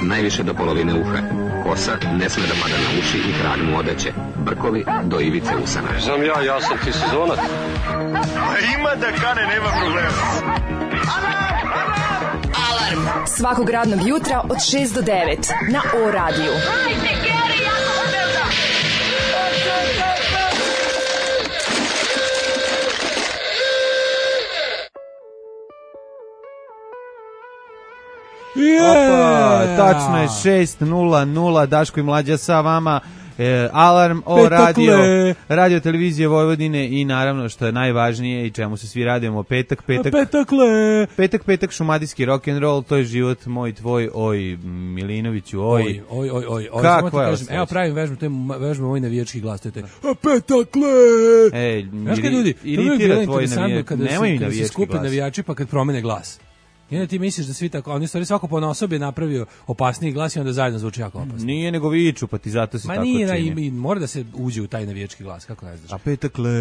najviše do polovine uha. Kosa ne sme da pada na uši i krag mu odeće. Brkovi do ivice usana. Znam ja sam ti sezonac. Ima da kane, nema problema. Alarm svakog radnog jutra od 6 do 9 na O-radiju. Opa, tačno je 6:00, Daško i Mlađa sa vama. Alarm o radio televizije Vojvodine i naravno što je najvažnije i čemu se svi radujemo, petak, šumadijski rock'n'roll, to je život moj, tvoj, oj Milinoviću, oj. Kako je? Evo pravim vežbu, to je vežba moj navijački glas, to je petakle. Ej, ljudi, iritira tvoj navijački, nemoj mi navijački glas. Kada se skupe navijači pa kad promene glas. I onda ti misliš da svi tako, oni stvari svako ponaosob je napravio opasniji glas i onda zajedno zvuči jako opasno. Nije nego viču, pa ti zato se tako čini. Ma nije, mora da se uđe u taj navijački glas, kako ne znaš. A petakle.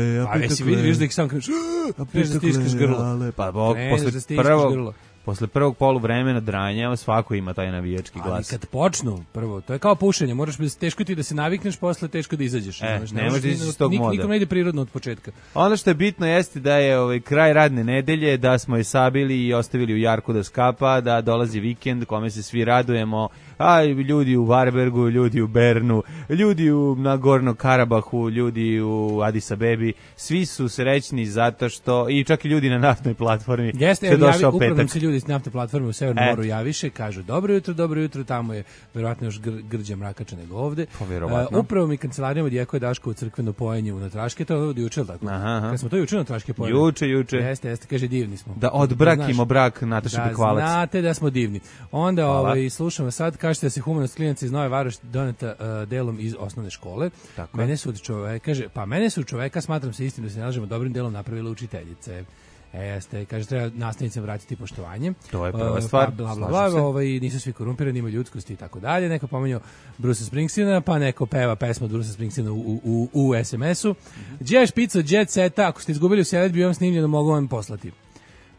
Jesi vidiš da ih sam kažeš, a petakle, stiskaš grlo. Pa posle prvog poluvremena dranja svako ima taj navijački glas. Ali kad počnu, prvo, to je kao pušenje, moraš teško ti da se navikneš, posle teško da izađeš. Ne možeš iz tog moda. Nikom ne ide prirodno od početka. Ono što je bitno jeste da je kraj radne nedelje, da smo je sabili i ostavili u jarku da skapa, da dolazi vikend kome se svi radujemo, a ljudi u Varbergu, ljudi u Bernu, ljudi u Nagorno Karabahu, ljudi u Addis Abebi, svi su srećni zato što, i čak i ljudi na naftnoj platformi. Jeste, upravo se ljudi s naftne platforme u Severnom moru javiše, kažu dobro jutro, tamo je verovatno još grđa mrakača nego ovde. Upravo mi kancelarijom odjekuje Daško u crkveno pojenje u Natraške, to je ovdje juče, tako? Kad smo to juče Natraške pojeli? Juče. Jeste, kaže divni smo. Da odbrakimo brak Nataše Bekvalac. Da, znate da smo divni. Onda slušamo sad, kažete da se humanost klinaca iz Nove Varoši doneta delom iz osnovne škole. Tako. Mene su čoveka, smatram se istim da se nalažemo dobrim delom napravile učiteljice. Jeste, kaže, treba nastavnicama vratiti poštovanje. To je prva stvar. Nisu svi korumpirani, imaju ljudskosti i tako dalje. Neko pominjao Bruce Springsteena, pa neko peva pesmu od Bruce Springsteena u SMS-u. Đe špica Jet Seta, ako ste izgubili u seledbi, vam snimljeno, mogu vam poslati.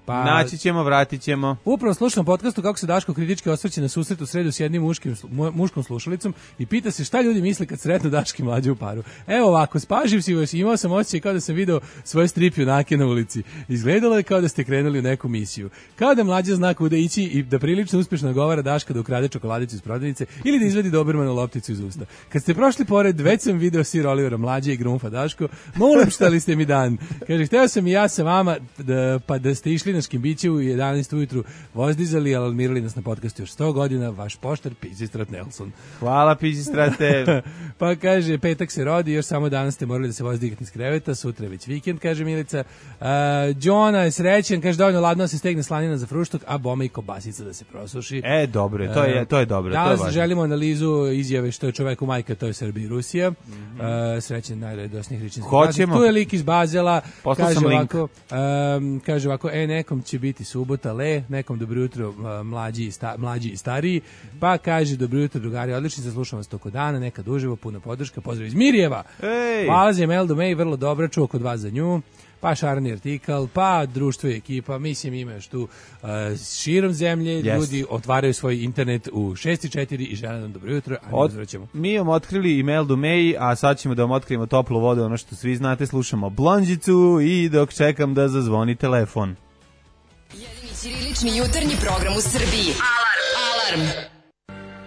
Pa, naći ćemo, vratit ćemo. Upravo slušam podcastu kako se Daško kritički osvrće na susret u sredu s jednim muškom slušalicom i pita se šta ljudi misle kad sretnu Daški Mlađe u paru. Evo ovako, spaživ si vas, imao sam osjećaj kao da sam video svoje strip junake na ulici. Izgledalo je kao da ste krenuli u neku misiju. Kao da Mlađa zna kuda ići i da prilično uspješno govara Daška da ukrade čokoladicu iz prodavnice ili da izvedi Dobermanu lopticu iz usta. Kad ste prošli pored, već sam video Sir Olivera Mlađe i Grunfa Daško. Molim šta li ste mi dan. Kaže, hteo sam i ja sa vama da ste išli biće u 11 ujutru vozdizali, alarmirali nas na podcastu još 100 godina, vaš poštar Pizistrat Nelson. Hvala Pizistrate. Pa kaže, petak se rodi, još samo danas ste morali da se vozdigati iz kreveta, sutra je već vikend, kaže Milica. Đona je srećen, kaže dovoljno ladno se stegne slanina za fruštok, a bome i kobasica da se prosuši. Dobro, to je dobro. Danas želimo analizu izjave što je čoveku majka, to je Srbija i Rusija. Srećen najradosnijih ričinskih praznika. Tu je lik iz Bazela, kaže ovako, nekom će biti subota, nekom dobro jutro mlađi i stariji, pa kaže dobro jutro drugari, odlični se, slušam vas toko dana, nekad uživo, puno podrška, pozdrav iz Mirjeva. Hvala za Meldu May, vrlo dobra, čuo kod vas za nju, pa šarani artikal, pa društvo i ekipa, mislim ima još tu širom zemlje, ljudi otvaraju svoj internet u 6:04 i žele nam dobro jutro, a mi uzvraćamo. Mi vam otkrili i Meldu May, a sad ćemo da vam otkrijemo toplu vodu, ono što svi znate, slušamo Blondžicu i dok čekam da zazvoni telefon. Jedini ćirilični jutarnji program u Srbiji. Alarm!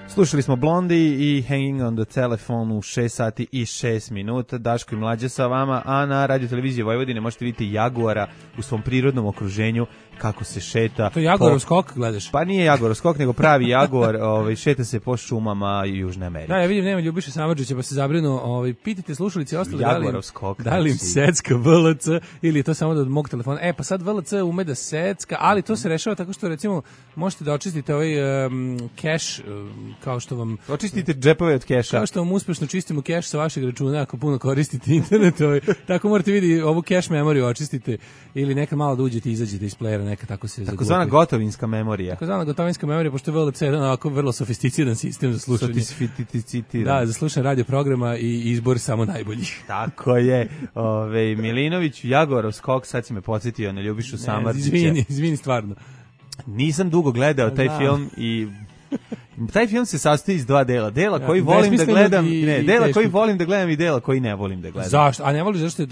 Slušali smo Blondi i Hanging on the Telephone u 6:06. Daško i Mlađa sa vama, a na radio televiziji Vojvodine možete vidjeti jaguara u svom prirodnom okruženju kako se šeta. To je jaguarov skok, gledaš? Pa nije jaguarov skok, nego pravi jaguar, šeta se po šumama Južne Amerike. Da, ja vidim, nema Ljubiše Samardžića, pa se zabrinu, pitajte slušalici ostali jaguarov skok. Da li im secka VLC ili je to samo od mog telefona. Pa sad VLC ume da secka, ali to se rešava tako što recimo možete da očistite ovaj cache, kao što vam... Očistite džepove od keša. Kao što vam uspešno čistimo keš sa vašeg računa ako puno koristite internet. Tako morate vidjeti ovu cache memoriju očistite ili neka malo da uđete i izađete iz playera, neka tako se zaglupi. Takozvana gotovinska memorija. Takozvana gotovinska memorija, pošto je VLC jedan ovako vrlo sofisticiran sistem za slušanje. Da, za slušanje radio programa i izbor samo najboljih. Tako je. Milinović, Jaguarov skok, sad si me podsjetio na Ljubišu Samardžića. Izvini, stvarno. Nisam dugo gledao taj film i taj film se sastoji iz dva dela. Dela koji volim da besmislenog gledam, i dela teškog. koji volim da gledam i dela koji ne volim da gledam. Zašto? A ne voliš zašto?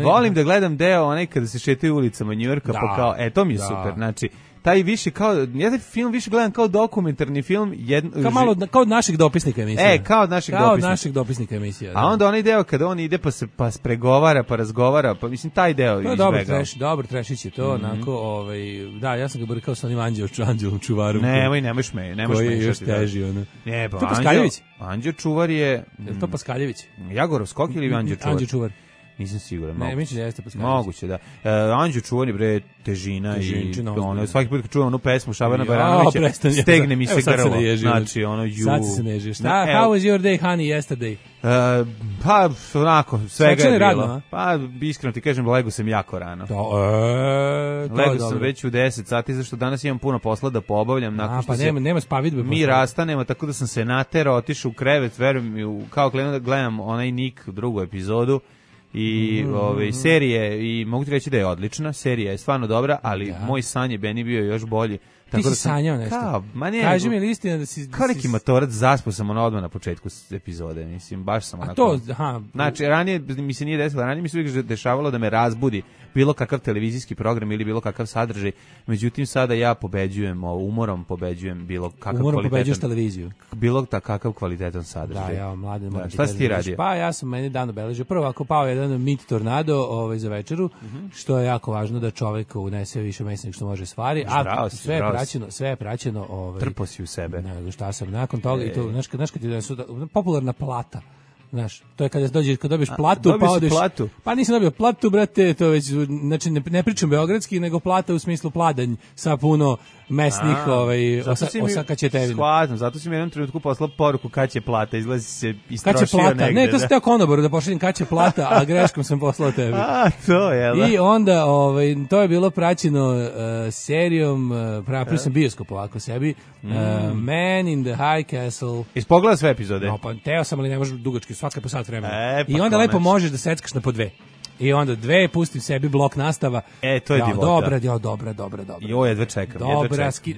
Volim da gledam deo onaj kada se šetaju ulicama Njujorka, pa kao, to mi je super. Znači, taj više kao, ja taj film više gledam kao dokumentarni film. Kao od naših dopisnika emisija. Kao od naših dopisnika emisija. A onda onaj deo kada on ide pa pregovara, pa razgovara, pa mislim taj deo izbegao. Dobro, trešić je to, onako, da, ja sam ga borikao sa onim anđelom čuvarom. Nemaš smešati. Koji je još teži, ono. Ne, pa Paskaljević. Anđeo čuvar je... Je to Paskaljević? Jagorov skok ili Anđeo čuvar? Anđeo čuvar. Nisam siguran. Ne, mislim da jeste Paskaljević. Moguće, da. Anđeo čuvar je, bre, težina i ono, svaki put kad čuvam onu pesmu Šabana Baranovića, stegne mi se grlo. Znači, ono, sad se ne ježiš. How was your day, honey, yesterday? Pa, onako, svega je bilo. Radno, pa, iskreno ti kažem, lego sam jako rano. Lego sam već u 10 sati, zašto danas imam puno posla da poobavljam. Pa nema spavidbe. Mi rastanemo, tako da sam se naterao, otišao u krevet, verujem mi, kao da gledam onaj Nick, drugu epizodu. I serije, i mogu ti reći da je odlična, serija je stvarno dobra, ali moj san je Beni bio još bolji. Ti si sanjao nešto? Kaži mi li istina da si... Kao neki matorac, zaspao sam odmah na početku epizode, mislim, baš sam onako... Znači, ranije mi se nije desilo, ranije mi se uvijek dešavalo da me razbudi bilo kakav televizijski program ili bilo kakav sadržaj, međutim sada ja pobeđujem, umorom pobeđujem bilo kakav kvalitetan... Umorom pobeđuješ televiziju? Bilo kakav kvalitetan sadržaj. Da, mladen, moram ti šta si ti radio? Pa ja sam meni dan obeležio. Prvo, ako pao jedan mit tornado za večeru, što je jako važno da čovek unese više mesa nego što može stvari, a sve je praćeno... Trpo si u sebe. Ne, šta sam, nakon toga, i to, znaš kad ti popularna plata, znaš, to je kad dobiješ platu, pa odeš... Platu? Pa nisam dobio platu, brate, to već, znači ne pričam beogradski, nego plata u smislu pladanj sa puno mesnih osakaćetevina. Shvatam, zato si mi jednom trenutku poslao poruku kad će plata, izlazi se istrošio negde. Ne, to sam teo konoboru da pošaljem kad će plata, a greškom sam poslao tebi. To je, da. I onda, to je bilo praćeno serijom, pravio sam bioskop ovako sebi, Man in the High Castle. Ispogledao sve epizode? No, pa teo sam, ali ne može dugački, svaka po sat vremena. I onda lepo možeš da seckaš na po dve. I onda dve, pustim sebi blok nastava. To je divota. Dobra. Jedva čekam.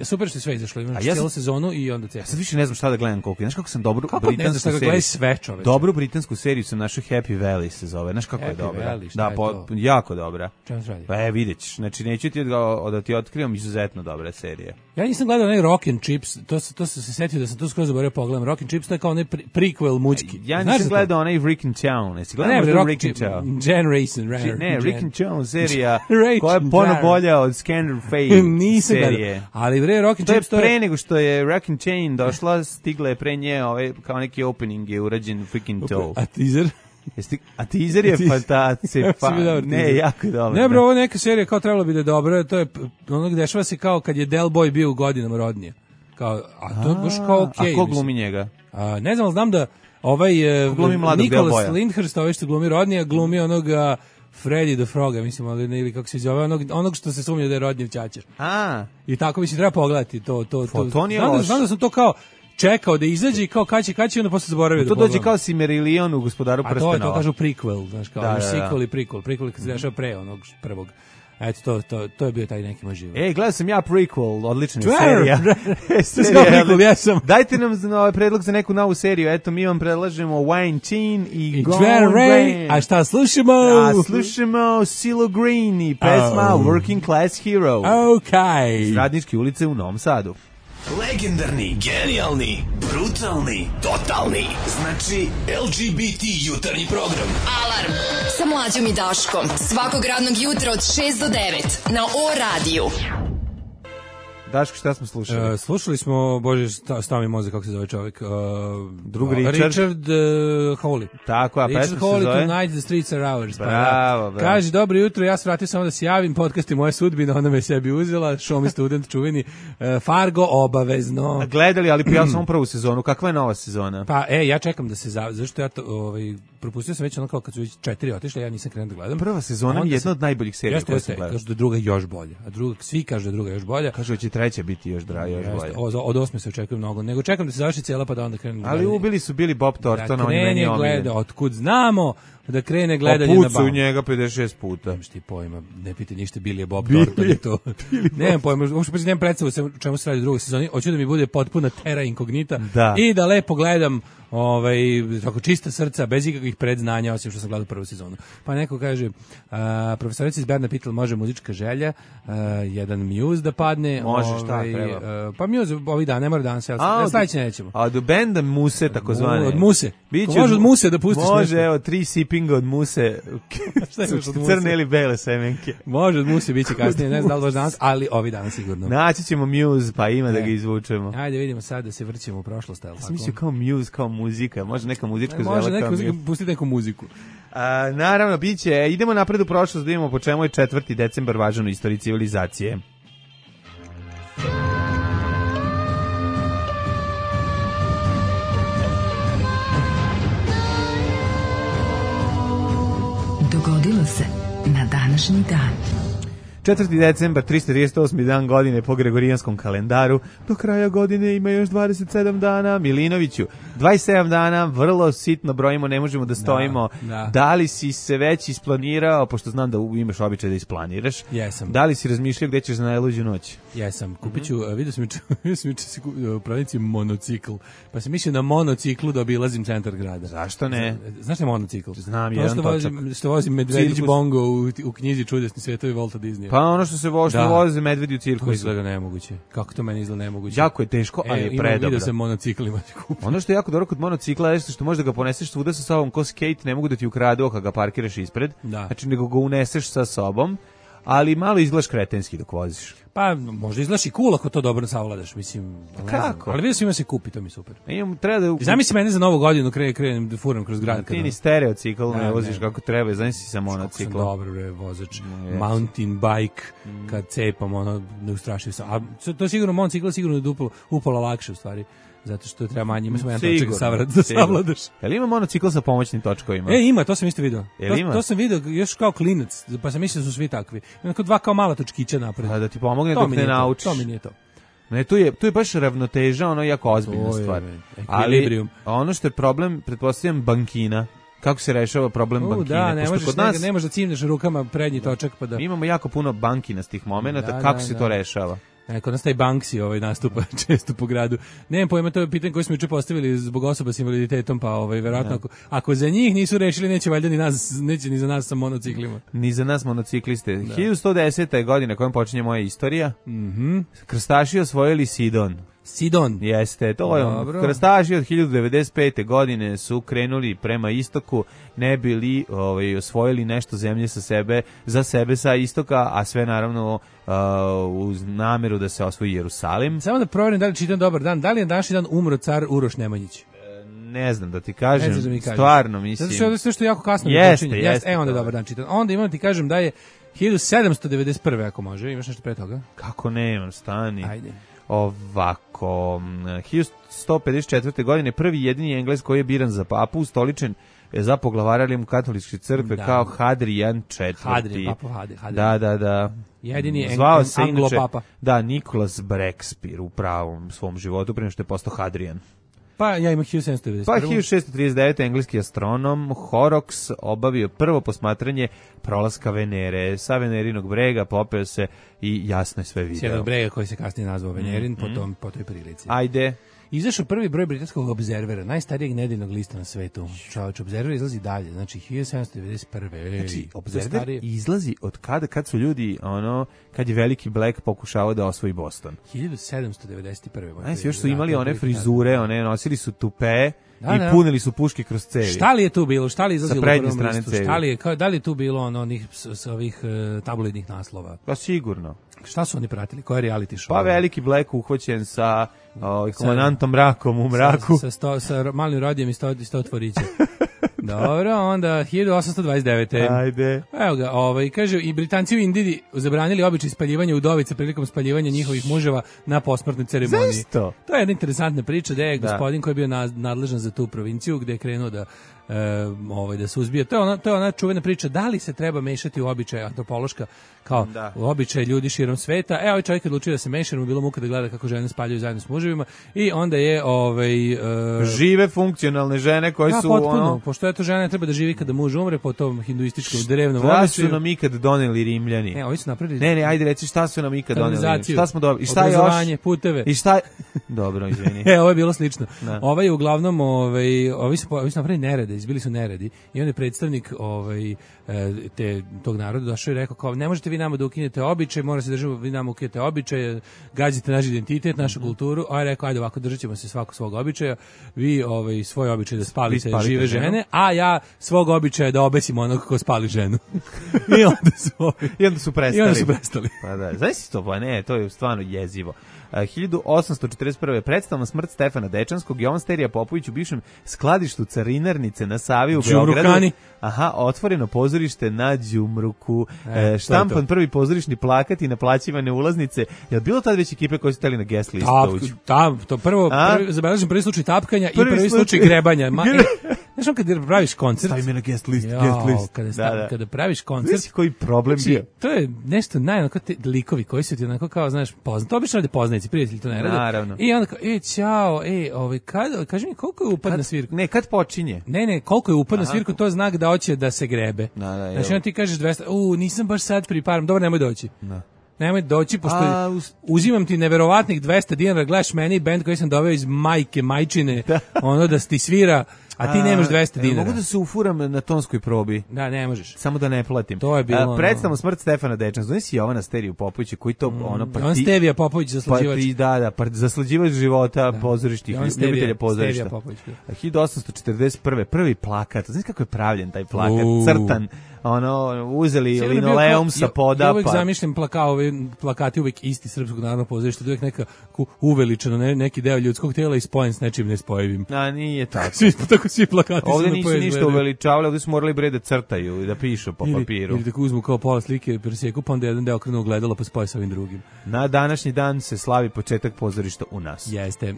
Super što je sve izašlo. Imaš cijelu sezonu i onda sad više ne znam šta da gledam koliko. Znaš kako sam dobru britansku seriju. Dobru britansku seriju sam našao, Happy Valley se zove. Znaš kako je dobra? Da, jako dobra. Pa vidjet ćeš. Znači neću ti da ti otkrivam, izuzetno dobra serija. Ja nisam gledao onaj Rock and Chips, to se setio da sam to skroz zaboravio pogledam. Rock and Chips, to je kao onaj prequel mućki. Ja nisam gledao onaj Rick and Chow. Jesi gledao Rick and Chow? Rick and Chow serija koja je puno bolja od Scanner Fade nisam serije. Ali bre, Rock and Chips to je pre nego što je Rock and Chain došla, stigla je pre nje kao neki opening je urađen freaking to. A teaser? A teaser je fantastičan. Ne, jako je dobro. Ne bro, ovo neka serija kao trebalo bi da je dobro, to je ono gde dešava se kao kad je Del Boy bio u godinama rodnije. A to je baš kao okej. A ko glumi njega? Ne znam, ali znam da Nicholas Lyndhurst, što glumi rodnije, glumi onoga Freddy the Froga, mislim, ili kako se zove, onog što se sumnja da je rodnjev ćaćer. I tako mi se treba pogledati to. Znam da sam to kao čekao da izađe i kao kaći, onda posle zaboravio da pogledam. To dođe kao Silmarillion u Gospodaru prstenova. A to kažu prequel, znaš, kao sequel i prequel. Prequel kad se dešava pre onog prvog. Eto, to je bio taj neki moj život. Gledao sam ja prequel, odlična serija. Dajte nam predlog za neku novu seriju. Eto, mi vam predlažemo Wayne Chin i Gone Rain. A šta slušamo? Slušamo Silo Green i pesma Working Class Hero. Iz Radničke ulice u Novom Sadu. Legendarni, genijalni, brutalni, totalni. Znači LGBT jutarnji program. Alarm sa Mlađom i Daškom. Svakog radnog jutra od 6 do 9 na O-radiju. Daško, šta smo slušali? Slušali smo, bože, stavi mozak, kako se zove čovjek? Drug Richard Hawley. Tako, a pesma se zove? Richard Hawley, Tonight the Streets Are Ours. Bravo. Kaže, dobro jutro, ja se vratio samo da se javim, podcast je moja sudbina, ona me sebi uzela, show me student, čuveni, Fargo, obavezno. Gledali, ali pijao sam prvu sezonu, kakva je nova sezona? Pa, ja čekam da se zašto ja to, propustio sam već ono kao kad su već 4 otišle, ja nisam krenuo da gledam. Prva sezona je jedna od najboljih serija koje sam gledao. Kažu da druga još bolja, svi kažu da druga još bolja. Kažu da će treća biti još bolja. Od 8 se očekuje mnogo, nego čekam da se završi cijela pa da onda krenem. Ali ubili su Billy Bob Thornton, on je meni omiljeni. Gleda, otkud znamo, da krene gledanje na Pucu Baum. njega 56 puta. Nemaš ti pojma, ne piti ništa, Billy je Bob Thornton i to. Nemam pojma, uopšte nemam predstavu o čemu se radi u drugoj sezoni. Hoću da mi bude potpuna terra inkognita i da lepo gledam tako čista srca, bez ikakvih predznanja, osim što sam gledao prvu sezonu. Pa neko kaže, profesorica iz Berna pitala, može muzička želja, jedan Muse da padne. Može, šta treba? Pa Muse ovih dana, ne mora danas, sledeće nećemo. A od benda Muse, takozvane. Od Muse. Može od Muse da pustiš nešto. Može, evo, 3 sipinga od Muse, crne ili bele semenke. Može od Muse, bit će kasnije, ne znam da li baš danas, ali ovi dana sigurno. Naći ćemo Muse, pa ima da ga izvučemo. Ajde vidimo sad da se vrćemo u prošlost. Ja sam mislio kao Muse, kao muzika, može neka muzička zvela kao Muse. Može pustiti neku muziku. Naravno, bit će, idemo napred u prošlost, da vidimo po čemu je 4. decembar važan u istoriji civilizacije. Dogodilo se na današnji dan. 4. decembar, 338. dan godine po Gregorijanskom kalendaru. Do kraja godine ima još 27 dana. Milinoviću, 27 dana, vrlo sitno brojimo, ne možemo da stojimo. Da li si se već isplanirao, pošto znam da imaš običaj da isplaniraš. Jesam. Da li si razmišljao gde ćeš za najluđu noć? Jesam. Kupit ću, vidio sam u prodavnici monocikl. Pa sam mislio na monociklu da obilazim centar grada. Zašto ne? Znaš ne monocikl? Znam, jedan točak. Što vozim Medvedić Bongo u knjizi Čudesni svetovi Volta Disneya. Pa ono što se voze medvedi u cirkusu. To izgleda nemoguće. Kako to meni izgleda nemoguće? Jako je teško, ali je predobro. Vidio sam monociklima. Ono što je jako dobro kod monocikla je što možeš da ga poneseš svuda sa sobom ko skate, ne mogu da ti ukradu ako ga parkiraš ispred. Znači nego ga uneseš sa sobom, ali malo izgledaš kretenski dok voziš. Pa možda izgledaš i cool ako to dobro savladaš, mislim. Kako? Ali vidio sam ima se kupi, to mi super. Treba da zamisli mene za Novu godinu krenem da furam kroz grad. Ti ni stereocikl ne voziš kako treba, zamisli sa monociklom. Dobro bre, vozač mountain bike kad cepam ne ustrašio sam. A to je sigurno monocikl sigurno da upala lakše u stvari. Zato što treba manje, ima samo jedan točak da savladaš. Jel ima monocikl sa pomoćnim točkovima? Ima, to sam isto vidio. To sam vidio još kao klinac, pa sam mislio da su svi takvi. Ima kao dva kao mala točkića napred. Da ti pomogne dok ne naučiš. To mi nije to. Ne, tu je baš ravnoteža, ono jako ozbiljna stvar. Ali ono što je problem, pretpostavljam, bankina. Kako se rešava problem bankine? Ne možeš da cimneš rukama prednji točak. Pa da... Mi imamo jako puno bankinastih momenata, kako se to rešava? Kod nas taj Banksy nastupa često po gradu. Nemam pojma, to je pitanje koje smo juče postavili zbog osoba s invaliditetom, pa verovatno ako za njih nisu rešili, neće valjda neće ni za nas sa monociklima. Ni za nas monocikliste. 1110. je godina kojom počinje moja istorija. Krstaši osvojili Sidon. Jeste, to je krstaši od 1095. godine su krenuli prema istoku, ne bili osvojili nešto zemlje za sebe sa istoka, a sve naravno uz nameru da se osvoji Jerusalim. Samo da proverim da li čitam dobar dan, da li je današnji dan umro car Uroš Nemanjić? Ne znam da ti kažem, stvarno mislim. Zato što je sve što jako kasno jeste. Onda dobar dan čitam. Onda imam ti kažem da je 1791. ako može, imaš nešto pre toga? Kako nemam, stani. Ajde. Ovako, 1154. godine prvi jedini Englez koji je biran za papu, ustoličen za poglavara katoličke crkve kao Hadrian IV. Hadrian, papa Hadrian. Da. Jedini Anglo-papa. Da, Nicholas Breakspear u pravom svom životu, prije što je postao Hadrian. Pa ja imam 1791. Pa 1639. engleski astronom Horrocks obavio prvo posmatranje prolaska Venere. Sa Venerinog brega popeo se i jasno je sve video. S jednog brega koji se kasnije nazvao Venerin po toj prilici. Ajde. Izašao prvi broj britanskog Observera, najstarijeg nedeljnog lista na svetu. Čovječ, Observer izlazi dalje, znači 1791. Znači, Observer izlazi od kad su ljudi, kad je veliki Black pokušavao da osvoji Boston. 1791. Znači, još su imali one frizure, nosili su tupe i punili su puške kroz cevi. Šta li je tu bilo? Šta li izlazilo sa prednje strane cevi? Da li je tu bilo onih sa ovih tabloidnih naslova? Pa sigurno. Šta su oni pratili? Koje reality show? Pa veliki Black uhvaćen sa komandantom Mrakom u mraku. Sa malim rodijem i 100 tvorića. Dobro, onda 1829. Ajde. Evo ga, kaže, i Britanci u Indiji zabranili običaj spaljivanja udovica prilikom spaljivanja njihovih muževa na posmrtnoj ceremoniji. Zašto? To je jedna interesantna priča, da je gospodin koji je bio nadležan za tu provinciju, gde je krenuo da da suzbije. To je ona čuvena priča da li se treba mešati u običaje antropološka kao u običaje ljudi širom sveta. Ovaj čovjek odlučio da se meša, mu bilo muka da gleda kako žene spaljuju zajedno s muževima i onda je žive funkcionalne žene koje su potpuno, pošto je to žena treba da živi kada muž umre po tom hinduističkom drevnom običaju. Šta su nam ikad doneli Rimljani? Ovi su napravili. Ne, ajde reci šta su nam ikad doneli? Šta smo dobili? I šta obrazovanje, puteve. I šta? Dobro, izvini. Ovo je bilo slično. Ovaj je uglavnom ovi su napravili nerede, izbili su neredi i on je predstavnik tog naroda došao i rekao kao ne možete vi nama da ukinete običaj, mora se držimo vi nama ukinete običaje, gazite naš identitet, našu kulturu. A je rekao ajde ovako držaćemo se svako svog običaja. Vi svoj običaj da spalite žive žene, a ja svog običaja da obesim onog ko spali ženu. I onda su prestali. Pa da, znači to, pa ne, to je stvarno jezivo. 1841. predstavna smrt Stefana Dečanskog, Jovan Sterija Popović u bivšem skladištu carinarnice na Savi u Beogradu. Otvoreno pozorište na Đumruku. Štampan prvi pozorišni plakat i naplaćivane ulaznice. Je bilo tad već ekipe koje su stali na guest listu? To zabeležim prvi slučaj tapkanja i prvi slučaj grebanja. Znaš on kada praviš koncert... Stavi me na guest list. Kada praviš koncert... Znaš koji problem bio? To je nešto najonako te likovi koji su ti onako kao, znaš, poznati. To obično rade poznanici, prijatelji to ne rade. Naravno. I onda kao, ćao, kaži mi koliko je upad na svirku? Ne, kad počinje? Ne, koliko je upad na svirku, to je znak da hoće da se grebe. Znači, onda ti kažeš 200, nisam baš sad priparam, dobro, nemoj doći. Nemoj doći, pošto uzimam ti neverovatnih 200 dinara, gledaš meni bend koji sam doveo iz majčine, ono da ti svira, a ti nemaš 200 dinara. Mogu da se ufuram na tonskoj probi? Da, ne možeš. Samo da ne platim. To je bilo predstavno smrt Stefana Dečana. Znaš si Jovana Steriju Popovića koji to on Stevija Popović zaslađivač. Zaslađivač života pozorišnih ljubitelja pozorišta. 1841. prvi plakat. Znaš kako je pravljen taj plakat? Crtan. Uzeli linoleum sa poda. Ja uvijek zamišljam plakati uvijek isti Srpskog narodnog pozorišta, uvijek neka uveličano neki deo ljudskog tela i spojen s nečim nespojivim. A nije tako. Svi plakati ovdje nisu ništa uveličavali, ovdje su morali bre da crtaju i da pišu po papiru. Ili tako uzmu kao pola slike, presjeku, pa onda jedan deo okrenu ogledalo pa spoje sa ovim drugim. Na današnji dan se slavi početak pozorišta u nas. Jeste.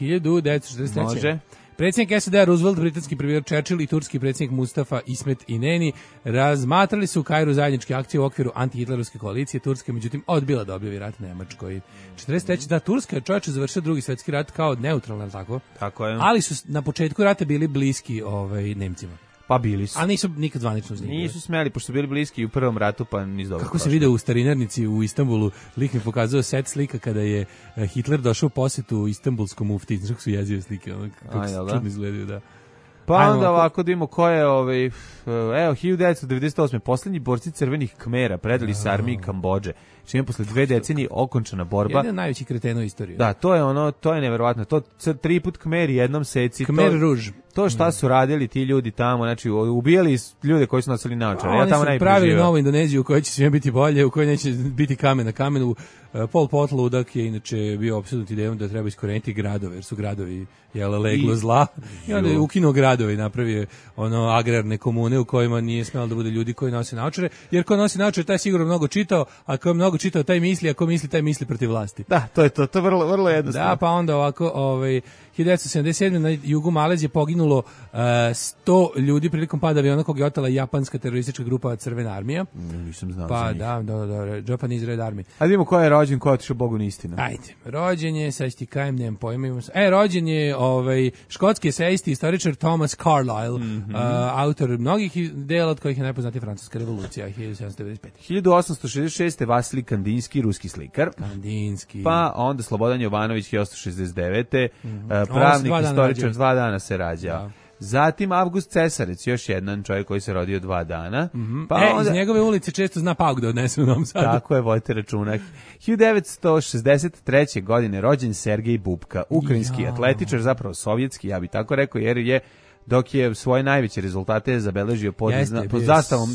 1943. Može. Predsjednik SAD Roosevelt, britanski premijer Churchill i turski predsjednik Mustafa Ismet Ineni razmatrali su u Kairu zajedničke akcije u okviru antihitlerovske koalicije. Turska međutim odbila da objavi rat Nemačkoj. 43. da Turska je čovječe završila drugi svjetski rat kao neutralna, tako je. Ali su na početku rata bili bliski Nemcima. Pa bili su. Ali nisu nikad zvanično s njim. Nisu smeli, pošto su bili bliski u prvom ratu, pa niz dobro. Kako se vide u starinarnici u Istanbulu, lik mi pokazao set slika kada je Hitler došao u posjetu istanbulskom mufti. Znaš kako su jezive slike, kako se čudno izgledaju, da. Pa onda ovako da imamo ko je, 1998. Poslednji borci crvenih Kmera predali se armiji Kambodže, čime posle 2 decenije okončana borba. Jedan najveći kreten u istoriji. Da, to je neverovatno. To 3 put Kmeri jednom seci. Kmer Ruž. To šta su radili ti ljudi tamo, znači ubijali ljude koji su nosili naočare. Ja tamo najbolje pravili novu Indoneziju u kojoj će sve biti bolje, u kojoj neće biti kamen na kamenu. Pol Pot ludak je inače bio opsednut idejom da treba iskoreniti gradove, jer su gradovi leglo zla. I onda je ukinuo gradove i napravio agrarne komune u kojima nije smelo da bude ljudi koji nose naočare, jer ko nosi naočare taj sigurno mnogo čitao, a ko je mnogo čitao taj misli, a ko misli taj misli protiv vlasti. Da, to je to je vrlo jednostavno. Da, pa onda ovako, 1977. na jugu Malezije poginulo 100 ljudi prilikom pada aviona kog je otela japanska teroristička grupa Crvena armija. Nisam znao pa, za njih. Da, Japanese Red Army. Ajde vidimo ko je rođen, ko je otišao Bogu na istinu. Ajde, rođen je, sad ti kajem, nemam pojma. rođen je škotski esejist, istoričar Thomas Carlyle, autor mnogih dela od kojih je najpoznatija Francuska revolucija, 1795. 1866. Vasilij Kandinski, ruski slikar. Kandinski. Pa onda Slobodan Jovanović, 1869. Pravnik, istoričar, 2 dana se rađao. Da. Zatim Avgust Cesarec, još jedan čovjek koji se rodio 2 dana. Pa onda, iz njegove ulice često zna pauk da odnese u Novom Sadu. Tako je, vodite računak. 1963. godine rođen Sergej Bubka, ukrajinski atletičar, zapravo sovjetski, ja bih tako rekao, jer je dok je svoje najveće rezultate zabeležio pod zastavom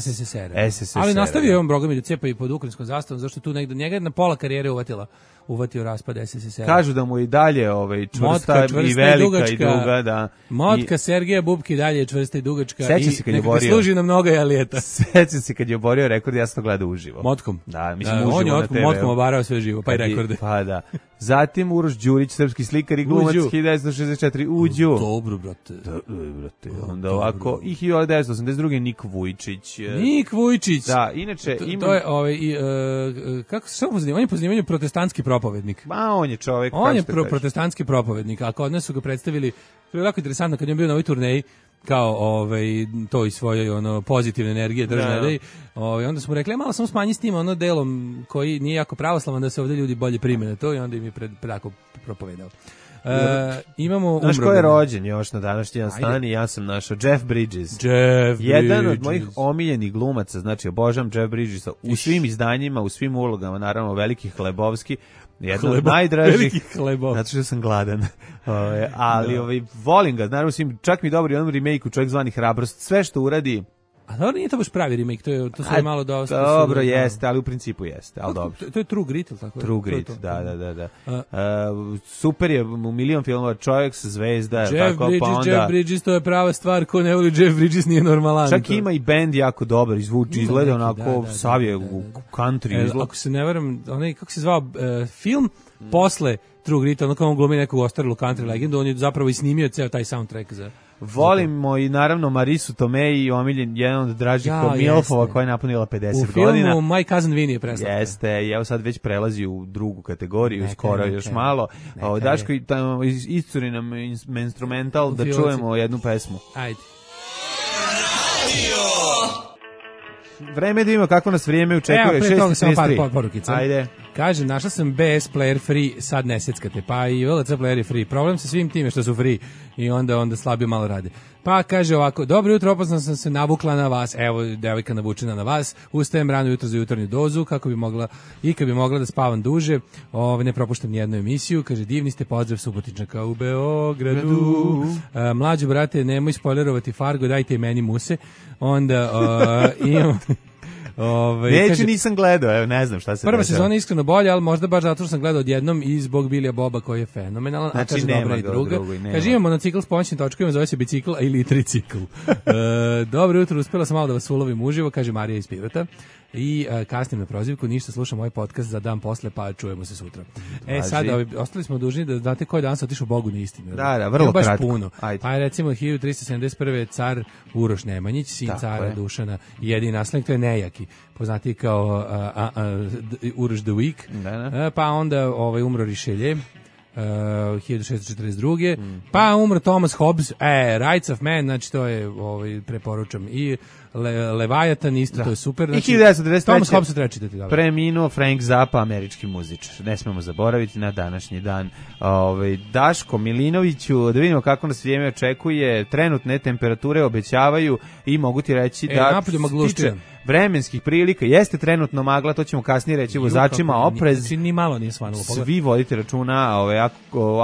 SSSR. Ali nastavio je on bogami da cepa i pod ukrajinskom zastavom, zašto tu negde njega jedna pola karijere uvatila uvatio raspad SSSR. Kažu da mu i dalje čvrsta i velika i duga. Da. Motka Sergeja Bubki dalje je čvrsta i dugačka Sećam se kad je neka borio. služi na mnoga jalijeta. Sećam se kad je oborio rekord, ja sam to gledao uživo. Motkom? Da, mislim on uživo je na TV. motkom obarao sve živo, pa i rekorde. Pa da. Zatim Uroš Đurić, srpski slikar i glumac, 1964, Uđu. Dobro, brate. Brate. Onda ovako, i 1982. Nik Vujčić. Nik Vujčić. Da, inače ima... To je, kako se pozivaju? On je pozivanje protestantski propovednik. Ma, on je čovek. On je protestantski propovednik, a kod nas su ga predstavili, to je jako interesantno, kad je bio na ovoj turneji, kao to i svoje pozitivne energije držane, onda smo rekli malo samo smanji s tim delom koji nije jako pravoslavan da se ovdje ljudi bolje prime na to i onda im je predako propovedao. Imamo znaš ko je rođen još na današnji dan i ja sam našao Jeff Bridges. Jedan od mojih omiljenih glumaca, znači obožavam Jeff Bridgesa u svim izdanjima, u svim ulogama, naravno veliki Hlebovski. Jedan od najdražih, zato što sam gladan. Ali volim ga, naravno čak mi dobro i onom remake-u Čovjek zvani Hrabrost, sve što uradi. A dobro, nije to baš pravi remake, to sve malo dosta. Dobro, jeste, ali u principu jeste, ali dobro. To je True Grit, ili tako? True Grit, da. Super je, u milion filmova, čovjek sa zvezda, Jeff Bridges, to je prava stvar, ko ne voli Jeff Bridges nije normalan. Čak ima i bend jako dobar, izgleda onako, sav je u country izgleda. Ako se ne varam, kako se zvao film, posle True Grit, ono kao on glumi nekog ostarilu country legendu, on je zapravo i snimio ceo taj soundtrack za... Volimo i naravno Marisu Tomei i omiljen jedan od dražih Milfova koja je napunila 50 godina. U filmu My Cousin Vinny je preslatko. Jeste, i evo sad već prelazi u drugu kategoriju, skoro još malo. Daško, iscuri nam instrumental da čujemo jednu pesmu. Ajde. Vreme da vidimo kako nas vrijeme učekuje. 6:33. Ajde. Kaže, našla sam BS player free, sad ne seckate, pa i VLC player je free. Problem sa svim time što su free i onda slabije malo rade. Pa kaže ovako, dobro jutro, opasno sam se navukla na vas, evo devojka navučena na vas, ustajem rano jutro za jutarnju dozu, kako bi mogla, i kad bi mogla da spavam duže, ne propuštam nijednu emisiju, kaže, divni ste, pozdrav Subotičnjaka u Beogradu, mlađo brate, nemoj spoilerovati Fargo, dajte i meni muse, onda imam... Neću, nisam gledao, evo, ne znam šta se prva sezona je iskreno bolja, ali možda baš zato što sam gledao odjednom i zbog Bilija Boba koji je fenomenalan, znači, a kaže dobra i druga. Kaže, imamo monocikl s pomoćnim točkovima, zove se bicikl ili tricikl. Dobro jutro, uspela sam malo da vas ulovim uživo, kaže Marija iz Pirota. I kasnim na prozivku, ništa, slušam ovaj podcast za dan posle, pa čujemo se sutra. Sad, ostali smo dužni da znate koji dan se otišao Bogu na istinu. Da, vrlo baš kratko. Puno. Pa recimo 1371. car Uroš Nemanjić, sin cara Dušana, jedini naslednik, to je nejaki, poznati kao Uroš the Weak. Pa onda umro Richelieu, 1642. Pa umro Thomas Hobbes, Rights of Man, znači to je, preporučam, i Leviathan isto, to je super. Znači, i 1993. Thomas Hobbes treba čitati. Preminuo Frank Zappa, američki muzičar. Ne smemo zaboraviti na današnji dan. Daško Milinoviću, da vidimo kako nas vrijeme očekuje, trenutne temperature obećavaju i mogu ti reći da tiče vremenskih prilika, jeste trenutno magla, to ćemo kasnije reći vozačima, oprez. Znači, ni malo nije svanulo. Svi vodite računa,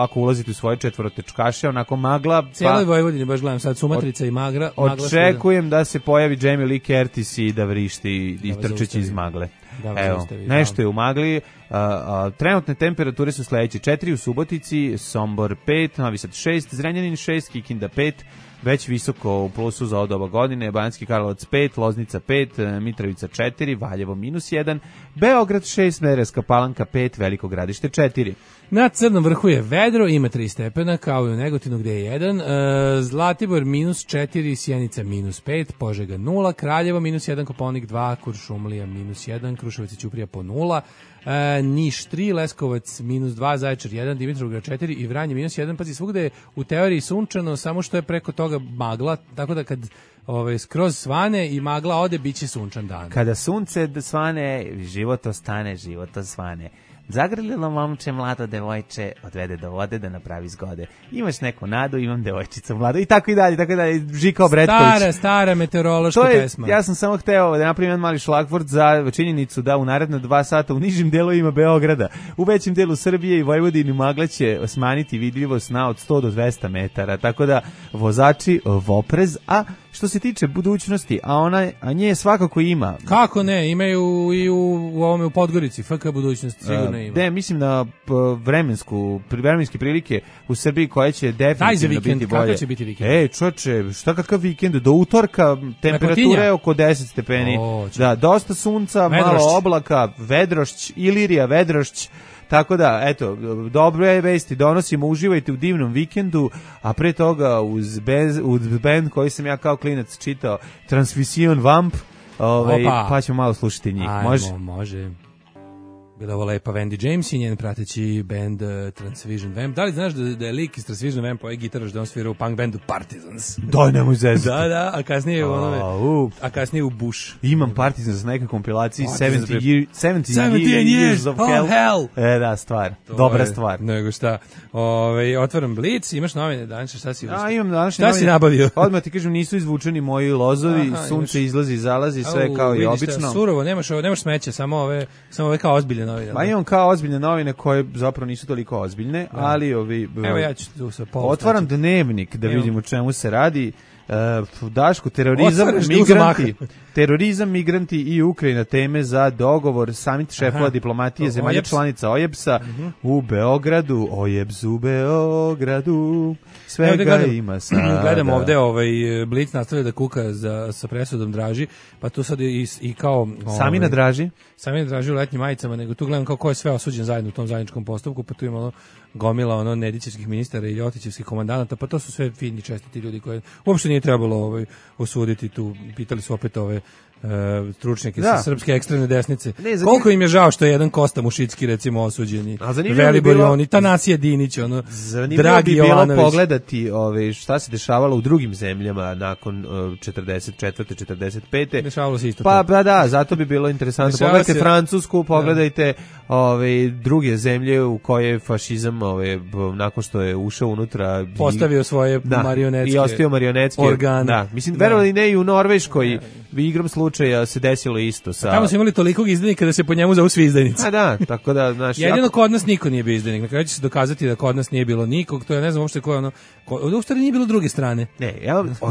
ako ulazite u svoje četvorotečkaše, onako magla. Cijeloj Vojvodini, baš gledam sad, Sumatrica i magla. Očekujem da se pojavi Jamie Lee Curtis i da vrišti i trčeći iz magle. Evo, nešto je u magli. Trenutne temperature su sledeće: 4 u Subotici, Sombor 5, Novi Sad 6, Zrenjanin 6, Kikinda 5, već visoko u plusu za ovo doba godine, Banjski Karlovac 5, Loznica 5, Mitrovica 4, Valjevo -1, Beograd 6, Smederevska Palanka 5, Veliko Gradište 4. Na Crnom vrhu je vedro, ima 3 stepena, kao i u Negotinu gde je 1, Zlatibor -4, Sjenica -5, Požega 0, Kraljevo -1, Kopaonik 2, Kuršumlija -1, Kruševac i Ćuprija po 0, Niš 3, Leskovac -2, Zaječar 1, Dimitrovgrad 4 i Vranje -1. Pazi, svugde je u teoriji sunčano, samo što je preko toga magla, tako da kad skroz svane i magla ode, bit će sunčan dan. Kada sunce svane, život ostane, život osvane. Zagrlilo momče mlado devojče, odvede do vode da napravi zgode. Imaš neku nadu, imam devojčicu mladu i tako i dalje, Žika Obretković. Stara meteorološka pesma. Ja sam samo hteo da napravim jedan mali šlagvort za činjenicu da u naredne 2 sata u nižim delovima Beograda, u većem delu Srbije i Vojvodini magla će smanjiti vidljivost na od 100 do 200 metara, tako da vozači voprez, a što se tiče budućnosti, a nje svakako ima. Kako ne, imaju i u ovome u Podgorici, FK budućnost sigurno ima. Ne, mislim na vremenske prilike u Srbiji koje će definitivno biti bolje. Kakav će biti vikend? Čoče, šta kakav vikend? Do utorka temperatura je oko 10 stepeni. Da, dosta sunca, malo oblaka, vedrošć, Ilirija, vedrošć. Tako da, eto, dobre vesti donosimo, uživajte u divnom vikendu, a pre toga uz band koji sam ja kao klinac čitao, Transvision Vamp, pa ćemo malo slušati njih. Može. Bila ovo lepa Wendy James i njen prateći band Transvision Vamp. Da li znaš da je lik iz Transvision Vampa ovaj gitaraš da on svira u punk bandu Partisans? Daj, nemoj zezati. Da, a kasnije u Bush. Imam Partisans na nekoj kompilaciji 17 Years of Hell. Da, stvar. Dobra stvar. Nego šta. Otvaram Blitz, imaš novine danas, šta si uspio? Imam današnje novine. Šta si nabavio? Odmah ti kažem, nisu izvučeni moji lozovi, sunce izlazi, zalazi, sve kao i obično. Surovo, nemaš smeće, samo ove kao ozbiljne novine. Pa imam kao ozbiljne novine koje zapravo nisu toliko ozbiljne, ali Evo ja ću tu sa pola. Otvaram dnevnik da vidim o čemu se radi. Daško, terorizam, migranti i Ukrajina teme za dogovor samit šefova diplomatije zemalja članica OEBS-a u Beogradu. OEBS u Beogradu. Svega ima sada. Gledam ovde Blic nastavlja da kuka sa presudom Draži, pa tu sad i kao... Sami na Draži? Sami na Draži u letnjim majicama, nego tu gledam kao ko je sve osuđen zajedno u tom zajedničkom postupku, pa tu ima gomila Nedićevskih ministara i Ljotićevskih komandanata, pa to su sve fini čestiti ljudi koje uopšte nije trebalo osuditi tu. Pitali su opet stručnjake sa srpske ekstremne desnice. Koliko im je žao što je jedan Kosta Mušicki recimo osuđeni. Velibor Joni, Tanasije Dinić, Dragi Jovanović. Zanimljivo bi bilo pogledati šta se dešavalo u drugim zemljama nakon 44. 45. Dešavalo se isto. Pa da, zato bi bilo interesantno. Pogledajte Francusku, pogledajte druge zemlje u koje fašizam nakon što je ušao unutra postavio svoje marionetske i ostio marionetske organe. Da, mislim verovali ne i u Norveškoj igrom slučaja se desilo isto sa. Tamo su imali tolikog izdajnika da se po njemu zovu svi izdajnici. A da, tako da jedino kod nas niko nije bio izdajnik. Na kraju će se dokazati da kod nas nije bilo nikog. To ja ne znam uopšte ko je u stvari nije bilo druge strane. Ne,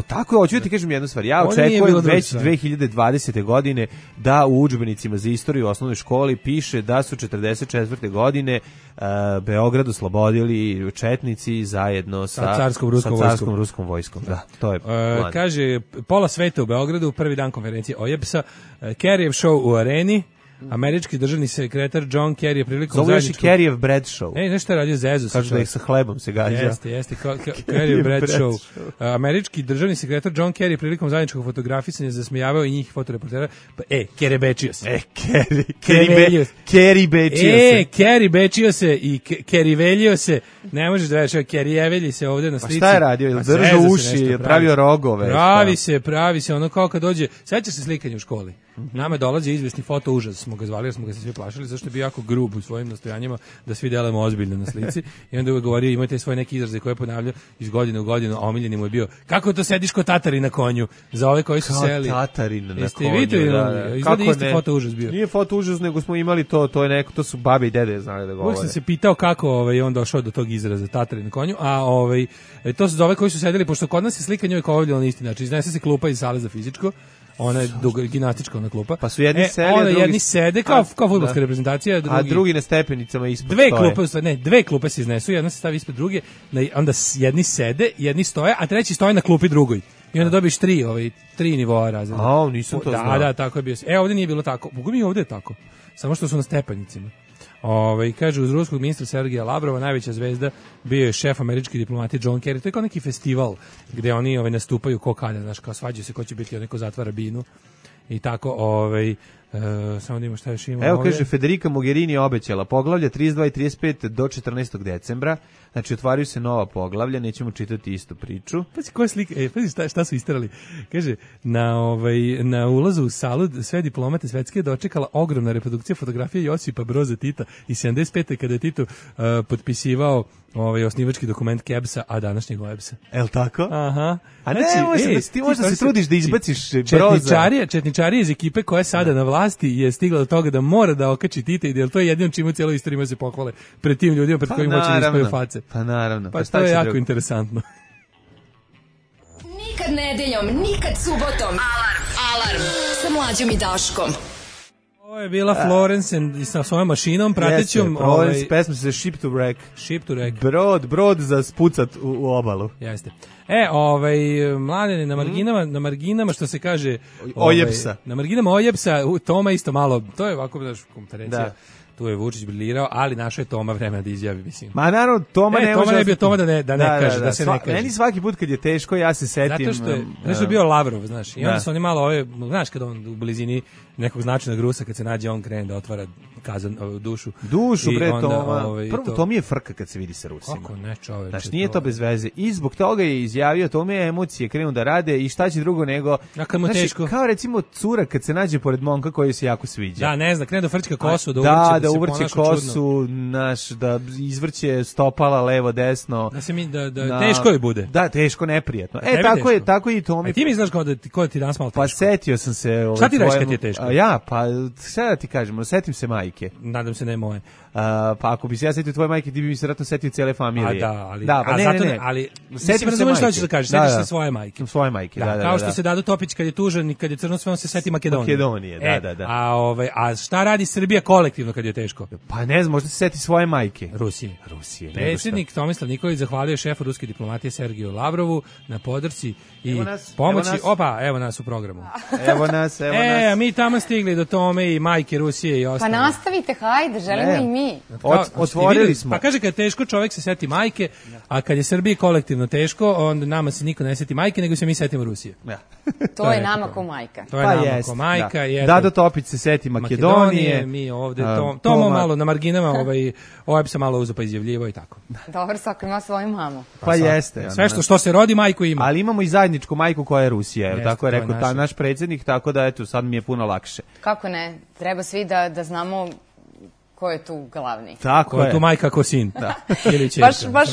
tako hoću da ti kažem jednu stvar. Ja očekujem već 2020. godine da u udžbenicima za istoriju u osnovnoj školi piše da su 44. godine Beograd oslobodili četnici zajedno sa carskom ruskom vojskom. Da, to je plan. Kaže, pola sveta u Beogradu, prvi dan konferencije OEBS-a, Kerryjev show u areni, američki državni sekretar John Kerry je prilikom zajedničkog... Zove još i Kerryjev bread show. Nešto je radio Zezu. Kažu da ih sa hlebom se gađa. Jeste, Kerryjev bread show. Američki državni sekretar John Kerry prilikom zajedničkog fotografisanja zasmijavao i njih fotoreportera. Kerry bečio se. Kerry bečio se i Kerry veljio se. Ne možeš da već, Kerryjevelji se ovde na slici. Pa šta je radio? Držao uši, pravio rogove. Pravi se, ono kao kad dođe, sećaš se slikanja u školi. Nama dolazi izvesni foto užas, smo ga zvali jer smo ga se svi plašili, zašto je bio jako grub u svojim nastojanjima da svi delamo ozbiljno na slici. I onda uvek govorio, imate svoje neke izraze koje ponavljaju iz godine u godinu, a omiljeni mu je bio, kako to sediš ko Tatari na konju, za ove koji su seli. Kao Tatari na konju, izgleda isti foto užas bio. Nije foto užas, nego smo imali to je neko, to su babe i dede znali da govore. Uvijek sam se pitao kako on došao do tog izraza Tatari na konju, a to su za ove koji su sedeli, pošto kod nas je slika njoj kao ovdje na isti način, iznese se klupa iz sale za fizičko, ona je gimnastička ona klupa. Pa su jedni sede, jedni sede kao fudbalska reprezentacija, a drugi na stepenicama ispod dve klupe se iznesu, jedna se stavi ispred druge, onda jedni sede, jedni stoje, a treći stoje na klupi drugoj. I onda dobiš tri nivoa razreda. A, nisam to znao. Da, tako je bio. Ovdje nije bilo tako. Bogu mi ovdje je tako. Samo što su na stepenicima. Kaže, uz ruskog ministra Sergeja Lavrova najveća zvezda bio je šef američke diplomatije John Kerry. To je kao neki festival gde oni nastupaju ko kada, znaš, kao svađaju se ko će biti, neko zatvara binu i tako, samo da ima šta još ima. Evo ovdje. Kaže, Federica Mogherini je obećala poglavlja 32 i 35 do 14. decembra, znači otvaraju se nova poglavlja, nećemo čitati istu priču. Pazi koja slika, pazi šta su isterali. Kaže, na ulazu u salu sve diplomate svetske je dočekala ogromna reprodukcija fotografije Josipa Broza Tita i 75. kada je Tito potpisivao osnivački dokument KEBS-a, a današnjeg OEBS-a. El tako? Aha. A ne, ti možda se trudiš da izbaciš Broza. Četničarija iz ekipe koja je sada na vlasti je stigla do toga da mora da okači Tita i da je to jedino čime u cijeloj istoriji se pohvale pred tim ljudima pred kojim hoće da ispaju face. Pa naravno. Pa to je jako interesantno. Nikad nedeljom, nikad subotom. Alarm sa Mlađom i Daškom. Ovo je bila Florence i sa svojom mašinom, pratećom... Florence, pesma se Ship to Wreck. Ship to Wreck. Brod za spucat u obalu. Jeste. Mladene, na marginama, što se kaže... Ojepsa. Na marginama Ojepsa, Toma isto malo, to je ovako, znaš, konferencija. Da. Tu je Vučić briljirao, ali našao je Toma vremena da izjavi, mislim. Ma naravno, Toma ne može... Toma ne bio Toma da ne kaže, da se ne kaže. Meni svaki put kad je teško, ja se setim... Zato što je bio Lavrov, znaš, i onda su oni malo znaš, kad on u blizini nekog značajnog Rusa, kad se nađe, on krene da otvara dušu. Dušu, bre, Toma. Prvo, to mi je frka kad se vidi sa Rusima. Kako ne, čoveče. Znaš, nije to bez veze. I zbog toga je izjavio, Tome je emocije krenu da rade i šta će drugo nego... A kad mu teško. Kao recimo cura kad se nađe pored momka koji se jako sviđa. Da, ne znam, krene da frčka kosu, da uvrće kosu, da izvrće stopala levo, desno. Teško je bude. Da, teško, neprijatno. Tako je i Tomi. A ti mi znaš ko ti danas malo teško? Pa setio sam se... Šta ti reći kad ti je teško? Šta da ti kažem, setim se majke. Nadam se ne moje. Pa ako bi se ja setio tvoje majke, ti bi mi se vratno setio cijele familije. Ali setim se majke. Šta ćeš da kažeš? Setiš se svoje majke. Svoje majke, da. Kao što se Dado Topić kad je tužan i kad je crno sve, on se seti Makedonije. Da. A šta radi Srbija kolektivno kad je teško? Pa ne znam, možda se seti svoje majke. Rusije. Predsjednik Tomislav Nikolić zahvalio šefu ruske diplomatije Sergeju Lavrovu na podršci i pomoći. Evo nas u programu. Evo nas. Mi tamo stigli do Tome i majke Rusije i ostalo. Pa nastavite, hajde, želimo i mi. Otvorili smo. Pa kaže kad je teško čovjek se seti majke, a kad je Srbiji kolektivno teško, onda nama se niko ne seti majke, nego se mi setimo Rusije. To je nama ko majka. To je nama ko majka. Dado Topić se seti Makedonije. Mi ovde Tomo malo na marginama, ovaj se malo uzo pa izjavljivo i tako. Dobro, svako ima svoju mamu. Pa jeste. Sve što se rodi, majku ima. Ali imamo i zajedničku majku koja je Rusija, tako je rekao naš predsjednik, tako da eto, sad mi je puno lakše. Kako ne? Treba svi da znamo ko je tu glavni. Tako ko je tu majka, ko sin. Da. Ili čerka. Baš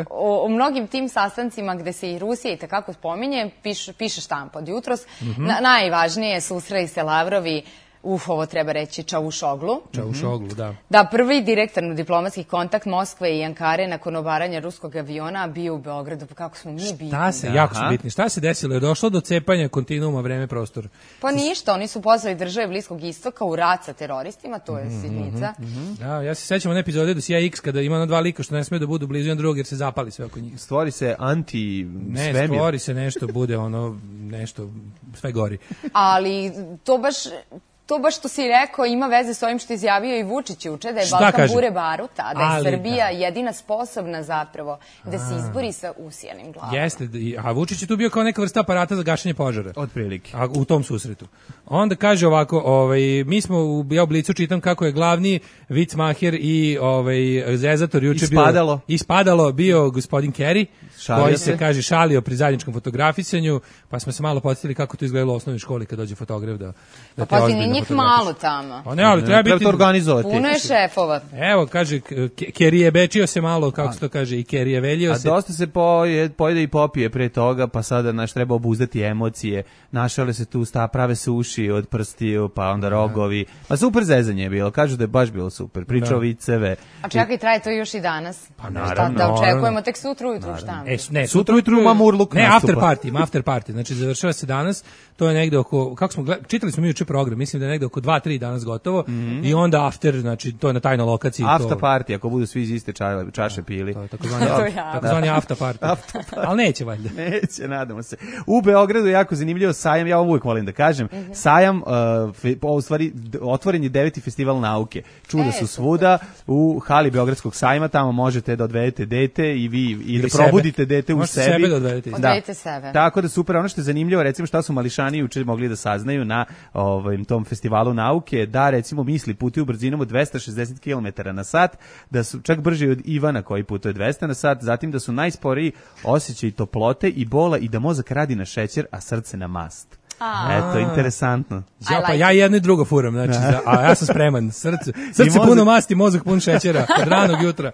o mnogim tim sastancima gde se i Rusija i takako spominje, piše štampa od jutros. Najvažnije susreli se Lavrovi, ovo treba reći, Čavušoglu. Da. Da, prvi direktor diplomatskih kontakt Moskve i Ankare nakon obaranja ruskog aviona bio u Beogradu. Pa kako smo mi bitni. Jako su bitni. Šta se desilo? Je došlo do cepanja kontinuuma vreme prostor? Pa ništa, oni su pozvali države Bliskog istoka u rat sa teroristima, to je sitnica. Da, ja se sećam one epizode do CIA X kada ima dva lika što ne smije da budu blizu jedan drugog jer se zapali sve oko njih. Stvori se anti-svemir. Ne, stvori se nešto, bude nešto, sve gori. Ali to baš što si rekao ima veze s ovim što izjavio i Vučić juče, da je Balkan bure baruta, da je Srbija jedina sposobna zapravo da se izbori sa usijanim glavama. Jeste, a Vučić je tu bio kao neka vrsta aparata za gašenje požara. Otprilike. U tom susretu. Onda kaže ovako, mi smo u Blicu čitam kako je glavni vicmaher i zezator juče bio gospodin Kerry, koji se kaže šalio pri zajedničkom fotografisanju, pa smo se malo podsjetili kako to izgledalo u osnovnoj školi kad dođe fotograf da te ozbiljno njih malo tamo. Pa ne, ali treba to organizovati. Puno je šefova. Evo, kaže, Kerry je bečio se malo, kako se to kaže, i Kerry je veljio se. A dosta se pojede i popije pre toga, pa sada treba obuzdati emocije. Našale se tu prave se uši od prstiju, pa onda rogovi. Pa super zezanje je bilo, kažu da je baš bilo super. Pričao viceve. A čekaj, traje to još i danas? Pa naravno. Da očekujemo tek sutra ujutru, šta? Ne, sutra ujutru ima Murluk nastupa. After party, znači završava se danas, to je negde oko, kako smo čitali smo mi juče program, mislim da je negde oko 2-3 danas gotovo i onda after, znači to je na tajnoj lokaciji. After party, ako budu svi iz iste čaše pili. Takozvani after party. Ali neće valjda. Neće, nadamo se. U Beogradu je jako zanimljivo sajam, ja ovo uvijek volim da kažem, sajam, u stvari, otvoren je 9. festival nauke. Čuda su svuda, u hali Beogradskog sajma, tamo možete da odvedete dete i da probudite dete u sebi. Sebe da odvedete. Odvedite sebe. Tako da super, ono što je zanimljivo, recimo šta su mališani juče mogli da saznaju na tom festivalu nauke, da recimo misli putuju brzinom od 260 km na sat, da su čak brži od Ivana koji putuje 200 na sat, zatim da su najsporiji osjećaj toplote i bola i da mozak radi na šećer, a srce na mast. Eto, interesantno. Ja jedno i drugo furam, znači, a ja sam spreman. Srce puno masti, mozak pun šećera, od ranog jutra.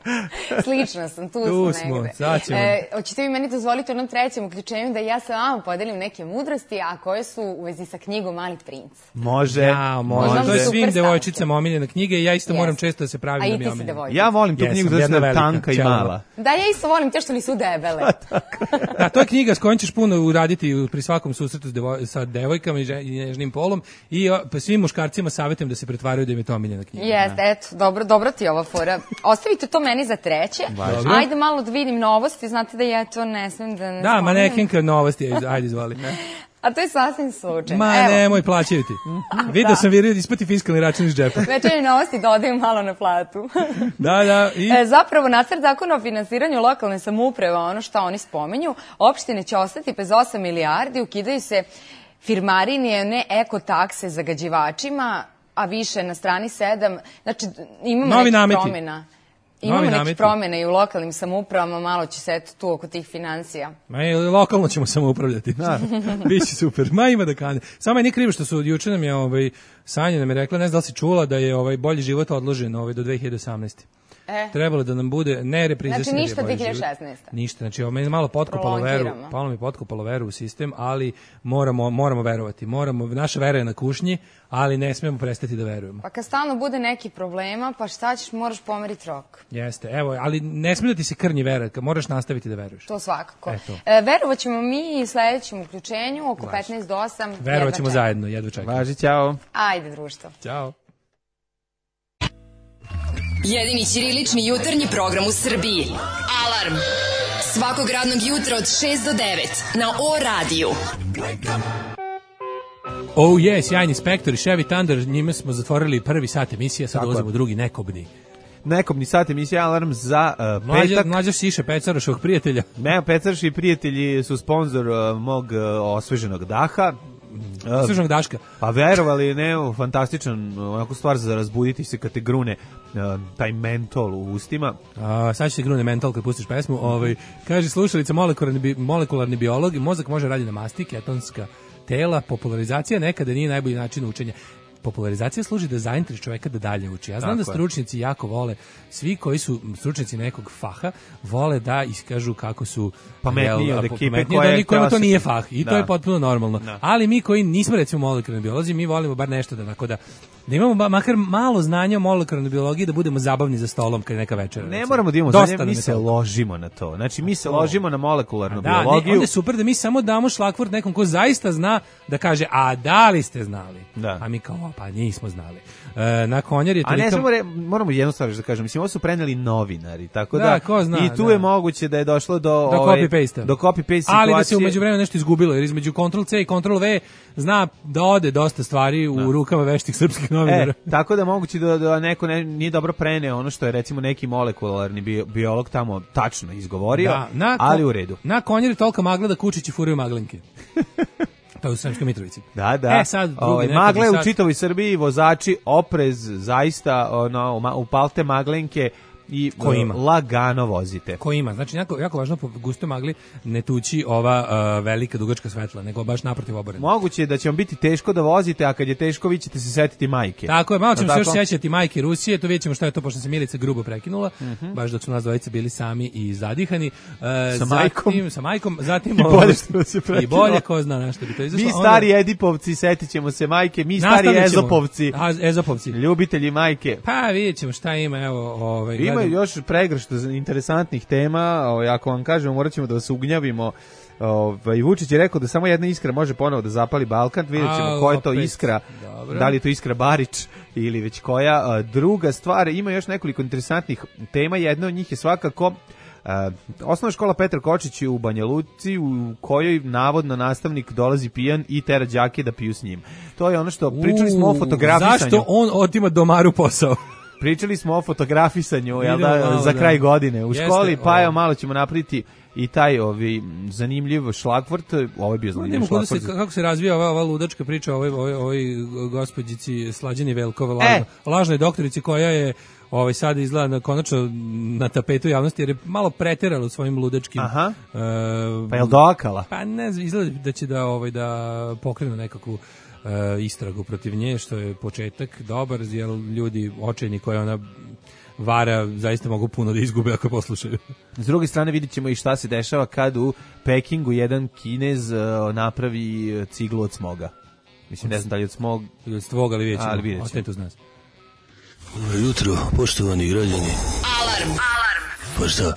Slično sam, tu smo negde. Hoćete mi meni dozvoliti u jednom trećem uključenju da ja sa vama podelim neke mudrosti, a koje su u vezi sa knjigom Mali princ. Može. To je svim devojčicama omiljena knjiga i ja isto moram često da se pravim da mi je omiljena. Ja volim tu knjigu da je tanka i mala. Da, ja isto volim te što nisu debele. Da, to je knjiga s kojom ćeš puno uraditi pri svakom susretu sa devojkama i nježnim polom i svim muškarcima savjetujem da se pretvaraju da im je to omiljena knjiga. Jeste, eto, dobro ti je ova fora. Ostavite to meni za treće. Ajde malo da vidim novosti, znate da ja to ne smem da ne spomenem. Da, manekenka novosti, ajde izvoli. A to je sasvim slučajno. Nemoj, plaćaju ti. Vidio sam ispati fiskalni račun iz džepa. Večernje novosti dodaju malo na platu. Da. Zapravo, nacrt zakona o finansiranju lokalne samouprave, ono što oni spomenju, opštine će ostati bez 8 milijardi, ukidaju se firmarinije, ne ekotakse zagađivačima, a više na strani 7. Znači, imamo nekih promjena. Imamo neke promjene i u lokalnim samoupravama, malo će se eto tu oko tih financija. Lokalno ćemo samoupravljati. Biće super. Ima da kane. Samo je nije krivo što su juče nam je Sanja nam je rekla, ne znam da li si čula da je bolji život odložen do 2018. Trebalo da nam bude ne repriziranje. Znači ništa 2016. Ništa, znači ovo me malo potkopalo veru u sistem, ali moramo verovati. Naša vera je na kušnji, ali ne smemo prestati da verujemo. Pa kad stalno bude neki problema, pa šta ćeš, moraš pomeriti rok. Jeste, evo, ali ne smije da ti se krnji vera, moraš nastaviti da veruješ. To svakako. Verovat ćemo mi i sledećem uključenju oko 15 do 8. Verovat ćemo zajedno, jedva čekam. Važi, ćao. Ajde, društvo. Ćao. Jedini ćirilični jutarnji program u Srbiji. Alarm. Svakog radnog jutra od 6 do 9 na O-radiju. Oh je, sjajni Spektor i Chevy Thunder, njime smo zatvorili prvi sat emisije, sad dolazimo u drugi nekobni sat emisije Alarm za petak. Mlađa Siša Pecarašovog prijatelja. Ne, Pecaraši prijatelji su sponzor mog osveženog daha. Osveženog daška. Pa verovali, fantastičan onako stvar za razbuditi se kad te grune taj mentol u ustima. Sad će se grune mentol kad pustiš pesmu. Kaže slušalica molekularni biolog, mozak može raditi na masti, ketonska tela, popularizacija nekada nije najbolji način učenja. Popularizacija služi da zaintriži čoveka da dalje uči. Ja znam da stručnjaci jako vole, svi koji su stručnjaci nekog faha, vole da iskažu kako su pametniji od ekipe kojima to nije fah. I to je potpuno normalno. Ali mi koji nismo recimo molekularni biolozi, mi volimo bar nešto da imamo makar malo znanja o molekularnoj biologiji, da budemo zabavni za stolom kad je neka večera. Ne moramo da imamo znanja, mi se ložimo na to. Znači, mi se ložimo na molekularnu biologiju. Onda je super da mi samo damo šlagvort nekom ko zaista zna da kaže, a da li ste znali? Da. A mi kao, pa nismo znali. Na Konjar je toliko... A ne, moramo jednu stvar da kažem. Mislim, ovo su preneli novinari, tako da ko zna, i tu je moguće da je došlo do copy-paste. Do copy-paste situacije. Ali da se umeđu vremenu nešto izgubilo, jer između Ctrl-C i Ctrl-V zna da ode dosta stvari u rukama veštih srpskih novinara. Tako da moguće da neko nije dobro preneo ono što je recimo neki molekularni biolog tamo tačno izgovorio, ali u redu. Na Konjari tolika magla da kučići furaju maglinke. To je u Sremskoj Mitrovici. Da. Sad magle u čitavoj Srbiji, vozači, oprez, zaista upalte maglenke i lagano vozite. Ko ima, znači jako važno po gustoj magli ne tući ova velika dugačka svetla, nego baš naprotiv oborena. Moguće je da će vam biti teško da vozite, a kad je teško vi ćete se setiti majke. Tako je, malo ćemo se još sjećati majke Rusije, to vidjet ćemo šta je to, pošto se Milica grubo prekinula, baš dok su nas dvojice bili sami i zadihani. Sa majkom, zatim i bolje, ko zna na što bi to izašlo. Mi stari Edipovci, setit ćemo se majke, mi stari Ezopovci, ljubitelji majke. Pa vidjet ćemo šta ima, evo, ima još pregršt interesantnih tema, ako vam kažemo, morat ćemo da vas ugnjavimo. Vučić je rekao da samo jedna iskra može ponovo da zapali Balkan, vidjet ćemo koja je to iskra, da li je to iskra Barić ili već koja. Druga stvar, ima još nekoliko interesantnih tema, jedna od njih je svakako osnovna škola Petar Kočić u Banja Luci, u kojoj navodno nastavnik dolazi pijan i tera đake da piju s njim. To je ono što pričali smo o fotografisanju. Zašto on otima Domaru posao? pričali smo o fotografisanju za kraj godine u školi, pa evo malo ćemo napraviti i taj zanimljiv šlagvort, ovo je bio zanimljiv šlagvort. Kako se razvija ova ludačka priča o ovoj gospođici Slađani Velkova, lažnoj doktorici koja je sada izgleda konačno na tapetu javnosti jer je malo preterala u svojim ludačkim. Pa je li doakala? Pa ne znam, izgleda da će da pokrenu nekakvu istragu protiv nje, što je početak dobar, jer ljudi očajni koje ona vara zaista mogu puno da izgube ako poslušaju. S druge strane vidit ćemo i šta se dešava kad u Pekingu jedan Kinez napravi ciglu od smoga. Mislim, ne znam da li od smog... Od svog, ali vidjet ćemo. Ostanite uz nas. Dobro jutro, poštovani građani. Alarm! Pa šta?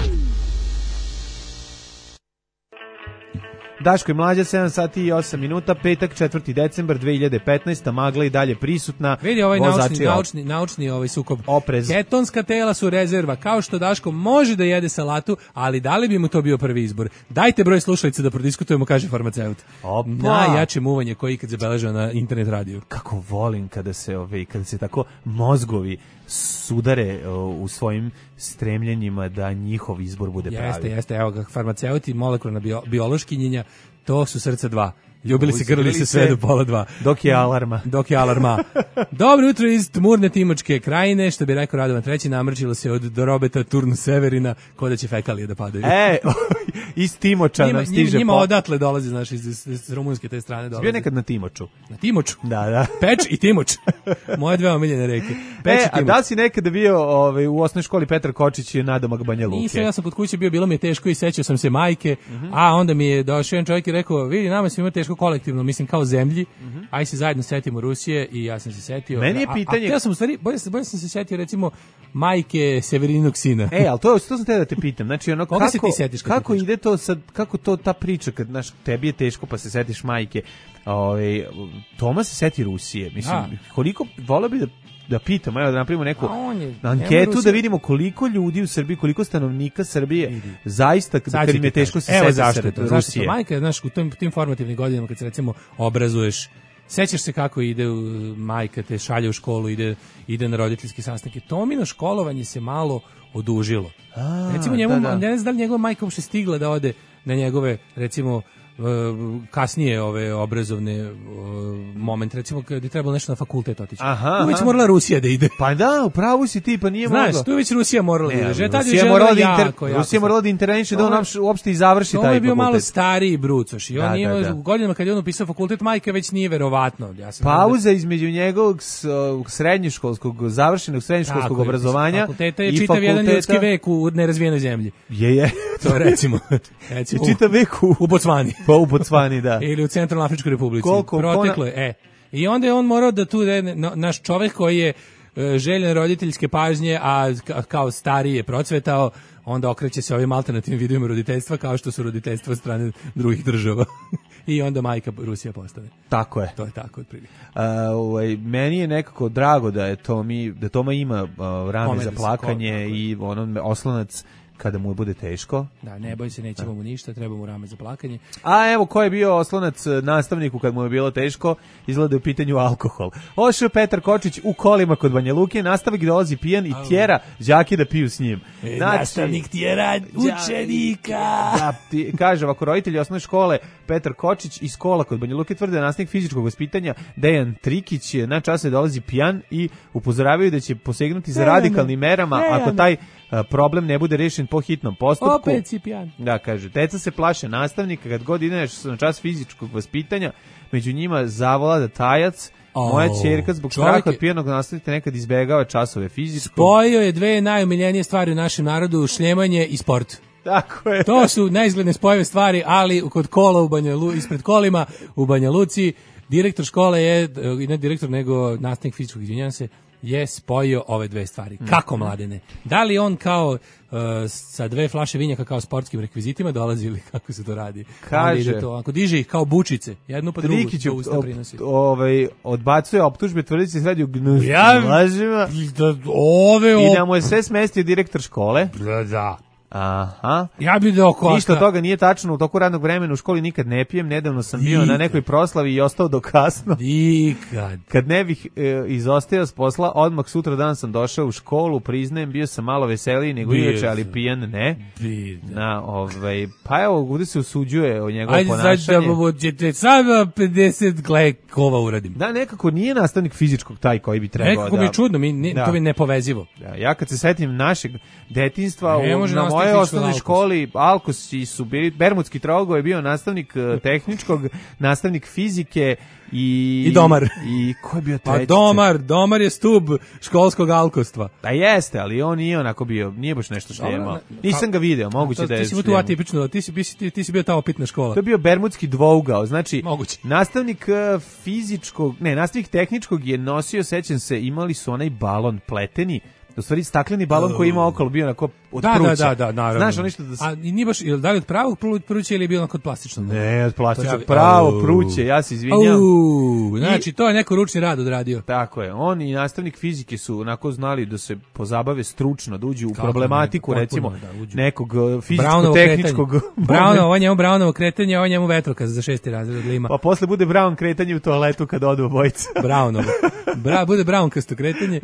Daško i Mlađa, 7 sati i 8 minuta, petak, 4. decembar 2015. Magla i dalje prisutna. Vidi ovaj naučni sukob. Oprez. Ketonska tela su rezerva, kao što Daško može da jede salatu, ali da li bi mu to bio prvi izbor? Dajte broj slušalica da prodiskutujemo, kaže farmaceut. Najjače muvanje koji ikad zabeležio na internet radiju. Kako volim kada se tako mozgovi sudare u svojim stremljenjima da njihov izbor bude pravi. Jeste, evo ga, farmaceuti, molekularna biološkinjenja, to su srca dva. Ljubili se, grlili se sve do 1:30. Dok je alarma. Dobro jutro iz tmurne Timočke krajine, što bi rekao Radovan III, namrčilo se od Dorobeta Turnu Severina, ko da će fekalije da padaju. Iz Timoča nam stiže. Njima odatle dolazi, znaš, iz rumunske te strane dolazi. Bio nekad na Timoču. Na Timoču? Da. Peč i Timoč. Moje dve omiljene reke. Peč i Timoč. A da si nekada bio u osnovnoj školi Petar Kočić i nadomak Banja Luke? Nisam, ja sam kod kuće bilo mi je teško i sećao sam se majke, a onda mi je došao jedan čovjek i rekao, vidi, nama se ima teško kolektivno, mislim kao zemlji, aj se zajedno setimo Rusije i ja sam se setio. Meni je pitanje... ja sam u stvari, bolje sam se setio recimo majke Severinog sina. Ali to sam te da te pitam, znači ono koga se ti setiš? Kako ide to sad, kako to ta priča kad tebi je teško pa se setiš majke, Toma se seti Rusije, mislim, koliko voleo bi da pitam, da napravimo neku anketu da vidimo koliko ljudi u Srbiji, koliko stanovnika Srbije zaista kad im je teško se seti Rusije. Majka, znaš, u tim formativnim godinama kad se recimo obrazuješ, sećaš se kako ide majka, te šalje u školu, ide na roditeljski sastanke. Tomino školovanje se malo odužilo. Recimo ne znam da li njegova majka uopšte stigla da ode na njegove, recimo, kasnije ove obrazovne moment, recimo kad je trebalo nešto na fakultet otići. Tu već morala Rusija da ide. Pa da, upravo si ti, pa nije mogla. Znaš, tu već Rusija morala da ide. Rusija morala da interveniše da on uopšte i završi taj fakultet. To je bio malo stariji brucoš i on nije u godinama kad je on upisao fakultet, majka već nije verovatno. Pauza između njegovog završenog srednjoškolskog obrazovanja fakulteta je čitav jedan ljudski vek u nerazvijenoj zemlji. Je. To recimo. Čitav vek u Bocvani. Pa u Bocvani, da. Ili u Centralnoj Afričkoj Republici. Proteklo je. I onda je on morao da tu, naš čovjek koji je željen roditeljske pažnje, a kao stariji je procvetao, onda okreće se ovim alternativnim vidovima roditeljstva, kao što su roditeljstva strane drugih država. I onda majka Rusija postane. Tako je. To je tako otprilike. Meni je nekako drago da Toma ima rame za plakanje i oslonac kada mu bude teško. Da, ne boj se, nećemo mu ništa, treba mu rame za plakanje. A evo, ko je bio oslonac nastavniku kad mu je bilo teško, izgleda u pitanju alkohol. Ošao Petar Kočić u kolima kod Banja Luke, nastavnik dolazi pijan i tjera đake da piju s njim. Nastavnik tjera učenika. Da, kaže, ovako, roditelji osnovne škole Petar Kočić iz kola kod Banja Luke tvrde da nastavnik fizičkog vaspitanja Dejan Trikić na čase dolazi pijan i upozoravaju da će posegnuti za radikalnim merama ako taj problem ne bude rešen po hitnom postupku. Opet si pijan. Da, kaže, deca se plaše nastavnika kad god ideš na čas fizičkog vaspitanja, među njima zavlada tajac. Moja ćerka zbog straha od pijanog nastavnika nekad izbegava časove fizičkog. Spojio je dve najomiljenije stvari u našem narodu, šljemanje i sport. Tako je. To su neizgledne spojeve stvari, ali kod kola ispred kolima u Banja Luci, direktor škole je, ne direktor nego nastavnik fizičkog, izvinjavam se, je spojio ove dve stvari. Kako, Mladene? Da li on kao sa dve flaše vinjaka kao sportskim rekvizitima dolazi ili kako se to radi? Kaže, ako diže ih kao bučice, jednu pa drugu, Trikić to usta prinosi. Odbacuje optužbe, tvrdi se radi u lažima. I da mu je sve smestio direktor škole. Da. Aha. Ja bih dao koska. Ništa toga nije tačno, u toku radnog vremena u školi nikad ne pijem, nedavno sam bio na nekoj proslavi i ostao do kasno. Kad ne bih izostajao s posla, odmah sutra dan sam došao u školu, priznajem, bio sam malo veseliji nego inače, ali pijan ne. Pa evo, ovdje se usuđuje o njegovo ponašanje. Ajde, sad da ćete sada 50 glekova uradim. Da, nekako nije nastavnik fizičkog taj koji bi trebao nekako mi je čudno, to mi je nepovezivo. Ja kad se setim našeg detinjstva, na moje osnovnoj školi Alkosi su bili, Bermudski trougao je bio nastavnik tehničkog, nastavnik fizike i domar. I ko je bio treći? Pa domar je stub školskog alkostva. Da jeste, ali on nije onako bio, nije baš nešto šljemao. Nisam ga video, moguće da je šljemao. Ti si tu atipično, ti si bio ta opitna škola. To je bio Bermudski dvougao, znači moguće. Nastavnik nastavnik tehničkog je nosio, sećam se, imali su onaj balon pleteni, u stvari stakleni balon koji ima okolo bio onako od pruća. Da, naravno. Znaš, ono što A nije baš, da li od pravog pruća ili je bilo onako od plastičnog? Ne, od plastičnog, pravo pruće, ja se izvinjam. Znači, to je neko ručni rad odradio. Tako je, on i nastavnik fizike su onako znali da se pozabave stručno, da uđu u problematiku, recimo, nekog fizičko-tehničkog... Ovo njemu Brownovo kretanje, ovo njemu vetrokaz za 6. razred lima. Pa posle bude Brown kretanje u toaletu kad odu obojica. Brownovo. Bude Brownkasto kretanje.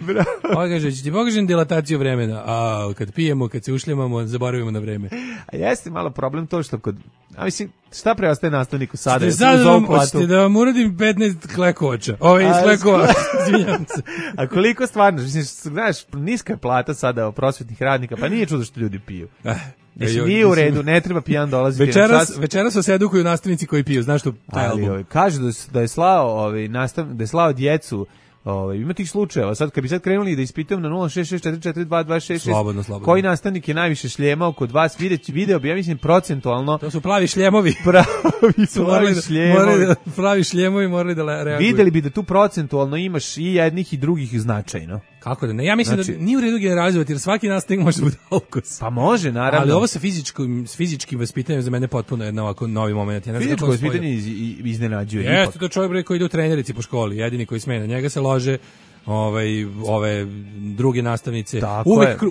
Ovo kaže, će ti pokažem dilataciju vremena, a kad pijemo, kad se ušljamamo, zaboravimo na vreme. A jeste malo problem to što kod... A mislim, šta preostaje nastavniku sada? Hoćete da vam uradim 15 klekovača. Iz klekova, izvinjam se. A koliko stvarno, mislim, znaš, niska je plata sada prosvetnih radnika, pa nije čudo što ljudi piju. Mislim, nije u redu, ne treba pijan dolaziti. Večeras se edukuju nastavnici koji piju, znaš što taj album. Kaže da je slao djecu. Ima tih slučajeva. Sad kad bi krenuli da ispitujem na 06644222666 slobodno. Koji nastavnik je najviše šljemao kod vas, video bi, ja mislim, procentualno. To su plavi šljemovi. Plavi šljemovi morali da reaguju. Videli bi da tu procentualno imaš i jednih i drugih značajno. Kako da ne? Ja mislim da nije u redu generalizovati, jer svaki nastavnik može biti alkos. Pa može, naravno. Ali ovo sa fizičkim vaspitanjem za mene potpuno je ovako novi moment. Fizičko vaspitanje iznenađuje. Jeste, to čovjek koji ide u trenerici po školi, jedini koji sme na njega se lože ove druge nastavnice.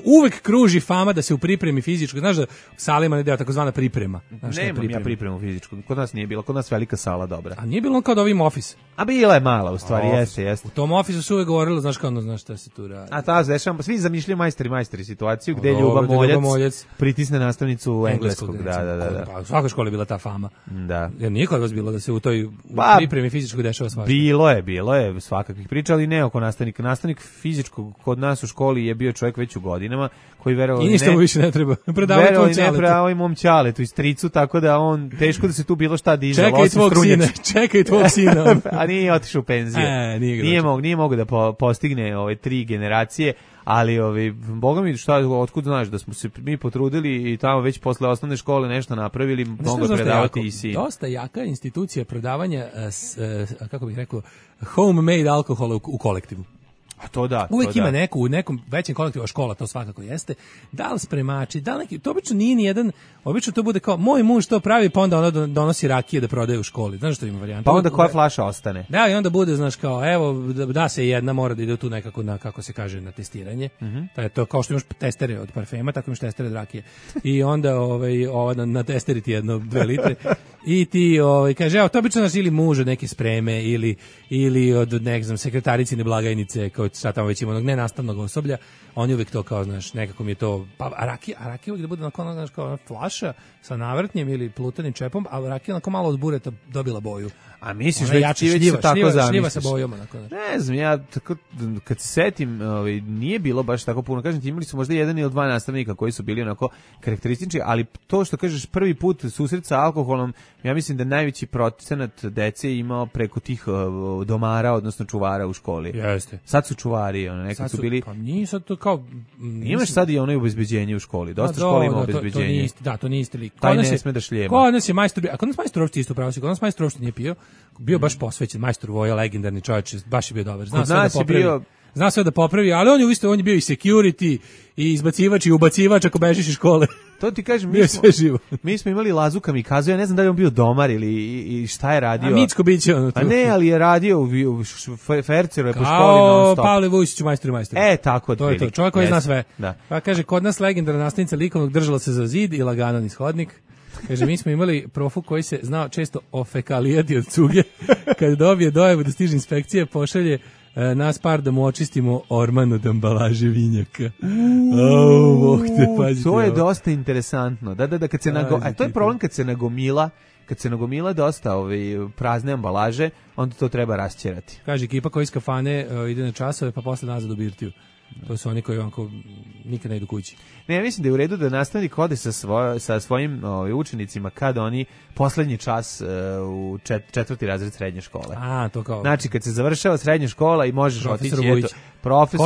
Uvek kruži fama da se u pripremi fizičko, znaš da u salima ne deo takozvana priprema. Nemam ja pripremu fizičku, kod nas nije bilo, kod nas velika sala dobra. A nije bilo kao da ovim office? A bila je mala, u stvari, jeste. U tom ofisu su uvek govorilo, znaš šta se tu radi. A ta dešava, svi zamišljaju majstori situaciju gde Ljuba Moljac pritisne nastavnicu engleskog. Da. Pa u svakoj školi je bila ta fama. Da. Jer nije kod vas bilo da se u toj pripremi fizičkog dešava svašta. Bilo je svakakvih priča, ali ne oko nastavnik fizičkog kod nas u školi je bio čovjek već u godinama koji verovao i ništa mu više ne treba. Predavao i mom ćaletu i stricu, tako da on teško da se tu bilo šta diže. Čekaj tvog sina. A nije otišao u penziju. Nije mogo da postigne ove 3 generacije, ali boga mi otkud znaš da smo se mi potrudili i tamo već posle osnovne škole nešto napravili, mogu predavati i si. Dosta jaka institucija predavanja, kako bih rekao, homemade alkohola u kolektivu. A to da. Uvijek ima neku, u nekom većem kolektivu, škola to svakako jeste, da li spremači, da li neki, to obično nije ni jedan, obično to bude kao, moj muž to pravi, pa onda ona donosi rakije da prodaje u školi, znaš što ima varijanta? Pa onda koja flaša ostane. Da, i onda bude, znaš kao, evo, da se jedna mora da ide tu nekako na, kako se kaže, na testiranje, to kao što imaš testere od parfema, tako imaš testere od rakije, i onda na testeri ti 2 litre, i ti kaže, evo, to obično nas ili muž od neke spreme, ili od, ne znam, sekretaricine blagajnice, kao sad tamo već ima onog nenastavnog osoblja, oni uvijek to kao, znaš, nekako mi je to, a rakija uvijek da bude onako, znaš, kao flaša sa navrtnjem ili plutanim čepom, a rakija onako malo od bureta dobila boju. A misliš već se tako zamisliš? Šljiva sa bojom, onako. Ne znam, ja tako, kad se setim, nije bilo baš tako puno. Kažem ti, imali su možda 1 ili 2 nastavnika koji su bili onako karakteristični, ali to što kažeš prvi put susret sa alkoholom, ja mislim da najveći procenat dece imao preko tih domara, odnosno čuvara u školi. Jeste. Sad su čuvari, nekad su bili... Pa nije sad to kao... Imaš sad i ono obezbeđenje u školi. Dosta škola ima obezbeđenje. To nije isti lik. Taj ne sme da šljema. Kod nas je majstor, a kod nas majstor uopšte isto pravo si, kod nas majstor uopšte nije pio. Bio baš posvećen, majstor Voja, legendarni čovjek, baš je bio dobar. Zna sve da popravi, ali on je bio i security, i izbacivač, i ubacivač ako bežiš iz škole. To ti kažem, mi smo imali Lazu Kamikazu, ja ne znam da li on bio domar ili šta je radio. A Micko biće ono tu. A ne, ali je radio u Ferceru je po školi non stop. Pavle Vujsić u Majstori. Tako to je to, čovjek koji zna sve. Da. Pa kaže, kod nas legendarna nastavnica likovnog držala se za zid i lagano niz hodnik. Kaže, mi smo imali profu koji se znao često ofekalijati od cuge. Kad dobije dojavu da stiže inspekcija, pošalje nas par da mu očistimo orman od ambalaže vinjaka. To je dosta interesantno. Da, kad se to je problem kad se nagomila dosta prazne ambalaže, onda to treba rasćerati. Kaže, ekipa koji iz kafane ide na časove, pa posle nazad u birtiju. To su oni koji onako nikad ne idu kući. Ne, ja mislim da je u redu da nastavnik ode sa svojim učenicima kada oni poslednji čas u četvrti razred srednje škole. To kao. Znači, kad se završava srednja škola i možeš otići, profesor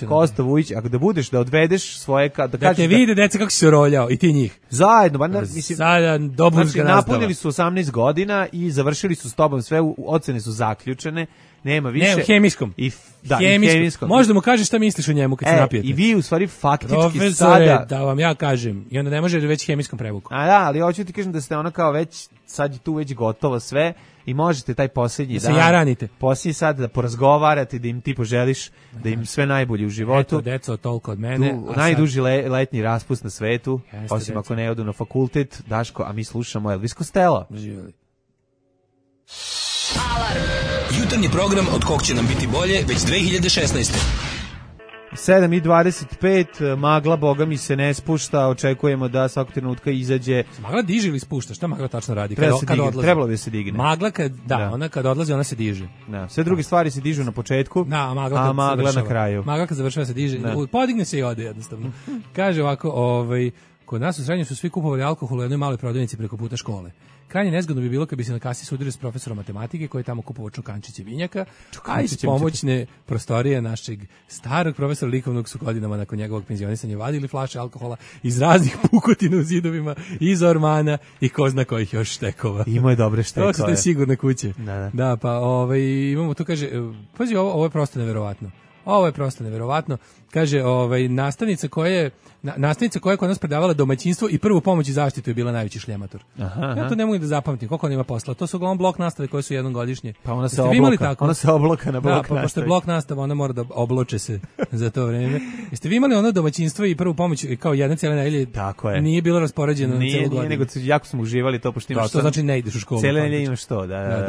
Kosta Vujić, ako da budeš, da odvedeš svoje... Da te vide, deca, kako si se roljao, i ti njih. Zajedno, znači, napunili su 18 godina i završili su s tobom sve, ocene su zaključene, nema više. Ne, u hemijskom. Hemijskom. Možda mu kažeš šta misliš o njemu kad se napijete. I vi u stvari faktički profesore, sada... da vam ja kažem. I onda ne može već hemijskom prevuku. Ali hoću ti kažem da ste ona kao već, sad je tu već gotovo sve i možete taj posljednji dan... Da se jaranite. Posljednji sad da porazgovarate, da im ti poželiš, da im sve najbolje u životu. Eto, deco, toliko od mene. Najduži letnji raspust na svetu, osim ako ne odu na fakultet. Daško, a mi slušamo Elvis Costello. Živjeli. Alarm. Jutarnji program od kog će nam biti bolje već 2016. 7:25, magla, boga mi se ne spušta, očekujemo da svakog trenutka izađe. Magla diže ili spušta? Šta magla tačno radi? Trebalo bi se digne. Magla ona kad odlazi, ona se diže. Da, sve druge stvari se dižu na početku, a magla na kraju. Magla kad završava se diže, podigne se i ode jednostavno. Kaže ovako, kod nas u srednjem su svi kupovali alkohol u jednoj maloj prodavnici preko puta škole. Krajnje nezgodno bi bilo kad bi se na kasi sudili s profesorom matematike koji je tamo kupovao čokančiće vinjaka, a iz pomoćne prostorije našeg starog profesora likovnog su godinama nakon njegovog penzionisanja vadili flaše alkohola iz raznih pukotina u zidovima, iz ormana i ko zna kojih još štekova. Imao je dobre štekove. To su te sigurne kuće. Da, pa imamo tu, kaže, pazi, ovo je prosto neverovatno. Ovo je prosto neverovatno. Kaže, nastavnica koja je kod nas predavala domaćinstvo i prvu pomoć i zaštitu je bila najveći šljemator. Ja to ne mogu da zapamtim, koliko ona ima posla. To su uglavnom blok nastave koje su jednom godišnje. Pa ona se obloka na blok nastave. Da, pošto je blok nastava, ona mora da obloče se za to vreme. Jeste vi imali ono domaćinstvo i prvu pomoć kao jedna cijela nedelje? Tako je. Nije bilo raspoređeno na celu godinu. Nije, nego jako smo uživali to, pošto imaš to znači ne ideš u školu. Cijela nedelje imaš to,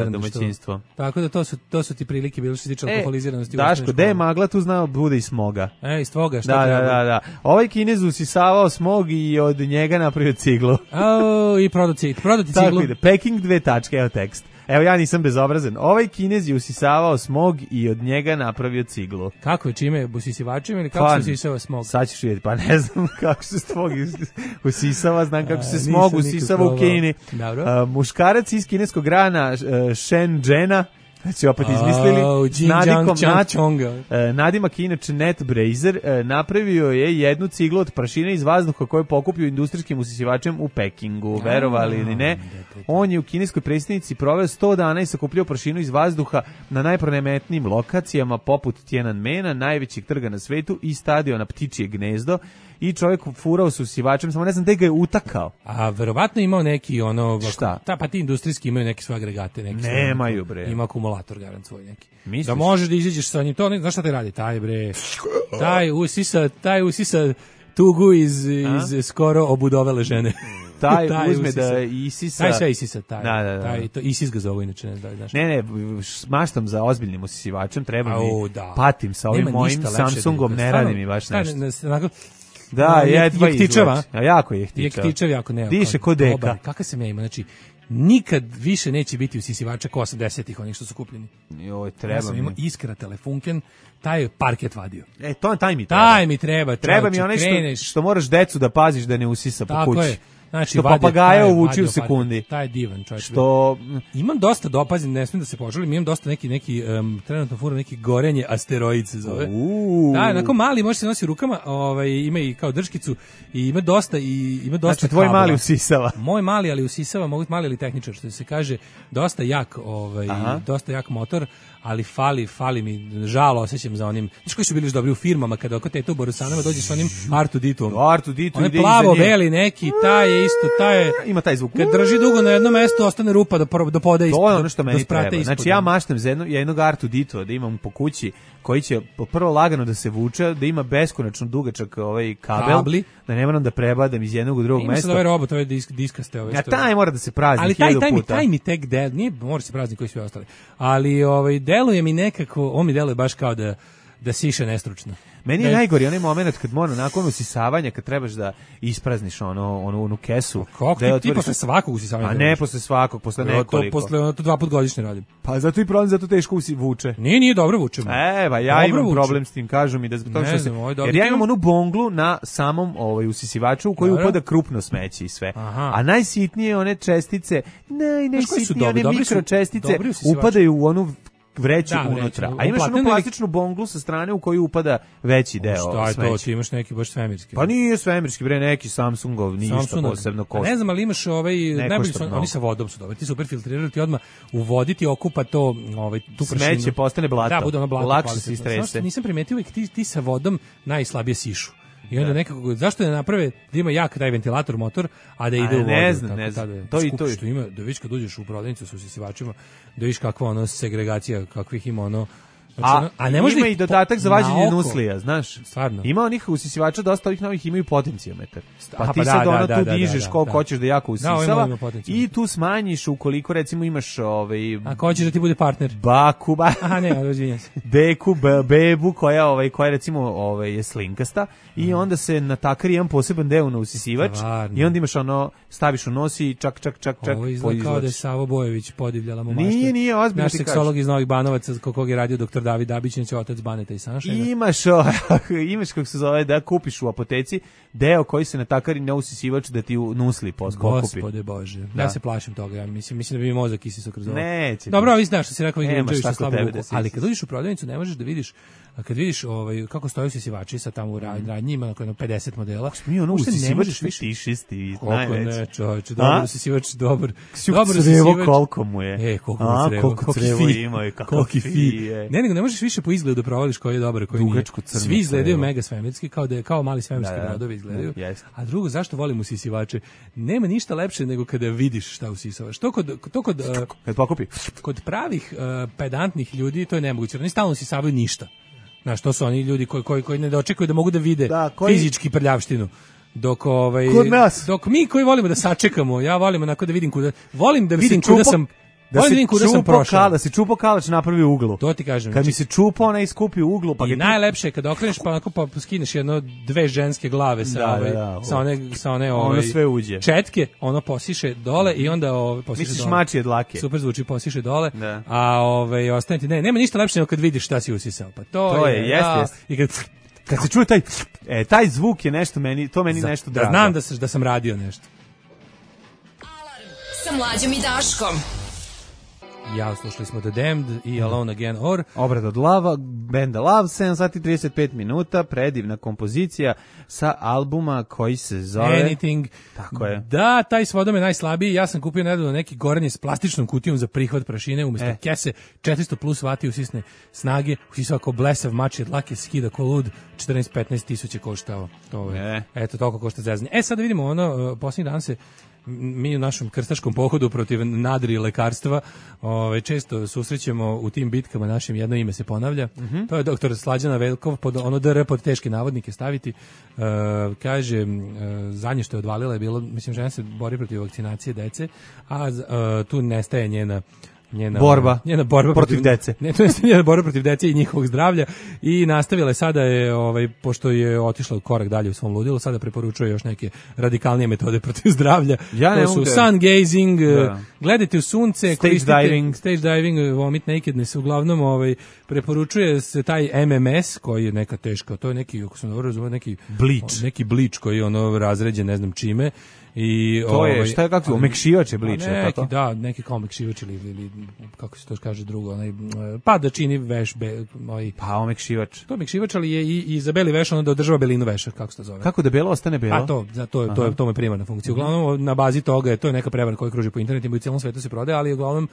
domaćinstvo. Tako da to su ti prilike bile što se tiče alkoholiziranosti. Daško, gde je magla, tu zna bude i smoga. Iz tvoga, šta treba? Da. Ovaj Kinez usisavao smog i od njega napravio ciglu. I prodati ciglu. Tako ide, packing 2 tačke, evo tekst. Evo, ja nisam bezobrazan. Ovaj Kinez je usisavao smog i od njega napravio ciglu. Kako je, čime? Usisivačima ili kako se usisava smog? Sad ćeš vidjeti, pa ne znam kako se smog usisava, znam kako se smog usisava u Kini. Muškarac iz kineskog grana Shenzhena, znači opet izmislili, nadimak inače Net Brazer, napravio je jednu ciglu od prašine iz vazduha koju je pokupio industrijskim usisivačem u Pekingu, verovali ili ne. On je u kineskoj prestonici proveo 100 dana i sakupljao prašinu iz vazduha na najpronemetnijim lokacijama poput Tiananmena, najvećeg trga na svetu, i stadiona Ptičije gnezdo. I čovjek furao s usisivačem, samo ne znam gde ga je utakao. A verovatno imao neki šta? Pa ti industrijski imaju neke svoje agregate. Nemaju, bre. Ima akumulator, garant svoj neki. Misliš? Da možeš da izađeš sa njim, to znaš šta te radi? Taj usisa tugu iz skoro obudovele žene. Taj uzme da isisa. Taj sve isisa, Da. To isis ga zove inače, ne znaš. Ne, maštam za ozbiljnim usisivačem, treba mi, patim sa ovim mojim Samsungom, ne radi mi baš nešto. Da, jedva izvlači. A jako je jehtičav. Jehtičav jako ne. Diše ko deka. Kakav sam ja ima, znači, nikad više neće biti usisivača ko 80-ih, onih što su kupljeni. Joj, treba mi. Ja sam imao Iskra telefunken, taj je parket vadio. Taj mi treba. Taj mi treba. Treba mi onaj što moraš decu da paziš da ne usisa po kući. Tako je. Znači, što papagaja uvuči u sekundi. Taj je divan, čovječ. Što imam dosta dopazim, ne smijem da se požalim, imam dosta neki trenutno furam neki gorenje asteroid se zove. Da, onako mali, može se nosi u rukama, ima i kao drškicu i ima dosta Znači tvoj kabla. Mali usisava. Moj mali, ali usisava, mogu mali ali tehničar, što se kaže, dosta jak motor, ali fali mi, žalo osjećam za onim, znaš koji su bili još dobri u firmama, kada oko teta u Borusanama dođe s onim R2D2-om. R2D2 on je plavo-beli neki, taj je isto, ima taj zvuk. Kad drži dugo na jednom mestu, ostane rupa do poda ispod. To je ono što meni treba. Znači ja maštam za jednog R2D2 da imam po kući, koji će prvo lagano da se vuče, da ima beskonačno dugačak kabel, da ne moram da prebadam iz jednog u drugog mesta. Ima sad ovaj robot, ovaj diskaste. A taj mora da se prazni 1000 puta. Taj mi tek nije, mora se prazni koji svi ostali. Ali deluje mi nekako, on mi deluje baš kao da siše nestručno. Meni je najgori onaj moment kad mora nakon usisavanja, kad trebaš da isprazniš onu kesu. Kako ti posle svakog usisavanja? A ne posle svakog, posle nekoliko. To 2 puta godišnje radim. Pa zato i problem, zato teško vuče. Nije dobro vuče. Ja imam problem s tim, kažu mi da zbog toga što se... Jer ja imam onu bonglu na samom usisivaču u koju upada krupno smeće i sve. A najsitnije one čestice, najsitnije one mikročestice upadaju u onu vreću unutra. A imaš onu plastičnu bonglu sa strane u koju upada veći deo smeća. Šta je to? Ti imaš neki baš svemirski. Pa nije svemirski, neki Samsungov, ništa posebno košta. Ne znam, ali imaš najbolji su, oni sa vodom su dobri. Ti super filtrirali, ti odmah u vodi ti okupa to, tu prašinu. Smeće postane blato. Da, bude ono blato. Lakše se istrese. Nisam primetio uvijek ti sa vodom najslabije sišu. I onda nekako, zašto ne naprave da ima jak taj ventilator motor, a da ide u vodu? Ne znam. To i to. Što ima, da vidiš kad uđeš u prodavnicu sa usisivačima, da vidiš kakva segregacija, kakvih ima A ne može ima i dodatak za vađenje nuslija, znaš? Stvarno. Ima onih usisivača, dosta ovih novih imaju potencijometar. Pa ti sad tu dižeš koliko hoćeš da jako usisava i tu smanjiš ukoliko recimo imaš A ko hoćeš da ti bude partner? Baku, rozvinjam se. Bebu koja recimo je slinkasta i onda se natakari jedan poseban deo na usisivač i onda imaš staviš u nos i čak. Ovo izgleda kao da je Savo Bojević podivljala mu maštu. Nije, ozbiljno naš seksolog iz Novih Banovaca kog je radio doktor David Dabićnić, otac Baneta i Saša. Imaš kako se zove da kupiš u apoteci deo koji se natakari na usisivač da ti nusli pokupi. Gospode Bože, ja se plašim toga, ja mislim da bi mi mozak isisao kroz ovo. Neće. Dobro, vi znaš što si rekao, ali kad uđeš u prodavnicu ne možeš da vidiš, kad vidiš kako stoje usisivači sa tamo u radnji, ima na 50 modela. Mi usisivač fetišisti, najveći. Ne, čovječe, dobar usisivač, dobar usisivač. Koliko mu je? Koliko crevo ima i kako fi. Ne, nego ne možeš više po izgledu provališ koji je dobar, koji nije. Svi izgledaju mega svemirski, kao mali svemirski brodovi izgledaju. A drugo, zašto volim usisivače? Nema ništa lepše nego kada vidiš šta usisavaš. Kod pravih pedantnih ljudi to je nemoguće. Oni stalno usisavaju ništa. Znaš, to su oni ljudi koji ne dočekuju da mogu da vide fizički prljavštinu. Dok mi koji volimo da sačekamo, ja volim onako da vidim kuda kuda sam prošao. Da se čupo kalač napravi u uglu. To ti kažem. Kad mi se čupo, ona iskupi u uglu. I najlepše je kad okreneš pa skineš dve ženske glave sa one sve uđe. Četke, ono posiše dole i onda posiše dole. Misliš mačije dlake. Super zvuči, posiše dole. A ostane ti, nema ništa lepše nego kad vidiš šta si usisao. Pa to je, jeste. I kad se čuje taj zvuk je nešto to meni nešto drago. Znam da sam radio nešto. Alarm sa Mlađom i Daškom. Ja, slušali smo The Damned i Alone Again Or. Obrad od Lava, benda Love, 7 sati 35 minuta, predivna kompozicija sa albuma koji se zove... Anything. Tako je. Da, taj s vodom je najslabiji. Ja sam kupio nedavno neki goranje s plastičnom kutijom za prihvat prašine, umjesto kese, 400 plus vati usisne snage, usisao kao blesav mač, dlake skida ko lud, 14-15 tisuća koštao. Eto, toliko košta zezanje. Sad da vidimo posljednji dan se mi u našem krstaškom pohodu protiv nadri lekarstva često susrećemo u tim bitkama, našim jedno ime se ponavlja. To je doktor Slađana Veljkov, DR pod teške navodnike staviti. Kaže, zadnje što je odvalila je bilo, mislim, žena se bori protiv vakcinacije dece, a tu nestaje njena borba protiv dece. Ne, to je njena borba protiv dece i njihovog zdravlja i nastavila je sada pošto je otišla u korak dalje u svom ludilu, sada preporučuje još neke radikalnije metode protiv zdravlja. To su sun gazing, gledajte u sunce, stage diving, vomit nakedness, uglavnom preporučuje se taj MMS koji je neka teška, to je neki, ako sam dobro razumio, neki blič koji je razređen ne znam čime. I to je, šta je kako, omekšivač je blič, tako? Da, neki kao omekšivač ili kako se to kaže drugo, pa da čini veš, pa omekšivač. To je omekšivač, ali je i za beli veš, ono da održava belinu veša, kako se to zove. Kako da belo ostane belo? A to je primarna funkcija. Uglavnom, na bazi toga to je neka prevara koja kruži po internetima i u cijelom svetu se prodaje, ali uglavnom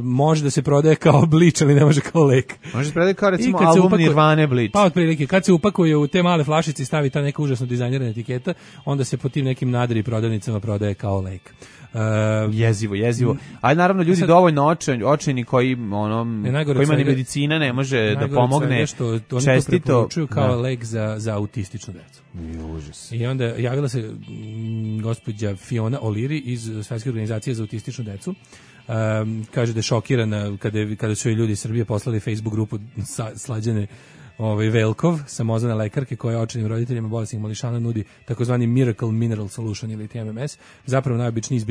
može da se prodaje kao blič, ali ne može kao lek. Može se prodaje kao recimo album Nirvane blič. Pa otprilike, kad se upakuje u te male flašice i stavi ta neka užasno dizajnirana etiketa, onda se po tim nekim nadri prodavnicama prodaje kao lek. Jezivo. Ali naravno ljudi dovoljno očajni koji kojima ni medicina ne može da pomogne. Što oni to preporučuju kao lek za autističnu decu. Užas. I onda javila se gospođa Fiona O'Leary iz Svetske organizacije za autističnu decu. Kaže da je šokirana kada su joj ljudi iz Srbije poslali Facebook grupu Slađane Velkov, samozvane lekarke koja očajnim roditeljima bolesnih mališana nudi takozvani Miracle Mineral Solution ili TMMS, zapravo najobičniji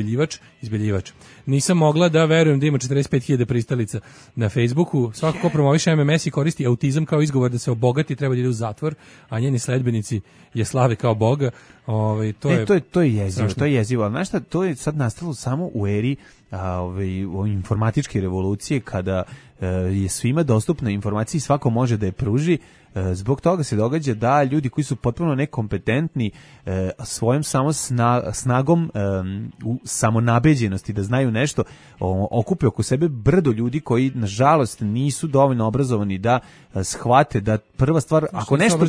izbeljivač. Nisam mogla da verujem da ima 45.000 pristalica na Facebooku. Svako ko promoviše MMS i koristi autizam kao izgovor da se obogati treba da ide u zatvor, a njeni sledbenici je slave kao boga. To je jezivo. Znaš šta, to je sad nastalo samo u eri informatičke revolucije kada je svima dostupna informacija i svako može da je pruži. Zbog toga se događa da ljudi koji su potpuno nekompetentni svojom samo snagom samonabeđenosti da znaju nešto okupe oko sebe brdo ljudi koji nažalost nisu dovoljno obrazovani da shvate da prva stvar ako nešto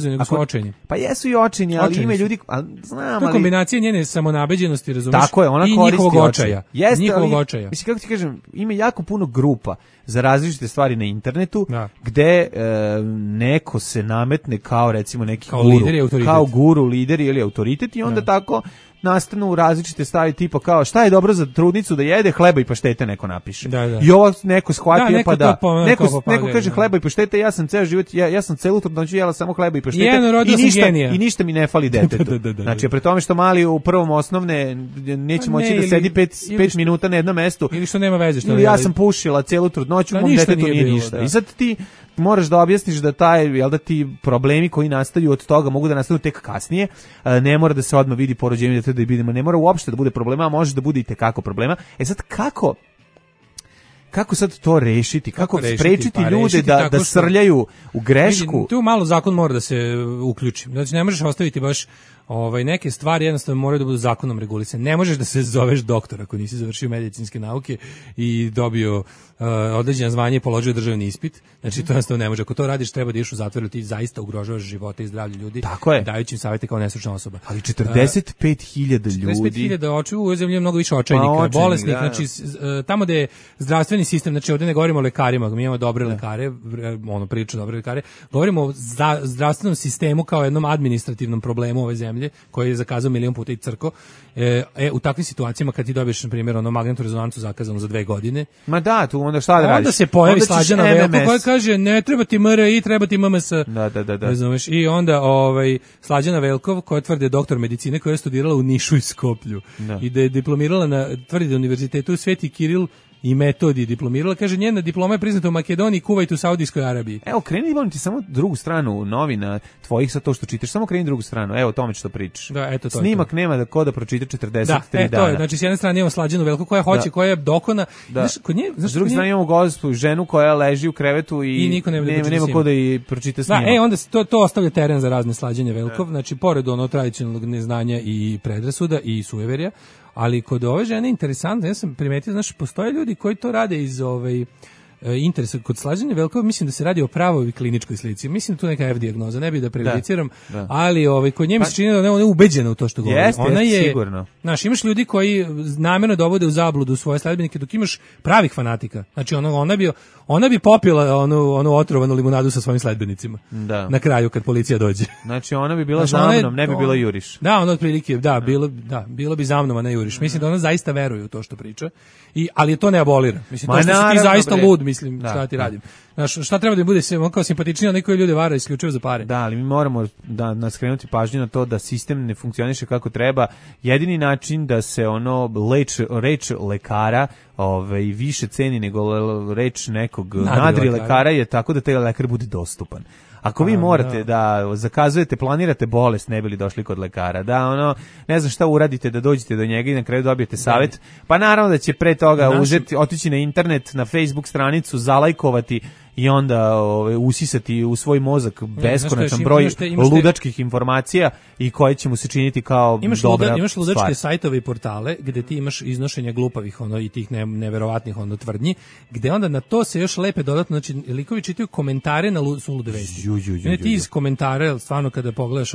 pa jesu i očajni, ali ima ljudi znam, to je kombinacija njene samonabeđenosti, razumeš? Tako je, ona i koristi njihovog očaja. Njihovog očaja. Mislim, kako ti kažem, ima jako puno grupa za različite stvari na internetu gde neko se nametne kao recimo neki kao guru, lider ili autoritet i onda tako nastanu različite stvari tipa kao šta je dobro za trudnicu da jede, hleba i paštete neko napiše. I ovo neko shvatio neko kaže hleba i paštete, ja sam ceo život ja sam celu trudnoću jela samo hleba i paštete i ništa mi ne fali detetu. Znači pre tome što mali u prvom osnovne neće moći da sedi 5 minuta na jednom mestu ili što nema veze što ja sam pušila celu trudnoću, mom detetu nije ništa. I sad ti moraš da objasniš da ti problemi koji nastaju od toga mogu da nastanu tek kasnije, ne mora da se odmah vidi po rođenju deteta da vidimo, ne mora uopšte da bude problema, a može da bude i tekako problema. Sad kako sad to rešiti? Kako sprečiti ljude da srljaju u grešku? Tu malo zakon mora da se uključi. Znači ne možeš ostaviti baš neke stvari jednostavno moraju da budu zakonom regulisane. Ne možeš da se zoveš doktor ako nisi završio medicinske nauke i dobio određeno zvanje i položio državni ispit. Znači to jednostavno ne može. Ako to radiš treba da ideš u zatvor, ti zaista ugrožavaš živote i zdravlje ljudi. Tako je. Dajući im savete kao nestručna osoba. Ali 45.000 ljudi. 45.000 očiju, u ovoj zemlji je mnogo više očajnika, bolesnih. Znači tamo da je zdravstveni sistem, znači ovdje ne govorimo o lekarima, mi imamo dobre lekare, prilično dobre lekare, govorimo o zdravstvenom sistemu kao jednom administrativnom problemu ove zemlje koji je zakazao milion puta i crko. U takvim situacijama kad ti dobiješ na primjer magnetnu rezonancu zakazanu za 2 godine. Ma da, tu onda šta da radiš? Onda se pojavi Slađana Velko koja kaže ne treba ti MRI, treba ti MMS. Da. Razumeš? I onda Slađana Velkov koja tvrdi doktor medicine koja je studirala u Nišu i Skoplju i da je diplomirala tvrdi da univerzitetu Sveti Kiril i Metodi diplomirala, kaže njena diploma je priznata u Makedoniji, Kuvajtu, Saudijskoj Arabiji. Evo, kreni molim ti samo drugu stranu novina tvojih sa to što čitaš, samo kreni drugu stranu, evo o tome što pričaš. Da, eto to. Snimak to. Nema da ko da pročita 43 dana. To je, znači s jedne strane imamo Slađanu Velku koja hoće, koja je dokona. Znaš, kod nje, s druge strane imamo gospu, ženu koja leži u krevetu i niko nema ko da i pročita snimak. Da, onda to ostavlja teren za razne Slađanje Velkov, znači pored tradicionalnog neznanja i predrasuda i sujeverja. Ali kod ove žene interesantno, ja sam primetio, znaš, postoje ljudi koji to rade iz interesa. Kod Slađane Velkova mislim da se radi o pravoj kliničkoj slici. Mislim da tu neka F dijagnoza, ne bih da prejudiciram, ali kod nje mi se čini da ona je ubeđena u to što govori. Ona je sigurno. Znaš, imaš ljudi koji namjerno dovode u zabludu svoje sledbenike, dok imaš pravih fanatika. Znači ona bi popila onu otrovanu limunadu sa svojim sledbenicima. Na kraju kad policija dođe. Znači ona bi bila za mnom, ne bi bila juriš. Da, ona otprilike, bilo bi za mnom, a ne juriš. Mislim da ona zaista veruje u to što priča. Ali je to ne abolira. Mislim to što si ti zaista lud, mislim, šta ti radim. Znaš, šta treba da bude se kao simpatičnije, a neko ljude vara isključivo za pare. Da, ali mi moramo da skrenuti pažnju na to da sistem ne funkcioniše kako treba. Jedini način da se reč lekara više ceni nego reč nekog nadri lekara je tako da taj lekar bude dostupan. Ako vi morate da zakazujete, planirate bolest, ne bili došli kod lekara, da ne znam šta uradite da dođete do njega i na kraju dobijete savjet, pa naravno da će pre toga otići na internet, na Facebook stranicu, zalajkovati i onda usisati u svoj mozak beskonačan broj ludačkih informacija i koje će mu se činiti kao dobra stvar. Imaš ludačke sajtove i portale gde ti imaš iznošenje glupavih i tih neverovatnih tvrdnji, gde onda na to se još lepe dodatno, znači likovi čitaju komentare na sulude vesti. Ti iz komentara, stvarno kada pogledaš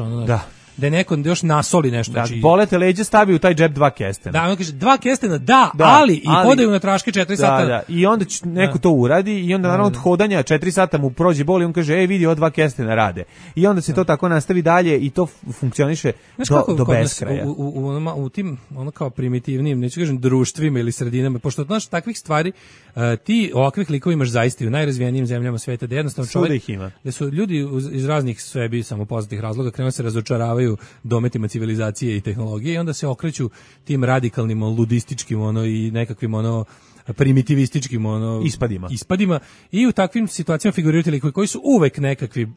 da je neko još nasoli nešto. Da, bolete leđe, stavi u taj džep 2 kestena. Da, on kaže 2 kestena, ali i hodaju na traške 4 sata. Da. I onda neko to uradi i onda naravno od hodanja 4 sata mu prođe bol i on kaže, vidi, ova 2 kestena rade. I onda se to tako nastavi dalje i to funkcioniše do beskraja. U tim, kao primitivnim, neću kažem društvima ili sredinama, pošto znaš takvih stvari, ti ovakvih likova imaš zaista u najrazvijenijim zemljama sveta, da jednostavno čovjek, da su ljudi iz raznih sebi samopoznatih razloga krenuli se razočaravaju dometima civilizacije i tehnologije i onda se okreću tim radikalnim, ludističkim i nekakvim primitivističkim ispadima i u takvim situacijama figuriraju likovi koji su uvek nekakvi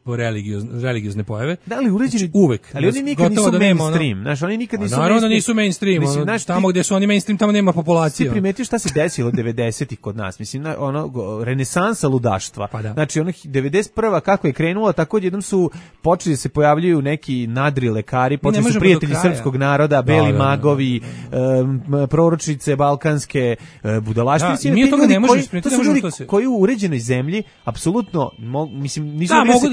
religiozne pojave. Da li uređeni uvek. Ali oni nikad nisu mainstream. Znaš, oni nikad nisu naravno nisu mainstream. Tamo gdje su oni mainstream, tamo nema populacije. Ti primetio šta se desilo 90-ih kod nas? Mislim, renesansa ludaštva. Pa da. Znači, 91. kako je krenula, tako jednom su počeli da se pojavljuju neki nadri lekari, počeli su prijatelji srpskog naroda, beli magovi, proročice balkanske, budalaštine. To su ljudi koji u uređenoj zemlji apsolutno nisu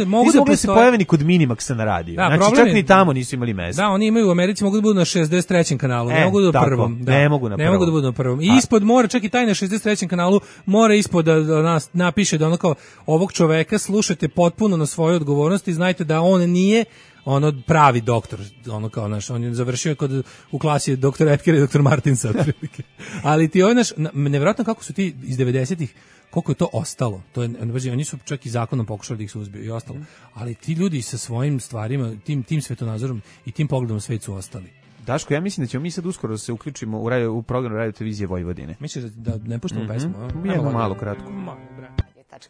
mogli da se pojave ni kod Minimaxa na radiju. Znači čak ni tamo nisu imali mesta. Da, oni imaju u Americi, mogu da budu na 63. kanalu, ne mogu da budu na prvom. Ne mogu da budu na prvom. I ispod mora, čak i taj na 63. kanalu mora ispod da nas napiše da kao ovog čoveka slušate potpuno na svoju odgovornost i znajte da on nije pravi doktor, kao naš, on je završio u klasi doktor Epker i doktor Martinsa, otprilike. Ali ti nevjerojatno kako su ti iz 90-ih, koliko je to ostalo. To je, oni su čak i zakonom pokušali da ih suzbiju i ostalo. Ali ti ljudi sa svojim stvarima, tim svetonazorom i tim pogledom svet su ostali. Daško, ja mislim da ćemo mi sad uskoro da se uključimo u program Radio televizije Vojvodine. Misliš da ne puštamo pesmu? Jedno malo kratko.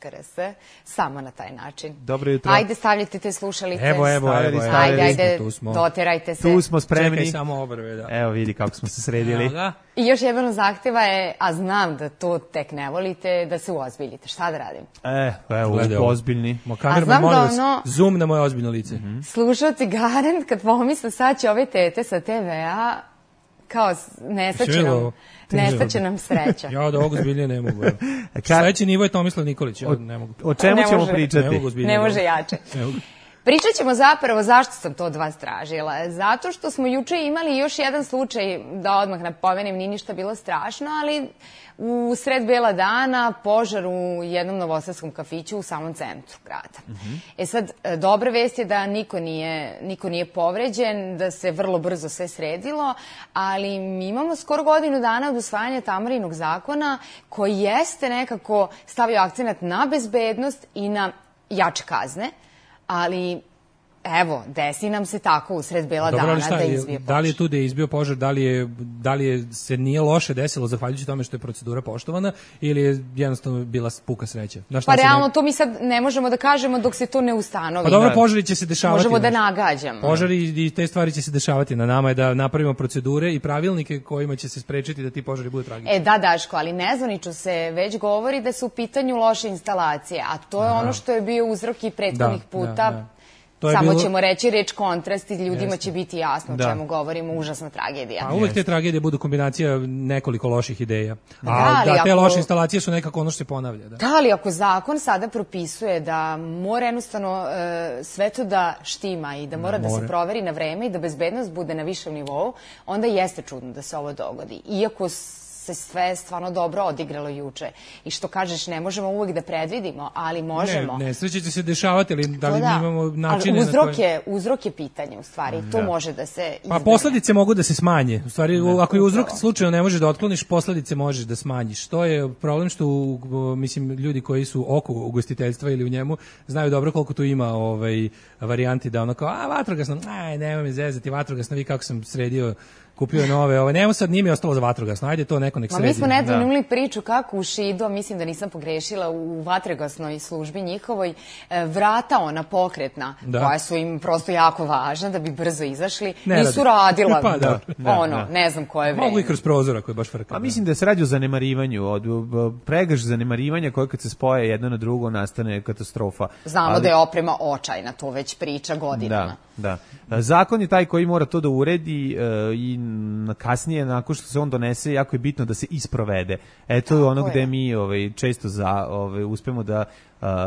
.rs, samo na taj način. Dobro jutro. Ajde, stavljajte te slušalice. Evo. Ajde, doterajte se. Tu smo spremni. Čekaj samo obrve, da. Evo vidi kako smo se sredili. I još jedan zahteva je, a znam da to tek ne volite, da se uozbiljite. Šta da radim? Evo, ozbiljni. Kamerman, molim vas, zoom na moje ozbiljno lice. Slušalci garant, kad pomisle sad će ove tete sa TV-a, kao nestaće nam sreća. Ja od ovog zbilje ne mogu. Sledeći nivo je Tomislav Nikolić, ja ne mogu. O čemu ćemo pričati? Ne može jače. Pričat ćemo zapravo zašto sam to od vas tražila. Zato što smo juče imali još jedan slučaj, da odmah napomenem, nije ništa bilo strašno, ali u sred bela dana požar u jednom novosadskom kafiću u samom centru grada. Sad, dobra vest je da niko nije povređen, da se vrlo brzo sve sredilo, ali mi imamo skoro godinu dana od usvajanja Tamarinog zakona koji jeste nekako stavio akcenat na bezbednost i na jače kazne, ali evo, desi nam se tako usred bela dana da izbije požar. Da li je tu da je izbio požar, da li se nije loše desilo zahvaljujući tome što je procedura poštovana ili je jednostavno bila puka sreća? Pa realno, to mi sad ne možemo da kažemo dok se to ne ustanovi. Pa dobro, požari će se dešavati. Možemo da nagađamo. Požari i te stvari će se dešavati. Na nama je da napravimo procedure i pravilnike kojima će se sprečiti da ti požari budu tragični. Da, Daško, ali nezvanično se već govori da su u pitanju loše instalacije, a to je ono što je bio uzrok i prethodnih puta. Samo ćemo reći reč kontrast i ljudima će biti jasno o čemu govorimo, užasna tragedija. A uvek te tragedije budu kombinacija nekoliko loših ideja. A te loše instalacije su nekako ono što se ponavlja. Da, ali ako zakon sada propisuje da mora jednostavno sve to da štima i da mora da se proveri na vreme i da bezbednost bude na višem nivou, onda jeste čudno da se ovo dogodi. Iako se sve stvarno dobro odigralo juče. I što kažeš, ne možemo uvek da predvidimo, ali možemo. Nesreće će se dešavati, ali da li mi imamo načine na koje... Uzrok je pitanje, u stvari. To može da se izbjegne. Pa posledice mogu da se smanje. U stvari, ako je uzrok slučajno ne možeš da otkloniš, posledice možeš da smanjiš. To je problem što, mislim, ljudi koji su oko ugostiteljstva ili u njemu, znaju dobro koliko tu ima varijanti da ono kao, vatrogasno, nemoj me zezati, vatrogasno, vi kako sam sredio, kupio nove, njemu sad nije mi ostalo za vatrogasno, ajde to neko tako nek sredi. Mi smo nedavno imali priču kako u Šidu, mislim da nisam pogrešila, u vatrogasnoj službi njihovoj, vrata ona pokretna, koja su im prosto jako važna da bi brzo izašli, nisu radila. Ne znam koje vreme. Mogu i kroz prozor ako je baš frka. Pa mislim da se radi o zanemarivanju, od pregrš zanemarivanja koje kad se spoje jedno na drugo nastane katastrofa. Znamo da je oprema očajna, to već priča godinama. Da. Zakon je taj koji mora to da uredi i kasnije, nakon što se on donese, jako je bitno da se isprovede. To je ono gde mi često uspemo da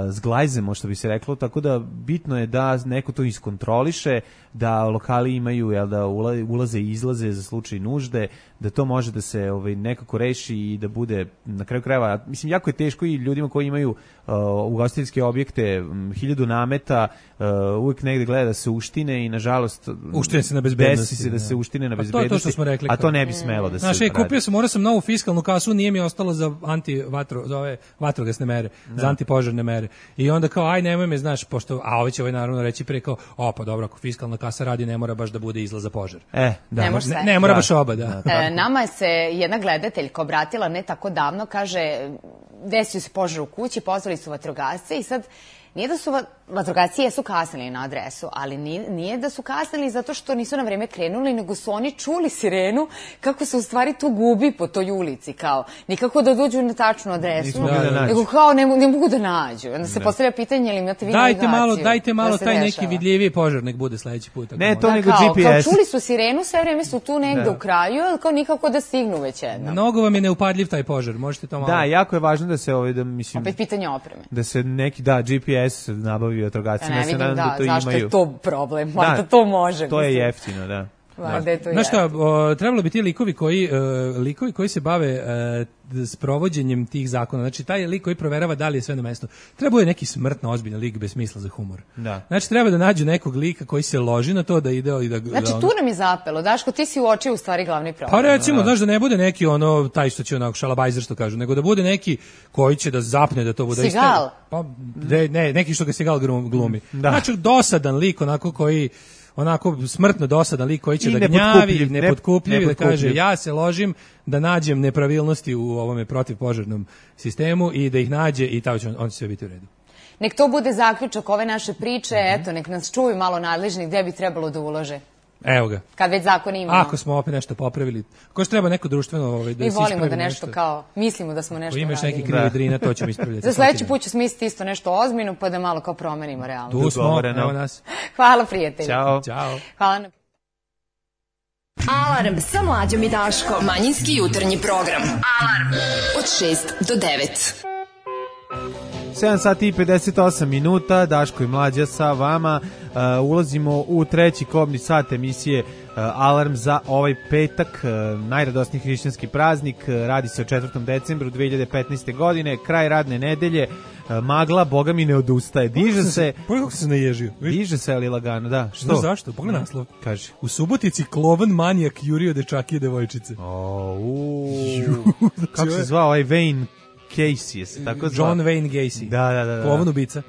zglajzemo, što bi se reklo, tako da bitno je da neko to iskontroliše, da lokali imaju da ulaze i izlaze za slučaj nužde, da to može da se nekako reši i da bude na kraju krajeva. Mislim, jako je teško i ljudima koji imaju ugostiteljske objekte, 1000 nameta, uvijek negde gleda da se uštine i nažalost uštine se na bezbednosti. Desi se da se uštine na bezbednosti, to je to što smo rekli, a to ne bi smelo da se radi. Kupio sam, morao sam novu fiskalnu kasu, nije mi ostalo za za ove vatrogasne mere, za antipožarne mere. I onda kao, aj nemoj me, znaš, pošto, a ovi će naravno reći pre kao, pa dobro, ako fiskalna kasa radi, ne mora baš da bude izlaz za požar. Ne mora baš oba, da. Nama se jedna gledateljka obratila ne tako davno, kaže, desio se požar u kući, pozvali su vatrogasce i sad nije da su vatrogasci jesu kasnili na adresu, ali nije da su kasnili zato što nisu na vreme krenuli, nego su oni čuli sirenu kako se u stvari tu gubi po toj ulici, kao nikako da dođu na tačnu adresu, nego kao ne mogu da nađu. Onda se postavlja pitanje, ili imate vi navigaciju? Dajte malo taj neki vidljiviji požar, nek bude sledeći put. Ne, to nego GPS. Kao čuli su sirenu, sve vreme su tu negde u kraju, ali kao nikako da stignu već jednom. Mnogo vam je neupadljiv taj požar, možete to malo. Da, jako je važno da se opet pitanje opreme. Da se neki GPS nabavi vatrogasci. Ne vidim zašto je to problem, da to može. To je jeftino, da. Znaš šta, trebalo bi ti likovi koji se bave sprovođenjem tih zakona, znači taj lik koji proverava da li je sve na mestu, treba je neki smrtno ozbiljan lik bez smisla za humor. Znači treba da nađu nekog lika koji se loži na to da ide i da... Znači tu nam je zapelo, Daško, ti si uočio u stvari glavni problem. Pa recimo, znaš, da ne bude neki taj što će onako šalabajzer što kažu, nego da bude neki koji će da zapne da to bude... Sigal? Pa ne, neki što ga Sigal glumi. Znači dosadan lik onako koji... onako smrtno dosadan lik koji će da gnjavi, nepotkupljiv, da kaže ja se ložim da nađem nepravilnosti u ovome protivpožarnom sistemu i da ih nađe i on će sve biti u redu. Nek to bude zaključak ove naše priče, eto, nek nas čuju malo nadležni gde bi trebalo da ulože. Evo ga. Kad već zakon imamo. Ako smo opet nešto popravili, ako treba neko društveno da se ispravi. Mi volimo da nešto kao, mislimo da smo nešto uradili. Imaš neki krivi drina, to ćemo ispravljati. Za sledeći put ću smisliti isto nešto ozbiljno, pa da malo kao promenimo realno. Tu smo, evo nas. Hvala, prijatelji. Ćao. Hvala na... Alarm sa Mlađom i Daškom. Manjinski jutarnji program. Alarm od 6 do 9. 7 sati i 58 minuta, Daško i Mlađa sa vama. Ulazimo u treći kobni sat emisije Alarm za ovaj petak, najradosniji hrišćanski praznik. Radi se o 4. decembru 2015. godine, kraj radne nedelje. Magla, boga mi ne odustaje. Diže se. Pogledaj kako se naježio. Diže se, ali lagano, da. Što? Zašto? Pogledaj naslov. Kaže. U Subotici klovan manijak jurio dečake i devojčice. Kako se zvao ovaj Wayne Casey, tako zvao. John Wayne Gacy. Da. Klovan ubica.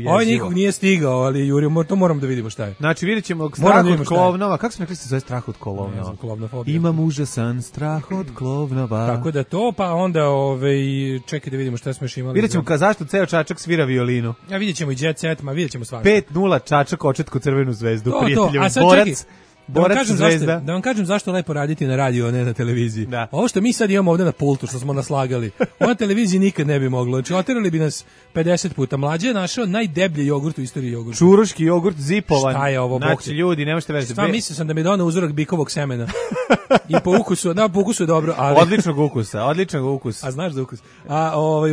Ovaj nikog nije stigao, ali jurio, to moramo da vidimo šta je. Znači, vidjet ćemo strah od klovnova. Kako smo rekli se zove strah od klovnova? Imam užasan strah od klovnova. Tako da to, pa onda čekaj da vidimo šta smo još imali. Vidjet ćemo zašto ceo Čačak svira violinu. Vidjet ćemo i Jet Set, vidjet ćemo svašta. 5-0 Čačak očetko Crvenu zvezdu, prijatelju. Borac zvezda. Da vam kažem zašto je lepo raditi na radiju, a ne na televiziji. Ovo što mi sad imamo ovde na pultu, što smo naslagali, ovo na televiziji nikad ne bi moglo. Znači, oterali bi nas 50 puta. Mlađe je našao najdeblji jogurt u istoriji jogurta. Čuruški jogurt zipovan. Šta je ovo? Znači, ljudi, ne možete veći. Šta, mislio sam da mi je donao uzorak bikovog semena. I po ukusu je dobro. Ali... Odličnog ukusa. A znaš za ukus.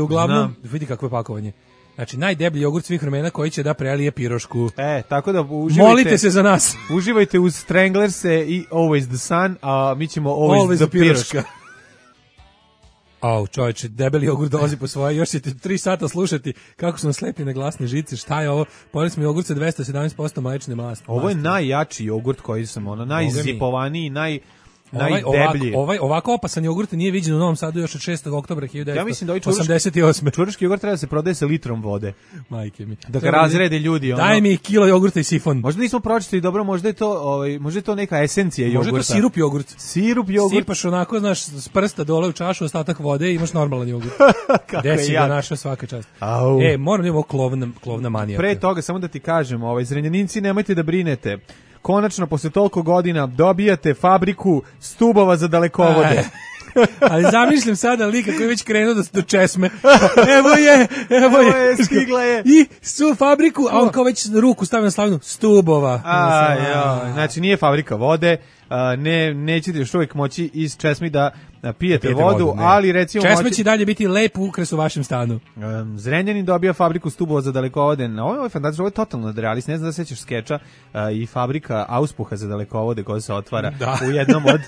Uglavnom, vidi kako je pakovanje. Znači, najdeblji jogurt svih vremena koji će da prelije pirošku. Tako da uživajte. Molite se za nas. Uživajte uz Stranglerse i Always the Sun, a mi ćemo Always the piroška. Čovječe, debeli jogurt dolazi po svoje, još ćete 3 sata slušati kako su nam slepli na glasne žice, šta je ovo? Pojeli smo jogurt sa 217% mlečne masti. Ovo je najjači jogurt koji sam, najzipovaniji, Ovako opasan jogurt nije viđen u Novom Sadu još od 6. oktobra 1988. Ja mislim da ovaj čuruški jogurt treba da se prodaje sa litrom vode. Majke mi. Da ga razrede ljudi. Daj mi kilo jogurta i sifon. Možda nismo pročitali dobro, možda je to neka esencija jogurta. Možda je to sirup jogurt. Sirup jogurt. Sipaš onako, znaš, s prsta dole u čašu, ostatak vode i imaš normalan jogurt. Desi ga naša svaka čast. Moram da imamo klovna manijaka. Pre toga, samo da ti kažem, Zrenjaninci, nemojte da brinete. Konačno, posle toliko godina, dobijate fabriku stubova za dalekovode. Ali zamišljam sada lika koji je već krenuo do česme. Evo je, stigla je. I su fabriku, a on kao već ruku stavio na slavnu stubova. Znači, nije fabrika vode, nećete još uvijek moći iz česmi da pijete vodu, ali recimo... Česme će dalje biti lep ukras u vašem stanu. Zrenjanin dobija fabriku stubova za dalekovode. Ovo je fantastično, ovo je totalno nadrealist. Ne znam da sećaš skeča i fabrika auspuha za dalekovode koja se otvara u jednom od...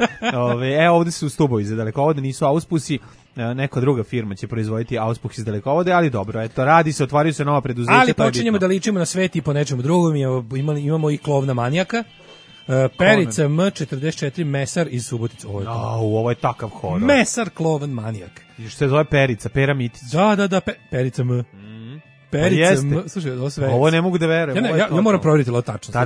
ovde su stubovi za dalekovode, nisu auspusi. Neka druga firma će proizvoditi auspuh iz dalekovode, ali dobro, eto, radi se, otvaraju se nova preduzeća. Ali počinjemo da ličimo na svet i po nečemu drugom. Imamo i klovna manijaka. Perica M44 mesar iz Subotice. Ovo je takav horor. Mesar klovan manijak. Što se zove Perica, Pera Mitić. Da, Perica M. Perica M. Slušaj, ovo sve. Ovo ne mogu da verujem. Ja moram provjeriti ovo tačno.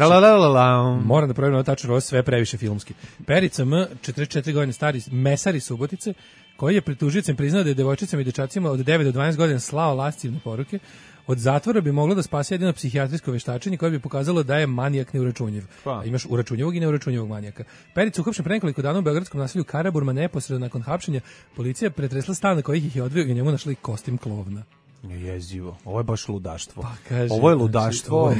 Moram da provjerim ovo tačno, ovo sve previše filmski. Perica M, 44 godine stari mesar iz Subotice, koji je pred tužiocem priznao da je devojčicama i dečacima od 9 do 12 godina slao lascivne poruke. Od zatvora bi moglo da spase jedino psihijatrijsko veštačenje koje bi pokazalo da je manijak neuračunljiv. Imaš uračunljivog i neuračunljivog manijaka. Perica uhapšen pre nekoliko dana u beogradskom naselju Karaburma. Neposredno nakon hapšenja policija je pretresla stan na kojih ih je odveo i njemu našli kostim klovna. Jezivo. Ovo je baš ludaštvo. Kaže, ovo je ludaštvo.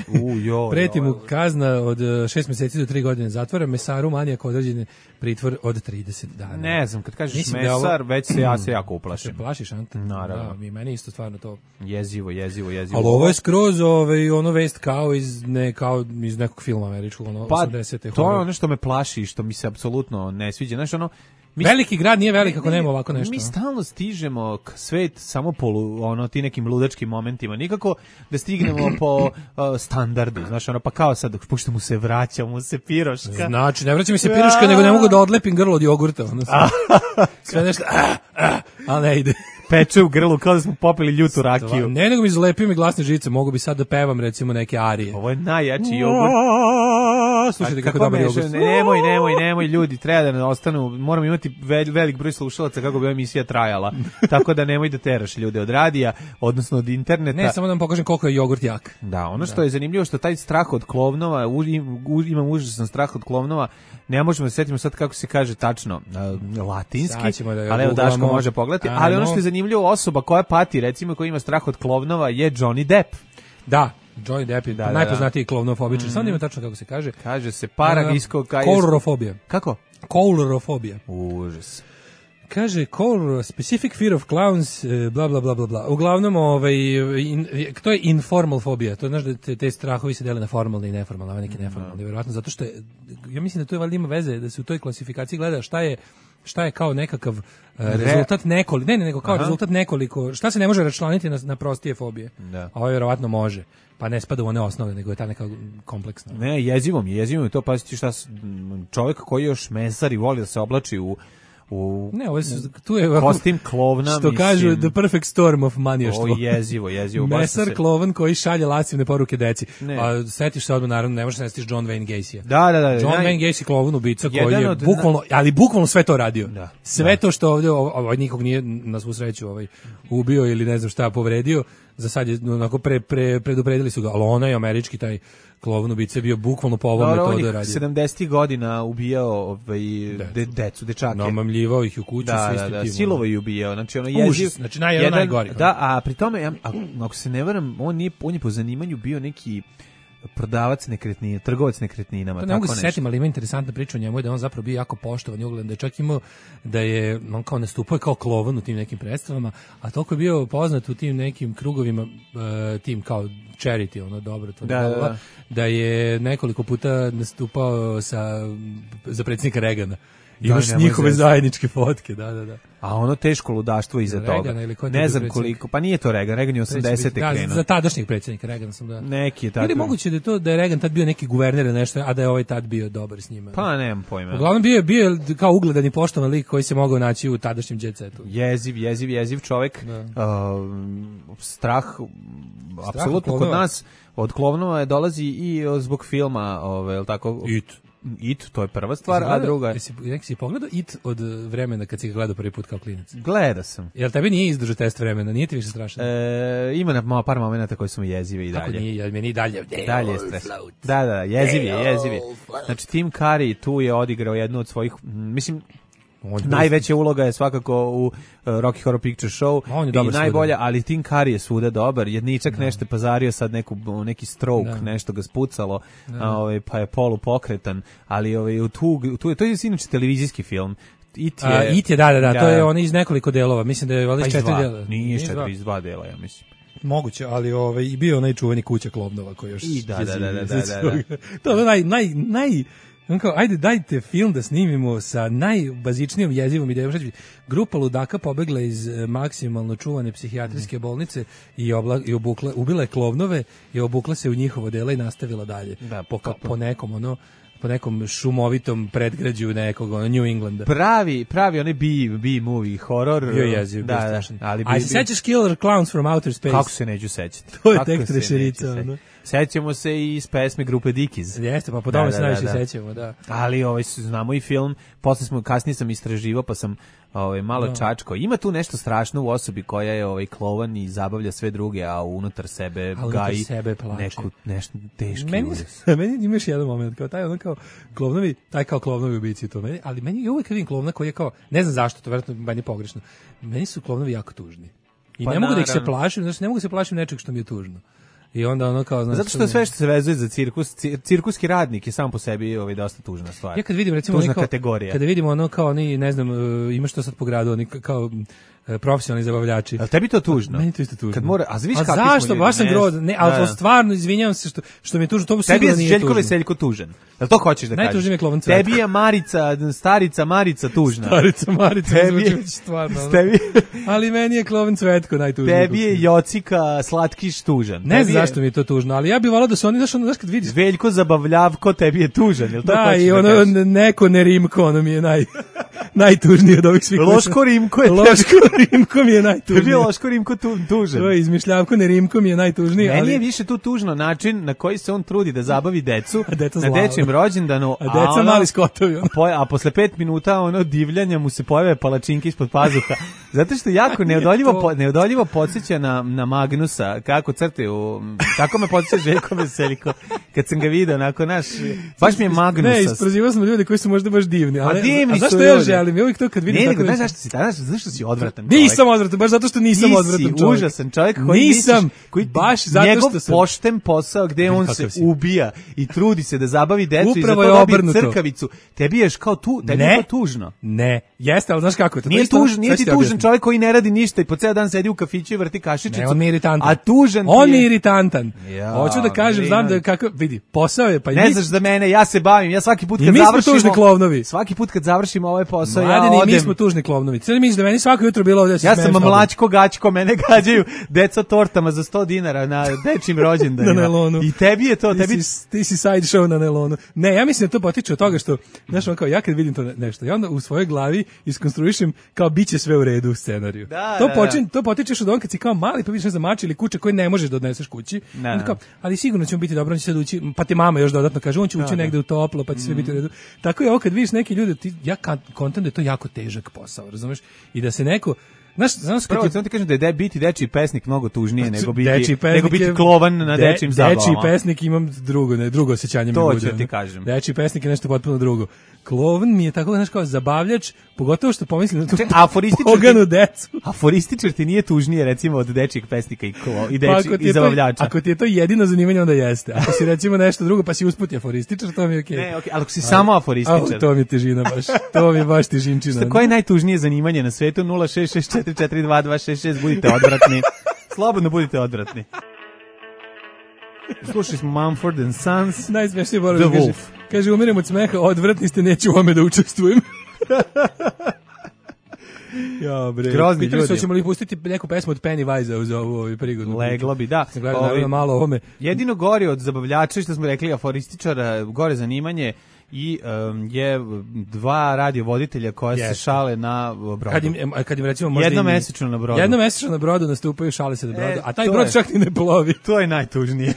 Preti mu kazna od 6 meseci do 3 godine zatvora, mesaru manijak određen pritvor od 30 dana. Ne znam, kad kažeš mesar, već ja se jako uplašim. Se plašiš, Anta? Naravno. Da, meni isto stvarno to. Jezivo. Ali ovo je skroz ono vest kao iz nekog filma američkog, 80-te. To je ono što me plaši, što mi se apsolutno ne sviđa. Znaš, veliki grad nije velik ako nema ovako nešto. Mi stalno stižemo k svet samo po ti nekim ludačkim momentima. Nikako da stignemo po standardu. Znaš, pa kao sad, pošto mu se vraća, mu se piroška. Znači, ne vraća mi se piroška, nego ne mogu da odlepim grlo od jogurta. Sve nešto, ali ne ide. Peče u grlu, kao da smo popili ljutu rakiju. Ne, nego mi zlepio mi glasne žice, mogu bi sad da pevam recimo neke arije. Ovo je najjači jogurt. Slušajte kako dobar jogurt. Nemoj ljudi, treba da ostanu, moramo imati velik broj slušalaca kako bi ova emisija trajala. Tako da nemoj da teraš ljude od radija, odnosno od interneta. Ne, samo da vam pokažem koliko je jogurt jak. Da, ono što je zanimljivo što taj strah od klovnova, imam užasan strah od klovnova, ne možemo da setimo sad kako se kaže tačno latinski, ali evo Daško može pogledati, ali ono što je zanimljivo, osoba koja pati, recimo koja ima strah od klovnova je Johnny Depp. Da, Johnny Depp je najpoznatiji klovnofobičar. Samo ima tačno kako se kaže. Kaže se paragisko... Koulrofobija. Kako? Koulrofobija. Užas. Kaže, specific fear of clowns, bla, bla, bla, bla, bla. Uglavnom, to je informal fobija. To je, znaš, da te strahovi se dele na formalne i neformalne, a neki neformalni, vjerovatno, zato što ja mislim da to je valjda ima veze, da se u toj klasifikaciji gleda šta je kao nekakav rezultat rezultat nekoliko, šta se ne može računati na prostije fobije. Da. A ovo vjerovatno može. Pa ne spada u one osnove, nego je ta neka kompleksna. Ne, jezivo mi je to, paziti šta čovjek koji još mesar i voli da se oblači tu je kostim klovna, što kažu the perfect storm of manijaštvo. Jezivo. Mesar klovan koji šalje lascivne poruke deci. A setiš se odmah, naravno, ne možeš se setiš John Wayne Gacy-a. Da. John Wayne Gacy, klovan ubica koji je bukvalno sve to radio. Sve to što ovdje nikog nije na svu sreću ubio ili ne znam šta povredio. Za sad je onako predupredili su ga, ali onaj američki taj klovan ubica je bio bukvalno po ovom metodu radio. 70 godina ubijao decu, dečake. Namamljivao ih u kuću. Da, silovo ih ubijao. Znači, znači najgori. Da, a pri tome, ako se ne varam, on je po zanimanju bio neki prodavac nekretnina, trgovac nekretninama. Pa ne mogu se setim, ali ima interesantna priča o njemu je da on zapravo bio jako poštovan i ugledan, da je čak imao da je on kao nastupao kao klovan u tim nekim predstavama, a toliko je bio poznat u tim nekim krugovima, tim kao charity, dobro to da je nekoliko puta nastupao za predsjednika Reagana. Imaš njihove zajedničke fotke, da. A ono teško ludaštvo iza toga. Ne znam koliko, pa nije to Reagan je 80-te krenuo. Za tadašnjeg predsjednika Reagan sam da. Neki je tako. Ili moguće da je Reagan tad bio neki guverner ili nešto, a da je ovaj tad bio dobar s njima. Pa nemam pojma. Uglavnom bio kao ugledan i poštovan lik koji se mogao naći u tadašnjem jet setu. Jeziv čovjek. Strah apsolutno kod nas od Klovnova dolazi i zbog filma, jel tako? It, to je prva stvar, a druga je... Jesi pogledao It od vremena kad si ga gledao prvi put kao klinac? Gleda sam. Jel tebi nije izdržao test vremena? Nije ti više strašno? Ima par momenta koji su mi jezive i dalje. Kako nije? Meni i dalje. Dalje je stres. Da, jeziv je. Znači, Tim Curry tu je odigrao jednu od svojih, mislim, najveća uloga je svakako u Rocky Horror Picture Show i najbolja, ali Tim Curry je svuda dobar, jedničak nešto pazario sad neki stroke, nešto ga spucalo, pa je polupokretan, ali to je inače televizijski film. It je, da, to je on iz nekoliko delova, mislim da je valjda 4 dela. Nije 4 dela, ja mislim. Moguće, ali i bio onaj čuveni Kuća Klovnova koji još... Da. To je naj kao, ajde dajte film da snimimo sa najbazičnijom jezivom idejom. Grupa ludaka pobegla iz maksimalno čuvane psihijatrijske bolnice i ubila je Klovnove i obukla se u njihovo dela i nastavila dalje. Da, po nekom šumovitom predgrađu nekog New Englanda. Pravi onaj B-movie horror. Bio jeziv, bio strašan. A se sećaš Killer Clowns from Outer Space? Kako se neću sećati? To je tek trešerica. Sećamo se i iz pesme grupe Dickies. Jeste, pa po tome se najviše sećamo, da. Ali znamo i film, kasnije sam istraživao, pa sam malo čačko. Ima tu nešto strašno u osobi koja je klovan i zabavlja sve druge, a unutar sebe gaji nešto teški udes. Meni imaš jedan moment, kao taj klovnovi ubici to meni, ali meni je uvijek vidim klovna koji je kao, ne znam zašto, to vjerojatno meni pogrešno. Meni su klovnovi jako tužni. I ne mogu da ih se plašim, znači ne mogu se plašim nečeg što mi je tužno. I onda kao znači, zato što sve što se vezuje za cirkuski radnik je sam po sebi dosta tužna stvar. Ja kad vidim recimo tužna kategorija. Kada vidimo kao oni ne znam ima što sad po gradu oni kao profesionalni zabavljači. A tebi to tužno? Meni to isto tužno. Kad mora, a znaš kakvi smo zašto? Baš sam grozan. Ne, ali stvarno izvinjavam se što mi je tužno. To tebi je Željko Veseljko tužan. Jel to hoćeš da kažeš? Najtužniji je Klovan Cvetka. Tebi je starica Marica tužna. Starica Marica zvuči stvarno. Ali meni je Klovan Cvetko najtužniji. Tebi je Jocika Slatkiš tužan. Ne znam zašto mi je to tužno, ali ja bih voleo da su oni znaš kad vidiš. Veljko Zabavljavko tebi je tužan, jel to hoćeš da kažeš? Da, i ono neko Nerimko, ono mi je najtužnije od ovih svih. Loško Rimko mi je najtužniji. Tebi je Loško Rimko tužan. To je izmišljavko, ne Rimko mi je najtužniji. Meni je više tu tužno način na koji se on trudi da zabavi decu na dečijem rođendanu. A deca mali skotovi. A posle 5 minuta divljanja mu se pojave palačinke ispod pazuha. Zato što jako neodoljivo podsjeća na Magnusa, kako crtaju, tako me podsjeća Željko Veseljko. Kad sam ga vidio, baš mi je Magnusa. Ne, isprozivao sam ljudi koji su možda baš divni. A divni su ljudi. Ja želim, ja uvijek to kad vidim tako. Ne, zašto si danas, zašto si odvratan čovjek? Nisam odvratan, baš zato što nisam odvratan čovjek. Nisi užasan čovjek koji baš zato njegov što sam... pošten posao gde on se ubija i trudi se da zabavi decu i za to dobije crkavicu. Tebi je kao tebi je to tužno. Ne, jeste, ali znaš kako je to? Nije ti tužan čovjek koji ne radi ništa i po ceo dan sedi u kafiću i vrti kašičicu. Ne, on mi je iritantan. A tužan on je iritantan. Hoću da kažem, znam da kako, vidi, posao je pa ne znaš za mene, ja se bavim, ja svaki put kad završimo. Svaki put kad završimo ovaj posao ja odem. Mi smo tužni klovnovi. Sve misliš da meni svako jutro bilo ovdje. Ja sam mlačko gaćko, mene gađaju deca tortama za 100 dinara na dečim rođendanima. Na nelonu. I tebi je to, ti si side show na nelonu. Ne, ja mislim da to potiče od toga što, znaš, on kao ja kad vidim to nešto, ja onda u svojoj glavi iskonstruišem kao biće sve u redu u scenariju. To potičeš od on kad si kao mali pa vidiš ne znam mač ili kuće koje ne možeš da odneseš kući. Kao, ali sigurno ćemo biti dobro, on će sad ući, pa ti mama još dodatno kaže, on će ući negde u toplo, pa će sve biti u redu. Tako je ovo kad vidiš neki ljudi, ja kontam da je to jako težak posao, razumeš? I da se neko prvo, ti kažem da je biti dečiji pesnik mnogo tužnije nego biti klovan na dečijim zabavama. Dečiji pesnik imam drugo osjećanje. To ću ti kažem. Dečiji pesnik je nešto potpuno drugo. Klovan mi je tako, znaš, kao zabavljač, pogotovo što pomislim na tu poganu decu. Aforističar ti nije tužnije, recimo, od dečijeg pesnika i zabavljača. Ako ti je to jedino zanimanje, onda jeste. Ako si recimo nešto drugo, pa si usput aforističar, to mi je okej. Ne, okej, ali ako si samo aforističar. To mi je težina baš. To mi je baš težinčina. Koje je najtužnije zanimanje na svetu? 066442266, budite odvratni. Slobodno budite odvratni. Slušali smo Mumford & Sons. Najsmešnije moram da kaže, umirem od smeha, odvratni ste, neću u ome da učestvujem. Ja, bre. Grozni Pitali su ljudi. ćemo li pustiti neku pesmu od Pennywise uz ovu prigodnu. Leglo bi, da. Sam gledao malo ovome. Jedino gori od zabavljača, što smo rekli, aforističara, gore zanimanje i je dva radiovoditelja koja se šale na brodu. Kad im recimo možda jednomesečno na brodu. Jednomesečno na brodu nastupaju, šale se na brodu, a taj brod čak ni ne plovi. To je najtužnije.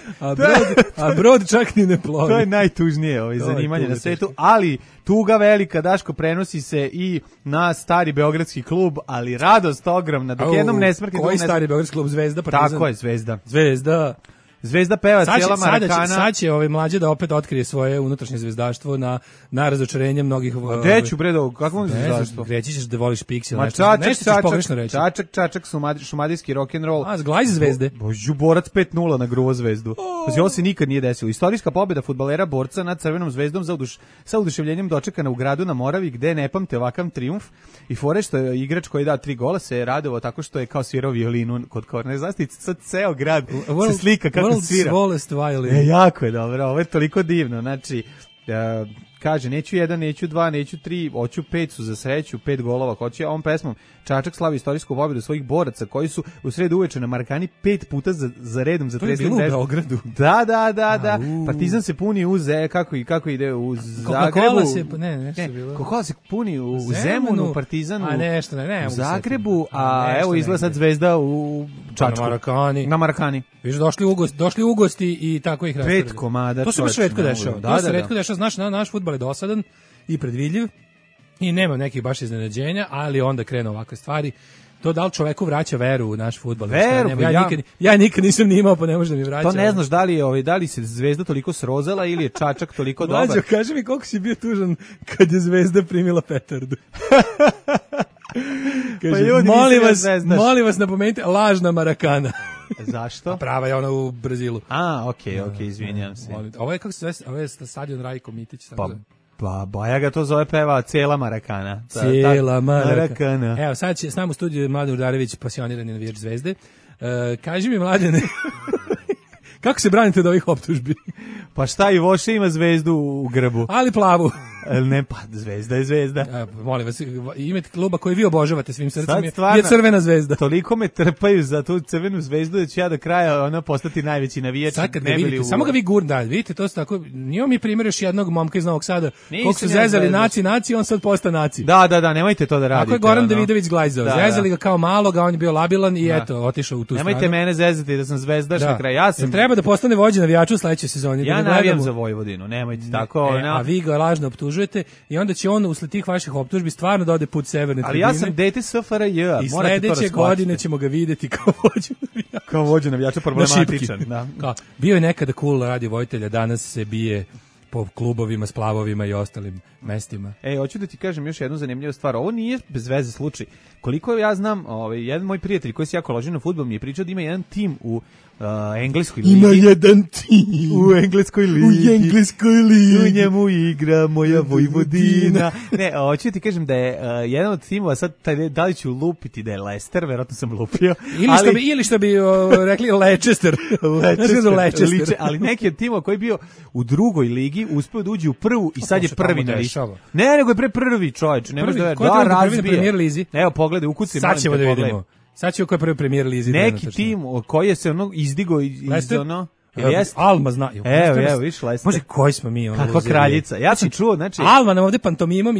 A brod čak ni ne plovi. To je najtužnije zanimanje na svetu, ali tuga velika, Daško, prenosi se i na Stari beogradski klub, ali radost ogromna. Dok jednom ne smrti... Koji Stari beogradski klub? Zvezda, Partizan? Tako je, Zvezda. Zvezda peva cijela Marakana. Sad će mlađe da opet otkrije svoje unutrašnje zvezdaštvo na razočarenje mnogih... Gde ću, bredo, kakvom zvezdaštvo? Reći ćeš da voliš Pixel, nešto ćeš pogrešno reći. Čačak, šumadijski rock'n'roll. A, zglajz Zvezde. Borac 5-0 na gruvo Zvezdu. Ovo se nikad nije desilo. Istorijska pobjeda fudbalera borca nad Crvenom Zvezdom sa oduševljenjem dočekana u gradu na Moravi, gde ne pamte ovakav trijumf. I fore što je igrač koji je dao 3 gola se radovao tako što je kao svirao violinu kod korne zastavice. Sad ceo grad se slika kako svira. Jako je dobro, ovo je toliko divno. Znači, kaže, neću 1, neću 2, neću 3, hoću 5 su za sreću, 5 golova hoće, a on pesmom Čačak slavi istorijsku pobjedu svojih boraca koji su u sredu uveče na Marakani 5 puta za redom zatresli. To je bilo u Beogradu. Da. Partizan se puni uz kako ide u Zagrebu. Coca-Cola se puni u Zemunu, Partizanu. A nešto, ne. U Zagrebu, a evo izgleda sad Zvezda u Čačku. Na Marakani. Viš, došli u gosti i tako ih raspravili. 5 komada. To se baš retko dešava. To se retko dešava, znaš, naš fudbal je dosadan i predvidljiv i nema nekih baš iznenađenja, ali onda krenu ovakve stvari. To da li čoveku vraća veru u naš fudbal? Ja nikad nisam ni imao, pa ne može da mi vraća. To ne znaš da li se Zvezda toliko srozala ili je Čačak toliko dobar. Mlađo, kaži mi koliko si bio tužan kad je Zvezda primila petardu. Kaže, molim vas napomenite, lažna Marakana. Zašto? Prava je ona u Brazilu. Okej, izvinjam se. Ovo je, kako se zove, ovo je stadion Rajko Mitić. Pa Baja ga to zove, peva cijela Marakana. Cijela Marakana. Evo, sad će s nama u studiju Mladen Udarević, pasionirani navijač Zvezde. Kaži mi, Mladene, kako se branite od ovih optužbi? Pa šta, i Voše ima zvezdu u grbu. Ali plavu. Ne, pa Zvezda je Zvezda. Molim vas, imate kluba koji vi obožavate svim srcem je Crvena Zvezda. Toliko me trpaju za tu Crvenu Zvezdu da ću ja do kraja postati najveći navijač. Sad kad ga vidite, samo ga vi gurna, vidite, to su tako, nije mi primjer još jednog momka iz Novog Sada, koliko su zezali naci, on sad posta naci. Da, nemojte to da radite. Tako je Goran Davidović glajzao, zezali ga kao maloga, on je bio labilan i eto, otišao u tu stranu. Nemojte mene zezati da sam zvezdaš na kraju. Treba da postane vođa navijača u sledećoj sezoni. Ja navijam za Vojvodinu, nemojte tako. A vi ga lažno optužujete i onda će on usled tih vaših optužbi stvarno da ode put severne tribine. Ali ja sam dete SFRJ, i sledeće godine ćemo ga videti kao vođu navijača problematičan. Bio je nekada cool radio vojitelja, danas se bije po klubovima, splavovima i ostalim mestima. Hoću da ti kažem još jednu zanimljivu stvar. Ovo nije bez veze slučaj. Koliko ja znam, jedan moj prijatelj koji se jako loži na fudbal mi je pričao da ima jedan tim u engleskoj ligi. Ima jedan tim u engleskoj ligi. U njemu igra moja Vojvodina. Ne, hoću ti kažem da je jedan od timova, sad da li ću lupiti da je Leicester, verovatno sam lupio. Ili što bi rekli Leicester. Ali neki od timova koji je bio u drugoj ligi uspeo da uđe u prvu i sad je prvi na listi. Ne, nego je pre prvi, čovječ. Ne može da razbije. Evo, pogledaj, ukucaj. Sad ćemo da vidimo. Sad ću koji prvi premijer lizi. Neki tim koji je se izdigo iz ono... Alma zna. Evo, viš Leicester. Može, koji smo mi ono. Kakva kraljica. Ja sam čuo, znači Alma nam ovde pantomimom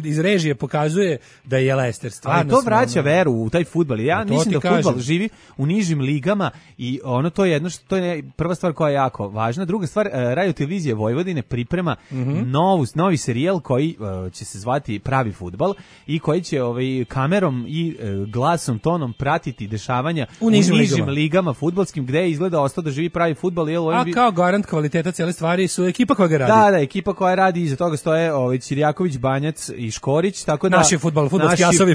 iz režije pokazuje da je Leicester stvarno. Ali to vraća veru u taj fudbal. Ja mislim da fudbal živi u nižim ligama i ono to je jedno što je prva stvar koja je jako važna. Druga stvar, Radio televizija Vojvodine priprema novi serijal koji će se zvati Pravi fudbal i koji će kamerom i glasom, tonom pratiti dešavanja u nižim ligama fudbalskim gde izgleda ostao da živi pravi fudbal. A kao garant kvaliteta cijele stvari su ekipa koja ga radi. Da, ekipa koja radi, iza toga stoje Ćirjaković, Banjac i Škorić, tako da naši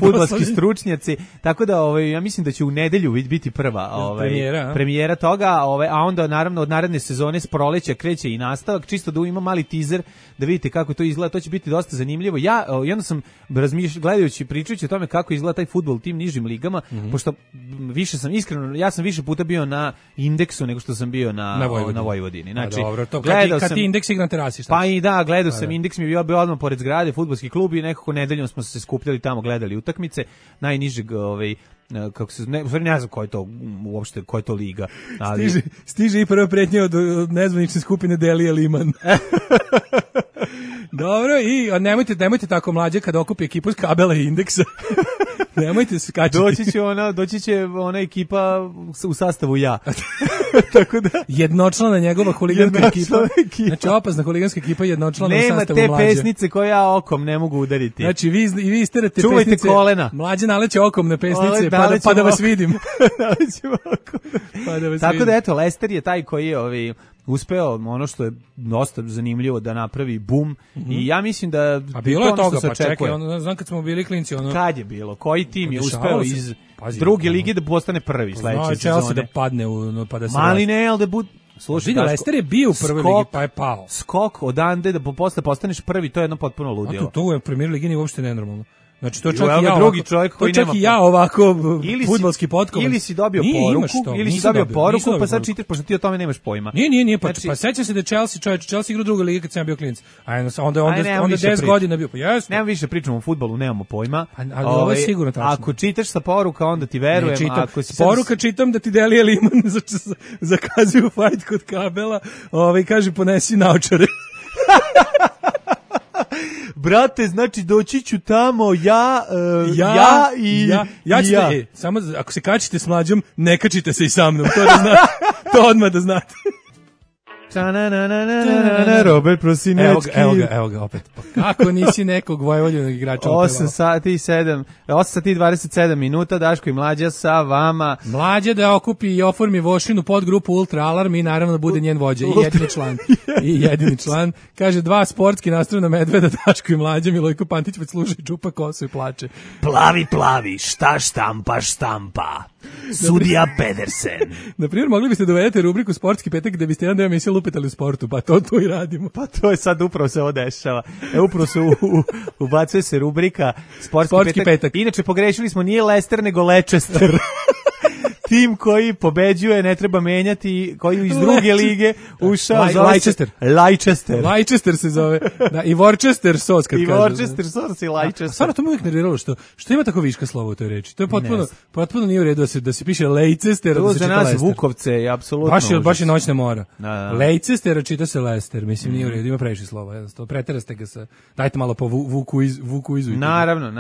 fudbalski stručnjaci, tako da ja mislim da će u nedelju biti prva premijera toga, a onda naravno od naredne sezone s proleća kreće i nastavak, čisto da ima mali teaser da vidite kako to izgleda, to će biti dosta zanimljivo. Ja onda sam gledajući, pričajući o tome kako izgleda taj fudbal u tim nižim ligama, pošto više sam iskreno, ja sam više puta bio na Indeksu nego što sam bio na na Vojvodini. Znači, dobro, to kad ti indeks igra na terasi, šta? Pa i da, gledao sam, indeks mi je bio odmah pored zgrade, fudbalski klub i nekako nedeljom smo se skupljali tamo, gledali utakmice, najnižeg kako se ne znam ko je to uopšte, ko je to liga, ali stiže i prva pretnja od nezvanične skupine Delija Liman. Dobro, i nemojte tako mlađe kad okupi ekipu iz Kabela i Indeksa. Nemojte se kačiti. Doći će ona ekipa u sastavu ja. Tako da jednočlana njegova huliganska ekipa. Znači opasna huliganska ekipa jednočlana u sastavu Nema mlađe. te pesnice koje ja okom ne mogu udariti. Znači vi isterate čuvajte pesnice. Kolena. Mlađe naleće okom na pesnice pa da vas vidim. Tako da eto, Leicester je taj koji je uspeo ono što je dosta zanimljivo da napravi bum i ja mislim da a bilo je toga, pa čekaj, znam kad smo bili klinci kad je bilo, koji tim je uspeo iz druge lige da postane prvi sledeće sezone, da padne pa da se mali ne, ali da bude slušaj, Leicester je bio u prvoj ligi pa je pao. Skok odande da posle postaneš prvi, to je jedno potpuno ludilo. To u Premier ligi nije uopšte nenormalno. Znači to čak i ja ovako fudbalski potkovan. Ili si dobio poruku, pa sad čitaš pošto ti o tome nemaš pojma. Nije, pa sećam se da Chelsea igra u drugoj ligi kad sam bio klinac. Onda 10 godina bio. Pa jesno. Nemam više pričamo o fudbalu, nemamo pojma. Ali ovo je sigurno tačno. Ako čitaš sa poruka, onda ti verujem. Poruka čitam da ti Delija Liman zakazuju fight kod Kabela. Kaže ponesi naočare. Brate, znači doći ću tamo ja ću samo ako se kačite s Mlađom, ne kačite se i sa mnom, to odmah da znate. Robert Prosinečki. Evo ga opet. Pa kako nisi nekog Vojvodinskog igrača? 8 sati i 27 minuta, Daško i Mlađa sa vama. Mlađa da okupi i oformi Vošinu podgrupu Ultra Alarm i naravno bude njen vođa i jedini član. Kaže 2 sportski nastrojena medveda, Daško i Mlađa, Milojko Pantić već sluša i čupa kosu i plače. Plavi, šta štampa. Sudija Pedersen. Na primjer, mogli biste dovedete rubriku Sportski petak gde biste jedan deo emisije lupetali u sportu, pa to i radimo. Pa to je sad upravo se ovo dešava. Upravo se ubacuje se rubrika Sportski petak. Inače, pogrešili smo, nije Leicester, nego Leicester. Tim koji pobeđuje, ne treba menjati, koji iz druge lige ušao Leicester se zove. Da, i Worcester sauce kad kaže. I Worcester sauce i Leicester. Stvarno to me uvijek nerviralo što ima tako viška slova u toj reči. To je potpuno nije u redu da se piše Leicester, da se čita Leicester. Za nas Vukovce je apsolutno baš je noćna mora. Leicester čita se Leicester, mislim nije u redu, ima previše slova, jednostavno preteraste ga sa. Dajte malo po Vuku izu. Naravno.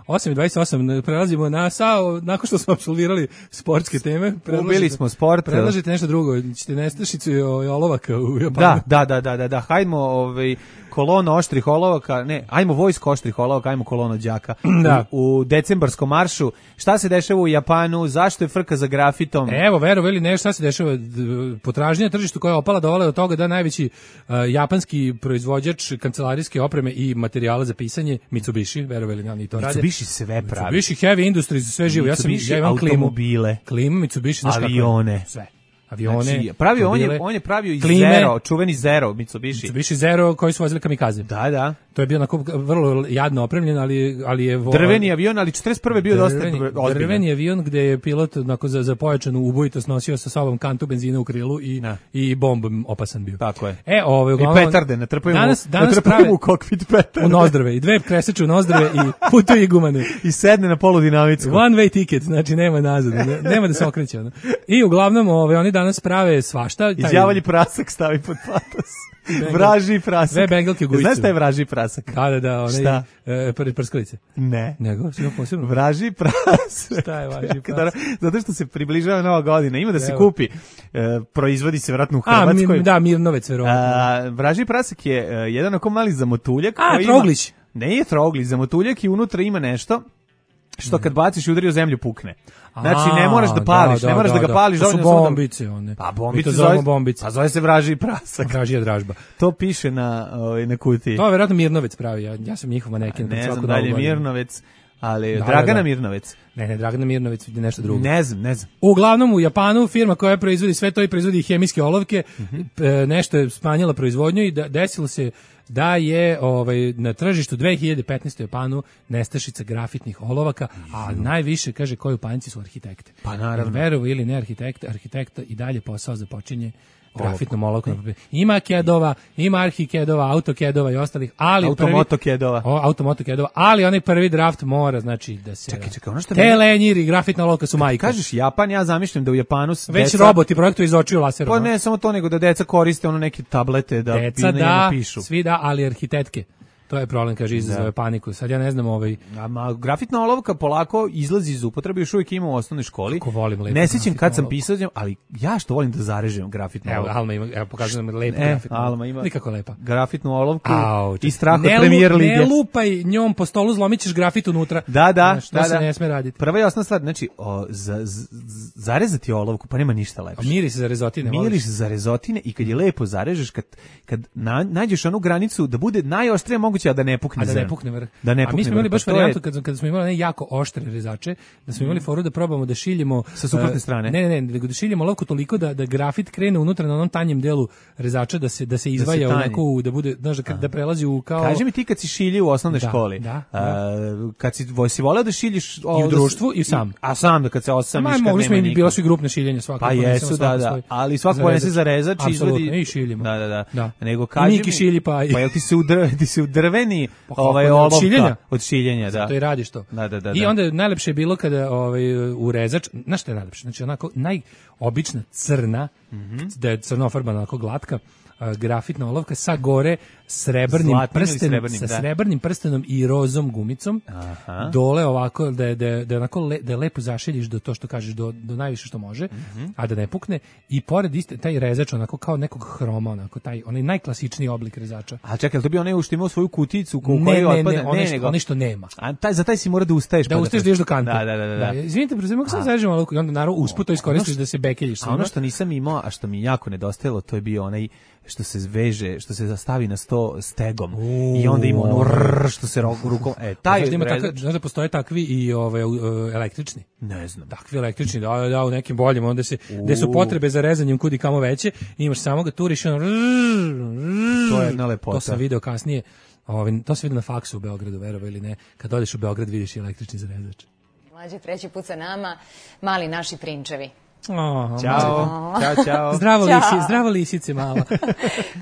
8:28 prelazimo na nakon što smo apsolvirali sportske teme. Ubili smo sport. Predlažite nešto drugo, ćete nestašicu i olovaka u Japanu. Da, hajdmo kolona oštrih olovaka, ajmo vojsko oštrih olovaka, ajmo kolona đaka. U decembarskom maršu, šta se dešava u Japanu, zašto je frka za grafitom? Evo, verovali ne, šta se dešava, potražnja na tržištu koja je opala dovela do toga da najveći japanski proizvođač kancelarijske opreme i materijala za pisanje, Mitsubishi, verovali nam i to rade. Mitsubishi sve pravi. Mitsubishi Heavy Industries, sve živo. Ja imam automobile, klimu Mitsubishi, avione, sve. Avione, znači, on je pravio iz Zero, čuveni Zero, Mitsubishi Zero koji su vozili kamikaze. Da. To je bio onako vrlo jadno opremljen, ali je drveni avion, ali 41. bio dosta ozbiljan. Drveni avion gde je pilot onako za pojačanu ubojitost nosio sa sobom kantu benzina u krilu i bomb opasan bio. Tako je. Uglavnom, i petarde, natrpaju prave u kokpit petarde. U nozdrave, i 2 kreseče u nozdrave i putuju i gumane. I sedne na poludinamicku. One way ticket, znači nema nazad, nema da se okreće. I uglavnom oni danas prave svašta. Izjavalji prasak stavi pod patos. Vraži prasak. Dve bengalke gujice. Znaš šta je vraži prasak? Da, šta? Prskalice. Ne. Nego, sve posebno. Vraži prasak. Šta je vraži prasak? Zato što se približava Nova godina. Ima da se kupi. Proizvodi se vjerojatno u Hrvatskoj. Mirnovec, verovatno. Vraži prasak je jedan oko mali zamotuljak. Troglić. Ne, troglić, zamotuljak i unutra ima nešto što kad baciš i udari o zemlju pukne. Znači ne moraš da pališ, ne moraš da ga pališ. To su bombice one. Pa bombice zove bombice. Pa zove se vraži prasak. Vražija dražba. To piše na kutiji. To je vjerojatno Mirnovec pravi, ja sam njihov maneken. Ne znam da li je Mirnovec, ali Dragana Mirnovec. Ne, Dragana Mirnovec je nešto drugo. Ne znam. Uglavnom u Japanu firma koja proizvodi sve to i proizvodi hemijske olovke, nešto je smanjila proizvodnju i desilo se da je na tržištu 2015. u Japanu nestašica grafitnih olovaka, a najviše, kaže, koji u panici su arhitekte. Pa naravno. Verovo ili ne arhitekta i dalje posao započinje grafitnom olovkom. Ima kedova, ima arhikedova, autokedova i ostalih, ali automotokedova, ali onaj prvi draft mora, znači da se Čekaj, ono što telenjiri, grafitna olovka su majka. Kažeš Japan, ja zamišljam da u Japanu već roboti projektuju iz očiju laserom. Pa ne samo to, nego da deca koriste ono neke tablete da pišu. Svi da, ali arhitetke. To je problem, kaže, izazove paniku. Sad ja ne znam grafitna olovka polako izlazi iz upotrebe, još uvijek ima u osnovnoj školi. Kako volim lepo. Ne sjećam kad sam pisao, ali ja što volim da zarežem grafitnu olovku. Alma ima, pokazujem lepu grafitnu olovku. Alma ima nikako lepa. Grafitnu olovku i strah od Premier lige. Ne lupaj njom po stolu, zlomit ćeš grafit unutra. Da. To se ne sme raditi. Prva i osnovna stvar, znači, zarezati olovku, pa nema ništa lepše. Miris za rezotine. Miris za rezotine i kad je lepo zarežeš, kad nađeš onu granicu da bude najoštrije moguće, a da ne pukne da ne pukne vrh. Da ne pukne. A mi smo imali baš varijantu kad smo imali jako oštre rezače, da smo imali foru da probamo da šiljemo sa suprotne strane. Ne, nego da šiljemo olovku toliko da grafit krene unutra na onom tanjem delu rezača da se izdvaja onako da bude, znaš, da prelazi u kao. Kaži mi ti kad si šiljio u osnovnoj školi. Kad si voleo da šiljiš i u društvu i sam. A sam da kad se osamiš kad mogli smo i bilo su i grupne šiljenja svakako. Pa jesu, da. Ali svako ponese za rezač izvadi i šiljimo. Da. Nego kaži mi šilji pa jel ti se u drveni olovka od šiljenja, da. To i radiš to. Da. I onda najlepše je bilo kada u rezač, znaš šta je najlepše? Znači onako najobična crna, da je crnofarbana onako glatka, grafitna olovka sa gore srebrnim prstenom i rozom gumicom. Dole ovako da je onako da lepo zašiljiš do to što kažeš do najviše što može, a da ne pukne, i pored iste taj rezač onako kao nekog hroma, onako onaj najklasičniji oblik rezača. A čekaj, to bi onaj što imao svoju kuticu u kojoj otpada, onaj što nema. A za taj si mora da ustaješ da ideš do kante. Da. Izvinite, mogu sam zarežem olovku i onda naravno usput to iskoristiš da se bekeljiš. A ono što nisam imao, a što mi jako nedostajalo, to je bio onaj što se veže, što se zastavi na sto stegom i onda ima ono što se rukom. Taj znaš da postoje takvi i električni? Ne znam. Takvi električni, da u nekim boljim, onda gde su potrebe za rezanjem kudi kamo veće, imaš samo ga turiš, to je jedna lepota. To sam video kasnije, to se vidi na faksu u Beogradu, verovo ili ne, kad odeš u Beograd vidiš i električni zarezač. Mlađe, treći put sa nama, mali naši prinčevi. Ćao. Zdravo lisice mala.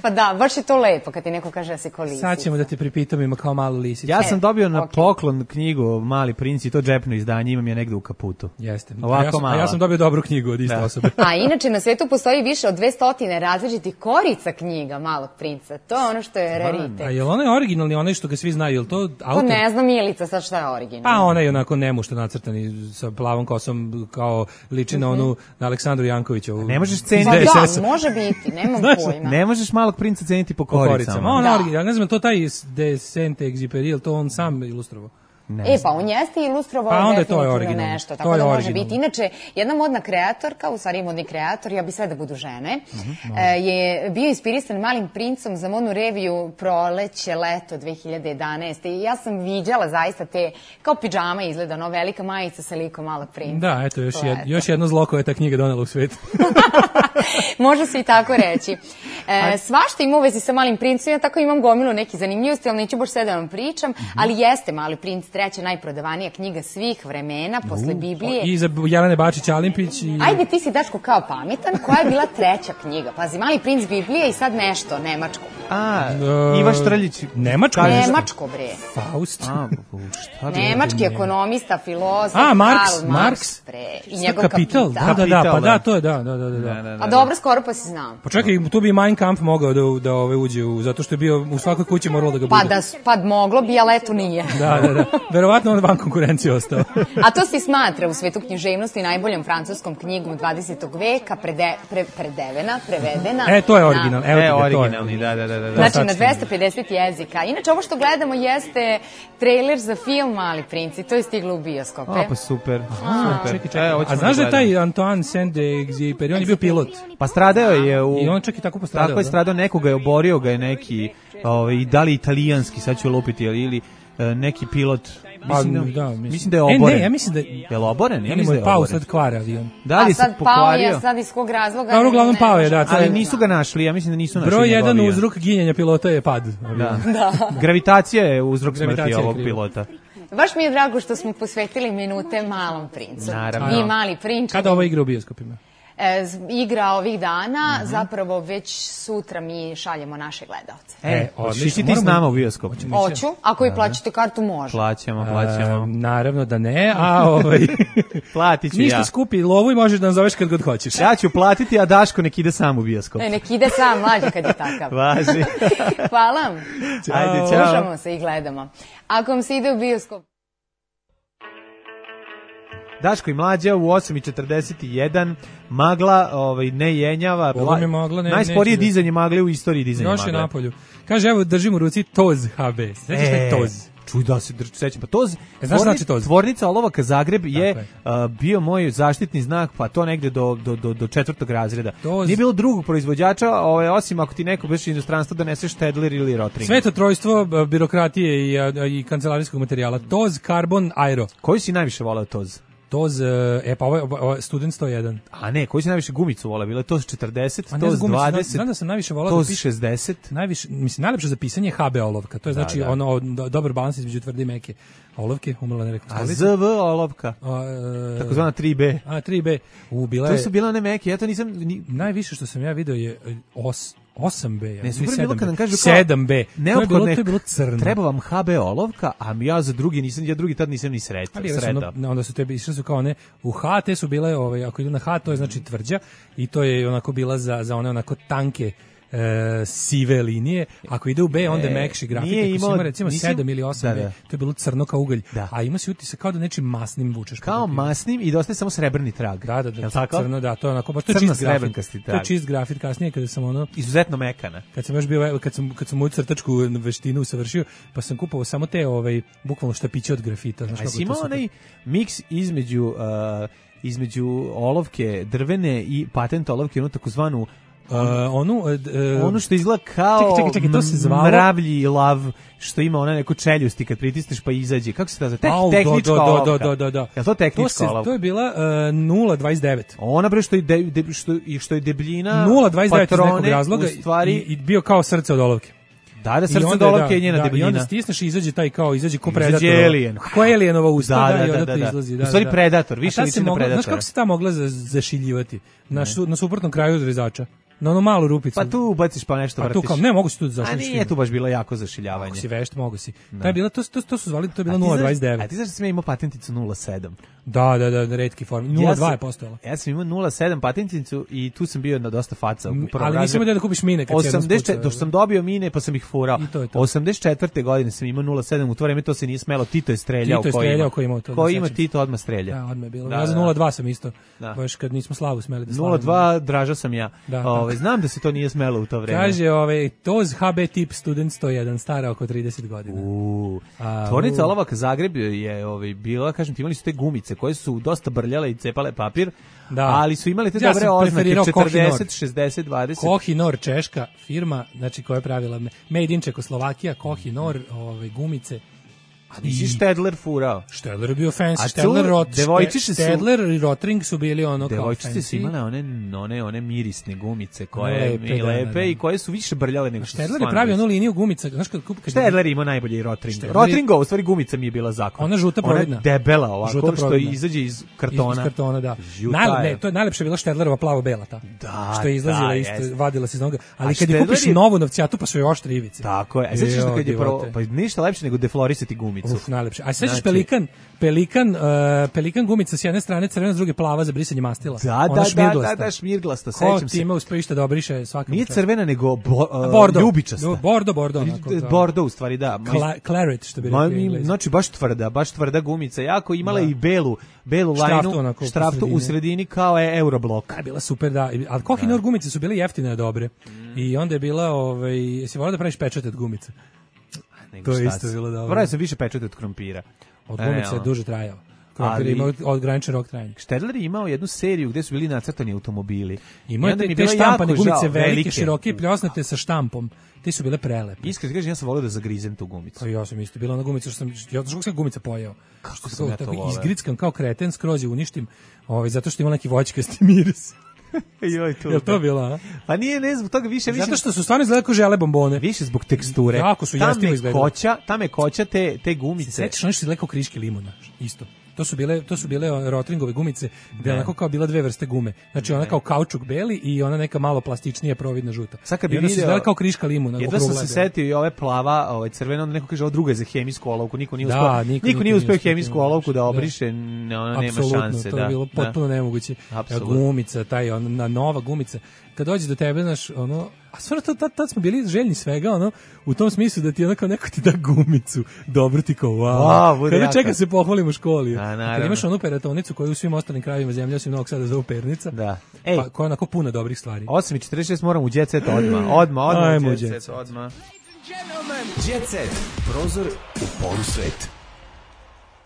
Pa da, baš je to lepo kad ti neko kaže da si ko lisica. Sad ćemo da te pripitamo, ima kao malu lisicu. Ja sam dobio na poklon knjigu Mali princ i to džepno izdanje, imam je negde u kaputu. Jeste. A ja sam dobio dobru knjigu od iste osobe. A inače na svetu postoji više od 200 različitih korica knjiga Malog princa. To je ono što je raritet. A je li onaj originalni, onaj što ga svi znaju, je li to autor? To ne znam, Milica, sad šta je originalni. Pa onaj onako nemušto nacrtani sa plavom kosom, kao liči na onu na Aleksandru Jankovićevu. Ne možeš ceniti. Da, može biti, nemam pojma. Ne možeš Malog princa ceniti po koricama. Ja ne znam, to taj de Saint-Exupéry, to on sam ilustrovao. Pa on jeste ilustrovao definitivno nešto, tako da može biti. Inače, jedna modna kreatorka, u stvari modni kreator, ja bi sve da budu žene, je bio inspirisan Malim princom za modnu reviju Proleće, leto 2011. I ja sam viđala zaista te, kao pidžama izgleda, no velika majica sa likom Malog princa. Da, eto, još jedno zlo koje je ta knjiga donela u svijet. Može se i tako reći. Svašta ima u vezi sa Malim princom, ja tako imam gomilu neki zanimljivosti, ali neću baš sve da vam pričam, ali jeste Mali princ treća najprodavanija knjiga svih vremena, posle Biblije. I za Jelene Bačić-Alimpić. Ajde, ti si, Daško, kao pametan, koja je bila treća knjiga? Pazi, Mali princ, Biblija i sad nešto, nemačko. Iva Štrljić. Nemačko? Nemačko, bre. Faust. Nemački ekonomista, filozof, Marks. I njegov Kapital. Da, to je, da. A dobro, skoro pa si znam. Pa čekaj, tu bi Mein Kampf mogao da uđe, zato što je bio u svakoj kući moralo da ga bude. Pa moglo bi, ali eto nije. Da. Verovatno on van konkurencije ostao. A to se smatra u svetu književnosti najboljom francuskom knjigom 20. veka, prevedena. To je original. Originalni, da. Znači na 250 jezika. Inače, ovo što gledamo jeste trailer za film Mali princ i to je stiglo u bioskope. Pa super. Čekaj. A znaš da je taj Antoine Saint-Exupéry, on je bio pilot? Pa stradao je i on čak i tako postradao. Tako je stradao, nekoga je oborio ga je neki, da li italijanski, sad ću lupiti, ili neki pilot. Mislim da je oboren. Ja mislim da je... Je li oboren? Ja mislim da je pao oboren. sad kvara avion. Da li se pokvario? A sad sad iz kog razloga? Da, uglavnom pao je, da. Ali nisu ga našli, ja mislim da nisu našli. Broj jedan uzrok ginjenja pilota je pad. Da. Gravitacija je uzrok smrti ovog pilota. Baš mi je drago što smo posvetili minute Malom princu. Naravno. I Mali prinč. Kada ovo igra u bioskopima? igra ovih dana, zapravo već sutra mi šaljemo naše gledaoce. Hoćeš ti s nama u bioskop? Hoću, ako vi plaćate kartu može. Plaćamo. Naravno da ne, platit ću ništa skupi lovu i možeš da nam zoveš kad god hoćeš. Ja ću platiti, a Daško nek ide sam u bioskop. Nek ide sam, mlađe kad je takav. Važi. Hvala vam. Ajde, čao. Slušamo se i gledamo. Ako vam se ide u bioskop. Daško i Mlađa u 8:41, magla ne jenjava, najsporije dizanje magle u istoriji dizanja magle. Još je napolju. Kaže, evo držim u ruci Toz HB. Sveći šta je Toz? Čuj da se sećam, pa Toz, znaš znači Toz? Tvornica olovaka Zagreb je bio moj zaštitni znak, pa to negde do 4. razreda. Toz. Nije bilo drugog proizvođača, osim ako ti neko bez inostranstva doneseš Stedler ili Rotring. Sveto trojstvo birokratije i kancelarijskog materijala. Toz, Carbon, Aero. Koji si najviše voleo Toz? Toz, pa ovo je Student 101. A ne, koji si najviše gumicu voleo? Bilo je Toz 40, Toz 20, znam da sam najviše voleo Toz 60. Najlepše za pisanje je HB olovka. To je znači ono dobar balans između tvrde i meke olovke, umrla ne rekao. A ZV olovka, takozvana 3B. 3B. To su bila ne meke, ja to nisam... Najviše što sam ja video je 8B. Ne, super bilo kad nam kažu 7B. Neophodno to je bilo crno. Treba vam HB olovka, a ja za drugi tad nisam ni sretao. Onda su tebi išli su kao one u H, te su bile, ako idu na H, to je znači tvrđa i to je onako bila za one onako tanke sive linije. Ako ide u B, onda je mekši grafit. Ako si ima recimo 7 ili 8B, to je bilo crno kao ugalj. A ima se utisak kao da nečim masnim vučeš. Kao masnim i dosta je samo srebrni trag. Da, crno, da, to je onako, baš to je čist grafit. To je čist grafit, kasnije kada sam ono... Izuzetno mekana. Kad sam još bio, kad sam moju crtačku veštinu usavršio, pa sam kupovao samo te, bukvalno štapiće od grafita. A si imao onaj miks između olovke drvene i patent olovke, ono takozvanu ono što izgleda kao to se zvalo mravlji lav, što ima ona neko čeljusti kad pritisneš pa izađe. Kako se to zove? Tehnička olovka. Da. Je to tehnička olovka? To je bila 0,29. Ona bre što je debljina 0,29 iz nekog razloga i bio kao srce od olovke. Da, srce od olovke je njena debljina. I onda stisneš i izađe taj izađe ko Predator. Ko Alienova usta i onda izlazi. U stvari Predator, više liči na Predatora. Znaš kako se ta mogla zašiljivati? Na suprotnom kraju rezača. Na onu malu rupicu. Pa tu ubaciš pa nešto vrtiš. Ne, mogu si tu zašiljiti. A nije tu baš bilo jako zašiljavanje. Ako si vešt, mogu si. To je bilo, to su zvali, to je bilo 0,29. A ti znaš da sam ja imao patenticu 0,7? Da, retki form. 0,2 je postojala. Ja sam imao 0,7 patenticu i tu sam bio na dosta faca. Ali nisam imao da kupiš mine kad si jednom spucao. Dok sam dobio mine pa sam ih furao. 84. godine sam imao 0,7, u to vreme to se nije smelo. Tito je streljao. Ko ima Tito odmah strelja. Da, odmah je bilo. Ja za 0,2 sam isto. Baš kad nismo Slavu smeli da slavimo. 0,2 Draža sam ja. Znam da se to nije smelo u to vreme. Kaže, Toz HB tip Student 101, stara oko 30 godina. Tvornica olovaka Zagreb je bila, kažem ti, imali su te gumice koje su dosta brljale i cepale papir, ali su imali te dobre oznake, 40, 60, 20. Kohinor, češka firma, znači koja je pravila Made in Čekoslovakija, Kohinor, gumice. A nisi Stedler furao? Stedler je bio fancy. Stedler i Rotring su bili ono kao fancy. Devojčice su imale one mirisne gumice koje mi lepe i koje su više brljale nego što su Stedler je pravio onu liniju gumica. Stedler ima najbolji Rotring. Rotringova, u stvari gumica mi je bila zakon. Ona žuta providna. Ona debela ovako, što izađe iz kartona. Iz kartona, da. To je najlepša bila Stedlerova plavo-bela ta. Da, što je izlazila isto, vadila se iz noga. Ali kad je kupiš novu novcijatu, pa su joj oštre ivice. Tako je. Sećaš se kad je pa ništa lepše nego deflorisati gumicu. Najlepše. A sećaš Pelikan gumica s jedne strane crvena, s druge plava za brisanje mastila. Da, šmirglasta, sećam se. Ko ti ima uspejište da obriše svakako. Nije crvena, nego ljubičasta. Bordo. Bordo, u stvari, da. Claret, što bi rekli. Znači, baš tvrda gumica. Jako imala i belu lajnu, štraftu u sredini kao je Euroblok. Bila super, da. Ali Kohinor gumice su bile jeftine, dobre. I onda je bila, jesi volao da praviš pečat od gumica? To je isto bilo dobro. Pravio sam više pečete od krompira. Od gumice je duže trajao. Krompir je imao ograničen rok trajanja. Stedler je imao jednu seriju gde su bili nacrtani automobili. Imao je te štampane gumice velike, široke, pljosnate sa štampom. Te su bile prelepe. Iskreno kažem, ja sam volio da zagrizem tu gumicu. Pa ja sam isto bila na gumicu, ja sam gumica pojeo. Kako sam ja to voleo. Izgrickam kao kreten, skroz je uništim, zato što ima neki voćkasti miris. Jel to bila, a? Pa nije, ne zbog toga više. Zato što su stvarno izgledali kao žele bombone. Više zbog teksture. Jako su jestivo izgledali. Tam je koća te gumice. Sećaš ono što izgleda kao kriški limuna, isto. To su bile Rotringove gumice, gde onako kao bila dve vrste gume. Znači ona kao kaučuk beli i ona neka malo plastičnija providna žuta. Sad kad bi video kao kriška limuna. Jedva sam se setio i ove plava, crvena, onda neko kaže ovo druga je za hemijsku olovku, niko nije uspeo hemijsku olovku da obriše, ona nema šanse. To je bilo potpuno nemoguće. Gumica, ona nova gumica. Kad dođe do tebe, znaš, a stvarno tad smo bili željni svega, u tom smislu da ti onako neko ti da gumicu, dobro ti kao, wow. Kada čeka se pohvalim u školi. Kad imaš onu peratonicu koju u svim ostalim krajevima zemlje, osim Novog Sada zovu pernica, pa koja je onako puna dobrih stvari. 8:46 moram u Jet Set odmah. Ajmo u Jet Set. Jet Set, prozor u polusvet.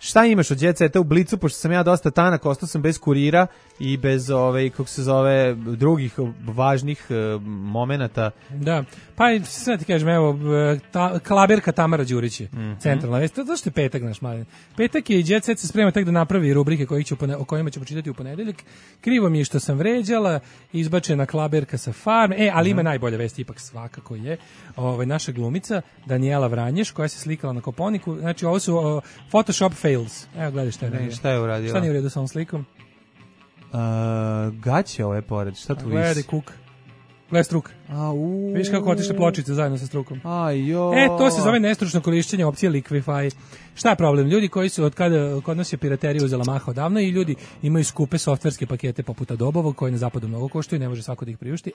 Šta imaš od Jet Seta u Blicu, pošto sam ja dosta tanak, ostao sam bez kurira i bez kako se zove, drugih važnih momenata. Da, pa sve ti kažem, evo, klaberka Tamara Đurić je centralna vest. Zašto je petak, naš mali? Petak je i Jet Set se sprema tek da napravi rubrike o kojima ćemo čitati u ponedeljak. Krivo mi je što sam vređala, izbačena klaberka sa farme, ali ima najbolja vest, ipak svakako je naša glumica Danijela Vranješ, koja se slikala na Koponiku. Znači, ovo su Photoshop fails. Evo, gledaj šta je radila. Šta je uradila? Šta nije u redu sa ovom slikom? Gaće ove pored, šta tu viš? Gledaj kuk. Gledaj struk. Viš kako otišle pločice zajedno sa strukom. To se zove nestručno korišćenje opcije Liquify. Šta je problem? Ljudi koji su od kada kod nas je piraterija uzela maha odavno i ljudi imaju skupe softverske pakete poput Adobovog koji na zapadu mnogo koštuju i ne može svako da ih priušti.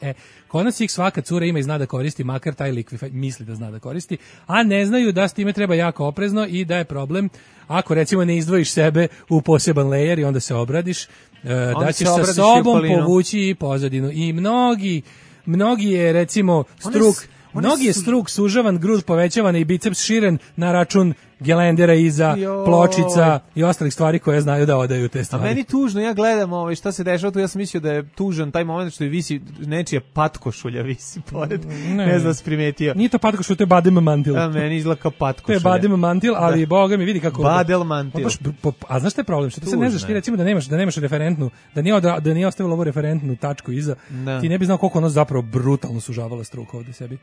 Kod nas ih svaka cura ima i zna da koristi, makar taj Liquify misli da zna da koristi, a ne znaju da s time treba jako oprezno i da je problem ako recimo ne izdvojiš sebe u poseban layer i onda se obradiš, da ćeš sa sobom povući i pozadinu. I mnogi je recimo struk sužavan, grud povećavan i biceps širen na račun gelendera iza, pločica i ostalih stvari koje znaju da odaju te stvari. A meni tužno, ja gledam šta se dešava tu, ja sam mislio da je tužan taj moment što je visi nečija patkošulja visi pored, ne znam da si primetio. Nije to patkošulja, to je badem mantil. A meni izgleda kao patkošulja. To je badem mantil, ali boga mi vidi kako... Badel mantil. A znaš šta je problem? Što ti se ne znaš, ti recimo da nemaš referentnu, da nije ostavila ovu referentnu tačku iza, ti ne bi znao koliko ono zapravo brutalno sužavala struk ovde sebi.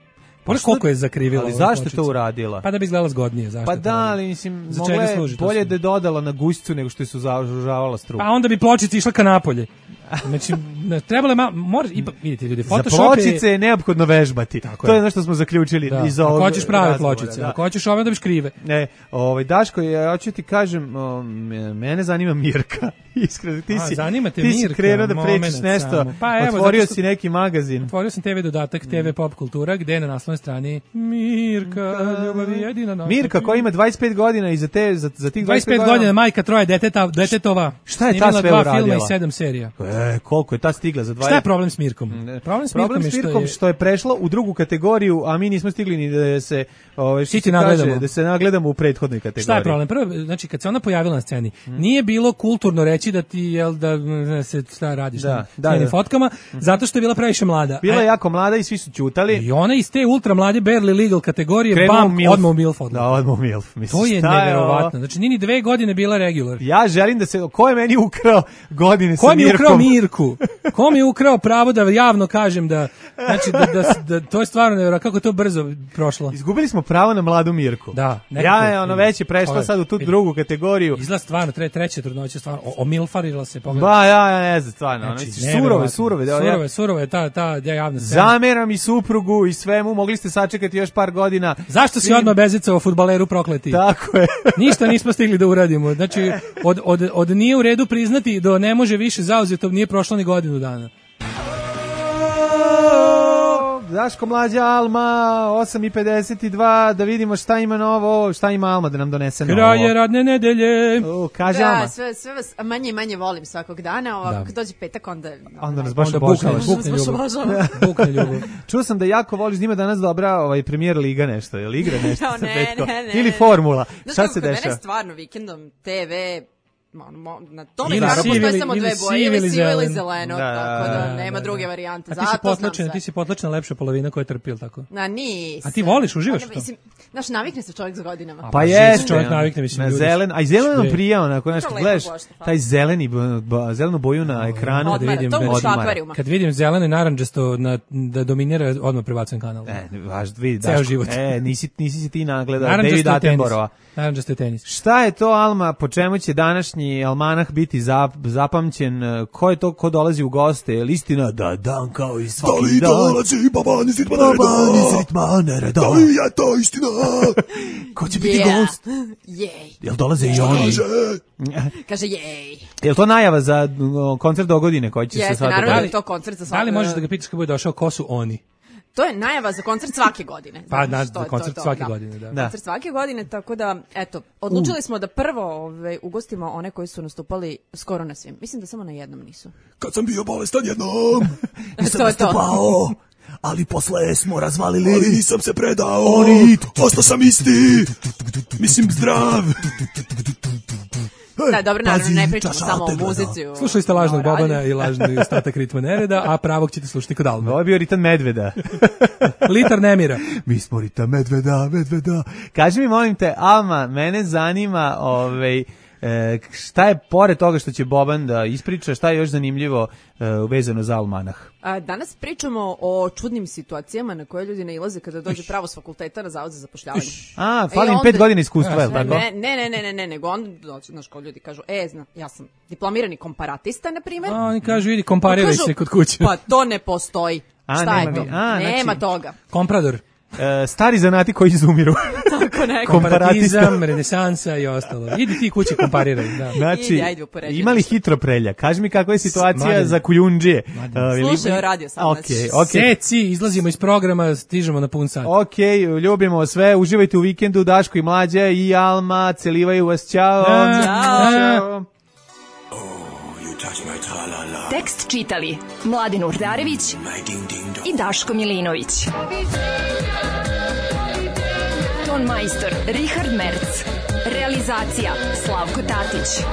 Koliko je zakrivila. Ali zašto to uradila? Pa da bi izgledala zgodnije, zašto? Pa da, ali mislim, bolje da je dodala na gušću nego što je sužavala struku. Pa onda bi pločica išla ka napolje. Znači, trebalo je vidite ljudi, Photoshop za pločice je neophodno vežbati. To je ono što smo zaključili iz ovog. Ako hoćeš prave pločice, ako hoćeš ove da biš krive. Daško, ja hoću ti kažem, mene zanima Mirka. Iskreno, ti si krenuo da prečiš nešto, otvorio si neki magazin. Otvorio sam TV dodatak, TV Pop Kultura, gde je na naslovnoj strani Mirka, ljubav je jedina noć. Mirka koja ima 25 godina i za tih 25 godina majka troje detetova. Šta je ta sve uradila? 2 filma i 7 serija. Koliko je ta stigla za 20? Šta je problem s Mirkom? Problem s Mirkom što je prešla u drugu kategoriju, a mi nismo stigli ni da se da se nagledamo u prethodnoj kategoriji. Šta je problem? Prvo, znači kad se ona pojavila na sceni, nije bilo kulturno reći da ti da se šta radiš na fotkama, zato što je bila previše mlada. Bila je jako mlada i svi su ćutali. I ona iz te ultra mlade barely legal kategorije odmah u MILF. Da, odmah u MILF. To je neverovatno. Znači nije ni 2 godine bila regular. Ja želim da se, ko je meni ukrao godine sa Mirkom? Ko mi je ukrao Mirku? Ko mi je ukrao pravo da javno kažem da, znači da to je stvarno nevjerojatno, kako je to brzo prošlo. Izgubili smo pravo na mladu Mirku. Da. Već je prešla sad u tu drugu kategoriju. Izgleda stvarno, treća trudnoća, stvarno, omilfarila se. Ja ne znam, stvarno. Surove, ta javna scena. Zameram i suprugu i svemu, mogli ste sačekati još par godina. Zašto si odmah bezicao fudbaleru prokleti? Tako je. Ništa nismo stigli da uradimo. Znači, od nije u redu priznati do ne može više zauzeto, nije prošlo ni godinu dana. Daško, Mlađa, Alma, 8:52, da vidimo šta ima novo, šta ima Alma da nam donese novo. Kraje radne nedelje. Kaže Alma. Sve vas manje i manje volim svakog dana, ovako kad dođe petak onda nas baš obožavaš. Bukne ljubav. Čuo sam da jako voliš, da ima danas dobra Premier Liga nešto, je li igra nešto sa petkom? Ili formula, šta se dešava? Mene stvarno vikendom TV... na tome naravno postoji samo 2 boje, ili sivo ili zeleno, tako da nema druge varijante. Ti si potlačena lepša polovina koja je trpila, tako? Nisam. A ti voliš, uživaš to? Znaš, navikne se čovjek za godinama. Pa jeste, čovjek navikne, mislim, ljudi. A i zeleno nam prija, onako, znaš, gledaš taj zelenu boju na ekranu. Odmara, to u akvarijuma. Kad vidim zeleno i naranđasto da dominira, odmah prebacujem kanal. Ceo život. Nisi ti nagledao David Attenborougha. Naranđasto je tenis. Šta je to, Alma, po čemu će današnji današnji almanah biti zapamćen? Ko je to ko dolazi u goste? Je li istina da dan kao i svaki dan? Da li dolazi Baban iz ritma nereda? Da li je to istina? Ko će biti gost? Jej. Jel dolaze i oni? Kaže jej. Jel to najava za koncert do godine koji će se sad... Jeste, naravno da je to koncert za svaki... Da li možeš da ga pitaš kad bude došao, ko su oni? To je najava za koncert svake godine. Pa, koncert svake godine, da. Koncert svake godine, tako da, eto, odlučili smo da prvo ugostimo one koji su nastupali skoro na svim. Mislim da samo na jednom nisu. Kad sam bio bolestan jednom, nisam nastupao, ali posle smo razvalili. Ali nisam se predao, ostao sam isti, mislim zdrav. Da, dobro, naravno, ne pričamo samo o muzici. Slušali ste lažnog Bobana i lažni ostatak ritma nereda, a pravog ćete slušati kod Alma. Ovo je bio ritam medveda. Litar nemira. Mi smo ritam medveda. Kaži mi, molim te, Alma, mene zanima šta je pored toga što će Boban da ispriča, šta je još zanimljivo vezano za almanah? Danas pričamo o čudnim situacijama na koje ljudi nailaze kada dođe pravo s fakulteta na zavod za zapošljavanje. Fali im 5 godina iskustva, je li tako? Ne, nego onda dođe, znaš, ko ljudi kažu, ja sam diplomirani komparatista, na primjer. Oni kažu, idi, kompariraj se kod kuće. Pa to ne postoji. Šta je to? Nema toga. Komprador. Stari zanati koji izumiru. Tako neko. Komparatizam, renesansa i ostalo. Idi ti kući kompariraj. Da. Znači, imali hitro prelja. Kaži mi kakva je situacija za kujundžije. Slušaj, radio sam. Okay. Seci, izlazimo iz programa, stižemo na pun sat. Ok, ljubimo sve. Uživajte u vikendu. Daško i Mlađa i Alma celivaju vas. Ćao. Ćao. Tekst čitali Mladin Urdarević i Daško Milinović. Ton majstor Richard Merc. Realizacija Slavko Tatić.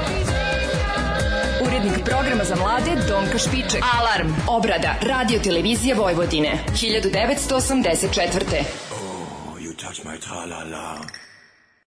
Urednik programa za mlade Donka Špiček. Alarm. Obrada Radio Televizije Vojvodine 1984. Oh, you touch my tra-la-la.